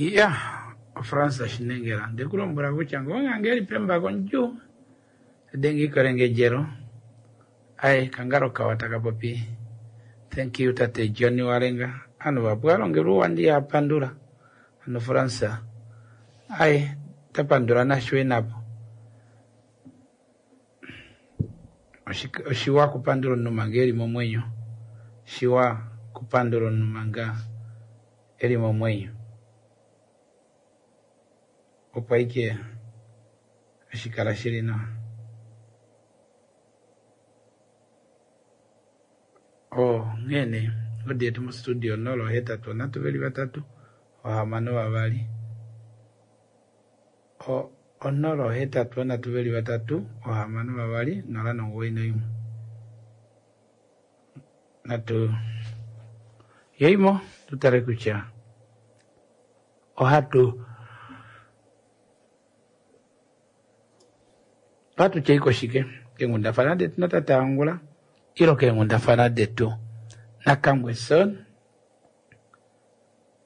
Ya, oFrans Shinengela. Ndikulombwela kutya ngonga eli pembako ndjuu denge ikolengedjelo aye kangalo kawa takapopi. Thank you tate Johnny Walenga. Anu vapu alongelwa uwa yapandula. Anu Fransa. Aye tapandula nashwe napo. Oshi- Oshiwa kupandula omunhu manga eli momwenyo. Shiwa kupandula omunhu manga eli momwenyo. Opo aike hashikala shili nawa. Oh, nghene odi yetu mostudio nolo hetatu nhatu veli vatatu ohamano vavali o onolo hetatu nhatu veli vatatu ohamano vavali nola nomugoyi noimwe natu yeimo tutale kutya ohatu ohatu tyeiko shike keenghundafana detu natate Angula ilo keenghundafana detu naKangweson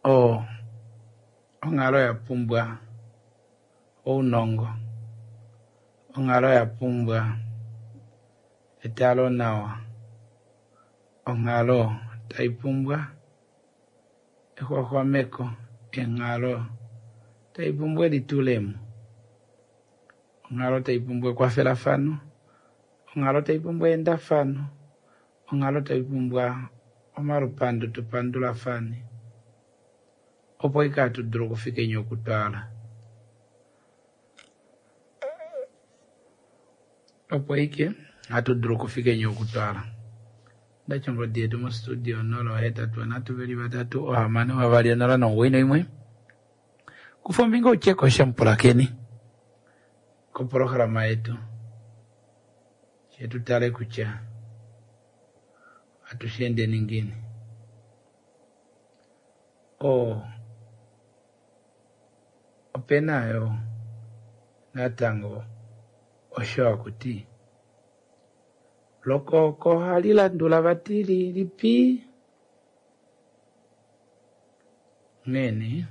o onghalo ya pumbwa ounongo onghalo ya pumbwa etalo nawa onghalo tai pumbwa exwaxwameko enghalo tai pumbwa elitulemo onghalo tai pumbwa ekwafelafano onghalo tai pumbwa eendafano onghalo tai pumbwa omalupandu tupandulafane opo ike hatu dulu okufika enya okutwala opo ike hatu dulu okufika enya okutwala ndacha ongodi yetu mostudio nola ohetatu nhatu veli vatatu ohamano vavali onola nomugoyi noimwe kufa ombinga utyeko shamupulakeni kopolohalama yetu shetutale kutya atushendeni ngini o opena yo natango osho akuti lokoko ohali landula vati lilipi nghene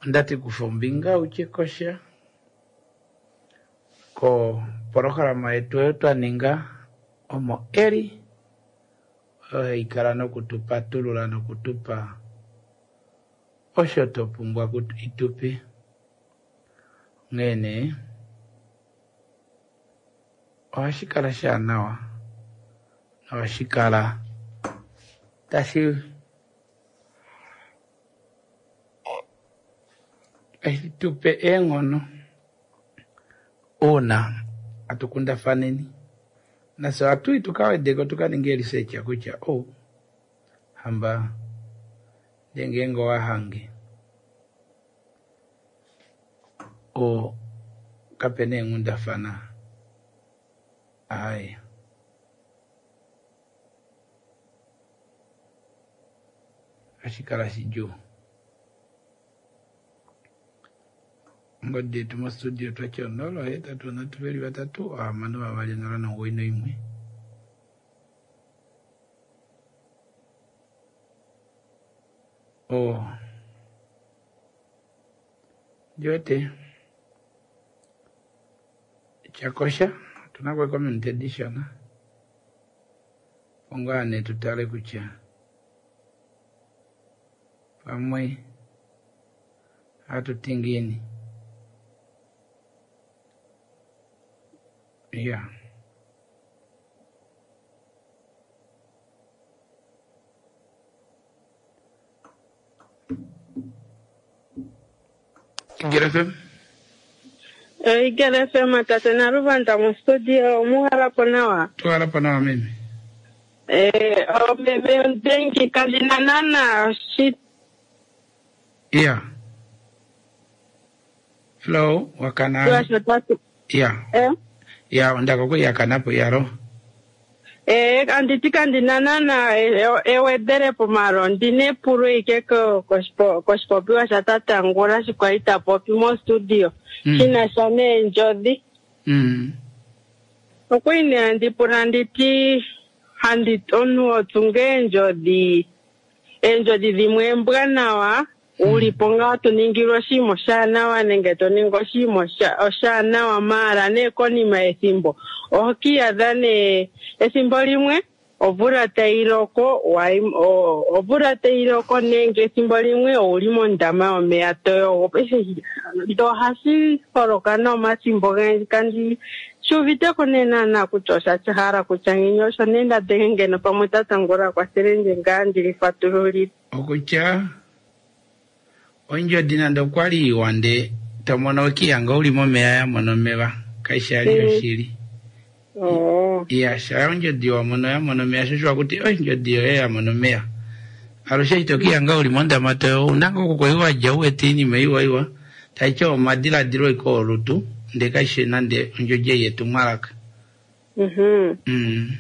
ondati kufa ombinga utye kosha kopolohalama yetu oyo twaninga omo eli oyo haikala nokutupatulula nokutupa osho topumbwa itupe nghene ohashi kala shaanawa nohashi kala tashi tashi tupe eenghono uuna atukundafaneni nafye ohatuyi tukawedeko tukaninge research kutya oh hamba ndee ngeenge owahange o kapena eenghundafana aaye ohashi kala shidjuu. Ongodi yetu mostudio twatya onola ohetatu nhatu veli vatatu ohamano vavali onola nomugoyi noimwe o ndiwete chakosha tunako community edition ongane tutale kutya pamwe hatutingini yeah Get F M. Igele F M tate Naluvanda mostudio omuhalapo nawa. Tuhalapo nawa meme. Eh, omeme ondengi kandina nana shi Yeah. Hello, wakana. shotatu. Yeah. Eh? Yeah, ondaka kuyakanapo yaro. Eh, anditi kandina nana ewedelepo malo ndine epulo ike ko- koshipo- koshipopiwa sha tate Angula shi kwali ta popi mostudio Mm. shina sha neendjodhi. Mm. Okwali nee handi pula nditi handi omuntu otsunga eendjodhi eendjodhi dhimwe embwanawa Uli po ngaa to ningilwa oshinima oshaanawa nenge to ningi oshinima osha- oshaanawa maala nee konima yethimbo oho kiiyadha nee ethimbo limwe omvula tayi loko wayi- o- omvula tayi loko nenge ethimbo limwe owuli mondama yomeya to yogo. Paife ndo ohashi holoka nomathimbo ogendji kandi shi uviteko nee naana kutya osha hala kutya ngiini osho nee nda dhenge ngeno pamwe tatangula kwathele ndje ngaa ndili fatululile. Okutya ondjodi nande okwali iwa nde tomono okiyanga uli momeya yamona omeva kaishi ali Mm. yoshili Oh. iya sha ondjodi wamono yamona omeya shosho wakuti ondjodi yoye yamona omeya alushe ito kiyanga uli mondama toyo unanga okukwai wadja uwete iinima iwa iwa taitya omadiladilo iko olutu nde kaishi nande ondjodi ei yetumwalaka Mhm. mm.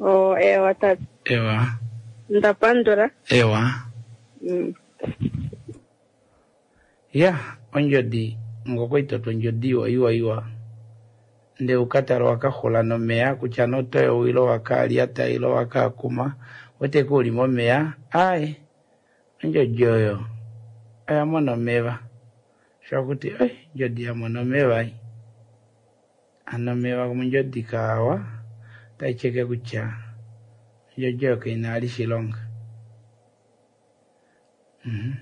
Oh, ewa tata. ewa Ndapandula. ewa Mm. ya ondjodi ngokwaitotwa ondjodi iwa iwa iwa nde ukatala wakaxula nomeya kutya notoyo ilo wakalyata ilo wakakuma weteke uli momeya ayi ondjodi oyo oyamona omeva shakuti oi ondjodi yamona omeva ai ano omeva mondjodi kaawa taicheke kutya ondjodi oyo kaina ali shilonga Mhm.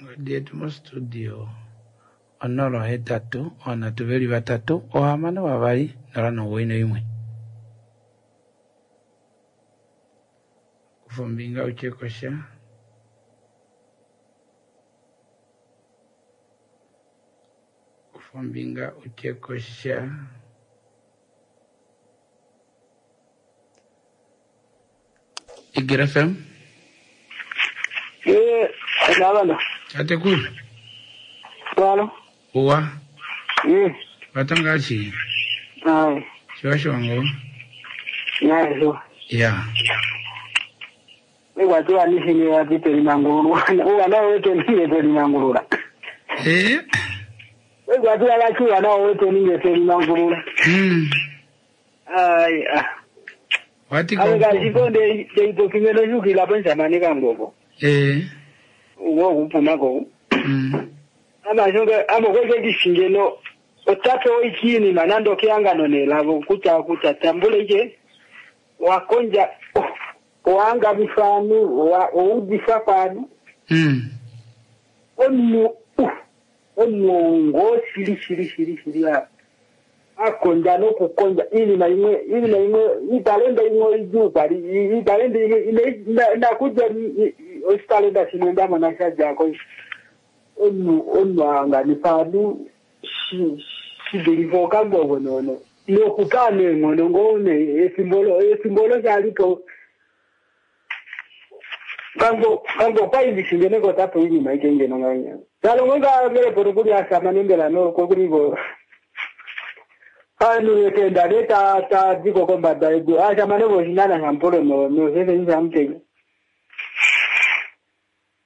Ngodi yetu mostudio onola hetatu oonhatu veli vatatu ohamano vavali nola nomuwoi noimwe kufa ombinga utye kosha kufa ombinga utye kosha Igir F M Eh, nabana. tatekulu Walo. uwa Eh, vatangachi ai, shiwashiwango nai so. ya Ikwatiwa nishini ya piteri mangululu. Uwa na wetu ninge teri mangulula. Eh? Ikwatiwa lakiwa na wetu ninge teri mangulula. Mm. Ai, ah. Wati Awe kashiko nde nde kimeno shukila pensa manika ngoko. Eh. Uwo kupuma ko. Mm. Ama shonge ama kweke kishingeno otape oichini manando kiangano nelavo kuta kuta tambule ije wakonja oh, wanga bifanu wa oudifa panu Mm. onu uh, onu ngo shili shili shili shili ya akonja nokukonja inima imwe inima imwe italenda imwe ijupa italenda imwe ine ndakuja ositalenda shimwe ndamona shajako onu onu anganifanu shidilivo kangogo nono nokukane ngono ngone esimbolo esimbolo shalipo kango kango kwaindishingene kotapo inyuma ikengeno nganya salongo ngavele poto kuli asama nembela no kokuliko anu yekenda leta ta dziko kombada edu asama nevoshinana shampolo no no sese nishamutenya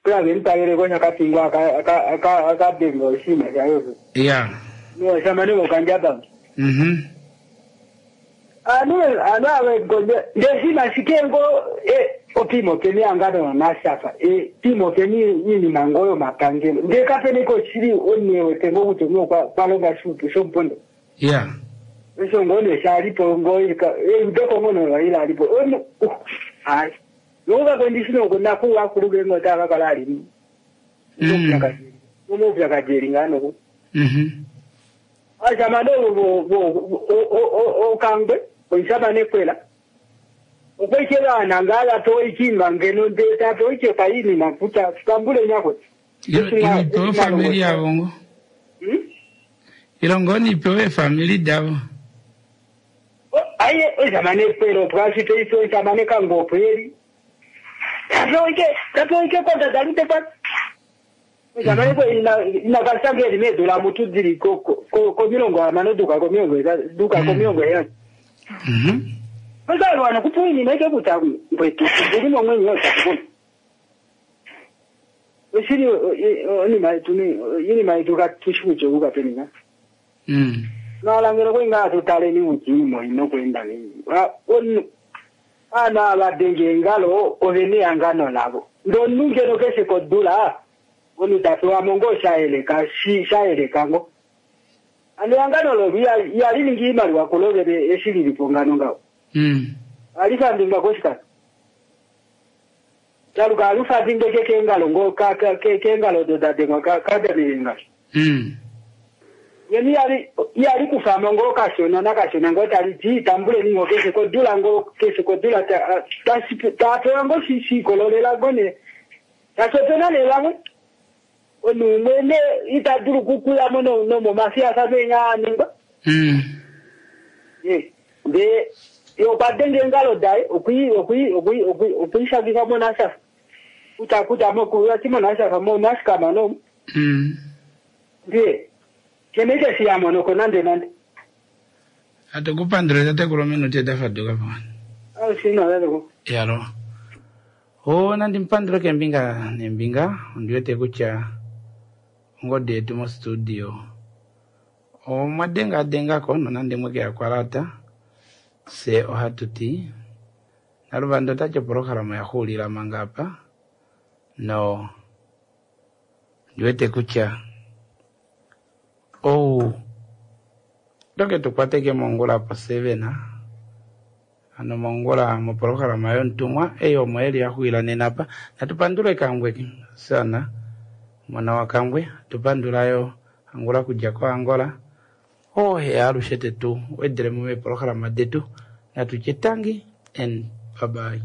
kula venitalele koshakapingwa akabenga oshima shayoso ya no asama nevokanjaba mhm anu anu awegonje ndeshima shikengo e opimo peni angano nashafa e pimo peni inima ngoyo mapangelo ndekapeneko chiri onewe tengo kuti uno kwalonga shutu shompondo ya isho ngone shalipo ngoika e ngono waila alipo ono hayi nokuka kwendishino nakuwa kuluge ngota kakala ali Mm. umupyakajeri ngano mhm ashamane okangwe oishamane kwela okwechevana ngala toichinga ngeno ndeta toichepa ini mafuta tambule nyakwe Ilo ilipewe famili yavo ngo Hmm? ilongo nipewe famili davo aye oishamane kwela opwasito oishamane kangopo eri tatoike tatoike konta dalute pa oishamane kwe inakasanga eri medola mutu dziri komilongo amano duka komilongo duka komilongo eyani mhm Bazalwana kupuini maike kuta mbwetu ndilimo mwenye yotakubona. Osiri oni maituni yini maituka tushuje uka penina. Mm. Nalangero kwenga tutale ni ujimo ino kwenda ni. Wa on Ovanhu ava denge eengalo ove nehangano lavo. Ndee omunhu ngeno keshe kodula omunhu ta pewa mo ngoo sha yeleka shi sha yeleka ngoo. Hano ehangano lolo ihali ningi iimaliwa kulo vene eshi lilipo ngano ngaho. Mm. Ohali fandingwa koshikando. Taluka ohali fandingwa ke keengalo ngoo ka- ka- ke- keengalo odo da dengwa ka- kadane eengalo. Mm. Yeni ihali ihali kufamo ngoo kashona nakashona ngoo tali ti tambuleni ngoo keshe kodula ngoo keshe kodula ta- tashi- tapewa ngoo shi- shiikololela ngoo nee. Tashi opena nee vamwe omunhu umwe nee ita dulu okukuyamo no- nomomafiyafano enya a ningwa. Mm. Ye, ndee ye okwa denga eengalo daye okwi okwi okwi okwi okwiishangifa monashafa kutya kutya mokuati monashafa monashikama nomu Mm. ndiye kene ite shiyamonoko nande nande Atukupandule tatekulu ominute da faduka po. ausinaleleko Yalo. O nandi mpandule kembinga nembinga ondiwete kutya ongodi yetu mostudio omwa denga dengako nonande mweke yakwalata se ohatu ti naluvanda otati opolohalama yaxuulila manga apa no ndiwete kutya ou toke tukwateke mongula po seven ano mongula mopolohalama yontumwa eyi omo eli yaxuwila nena apa natupandule kangwe sana mwana wa kangwe tupandulayo angula kudja ko Angola ohe alushe tetu wedelemo meepolohalama detu natutye tangi and bye bye.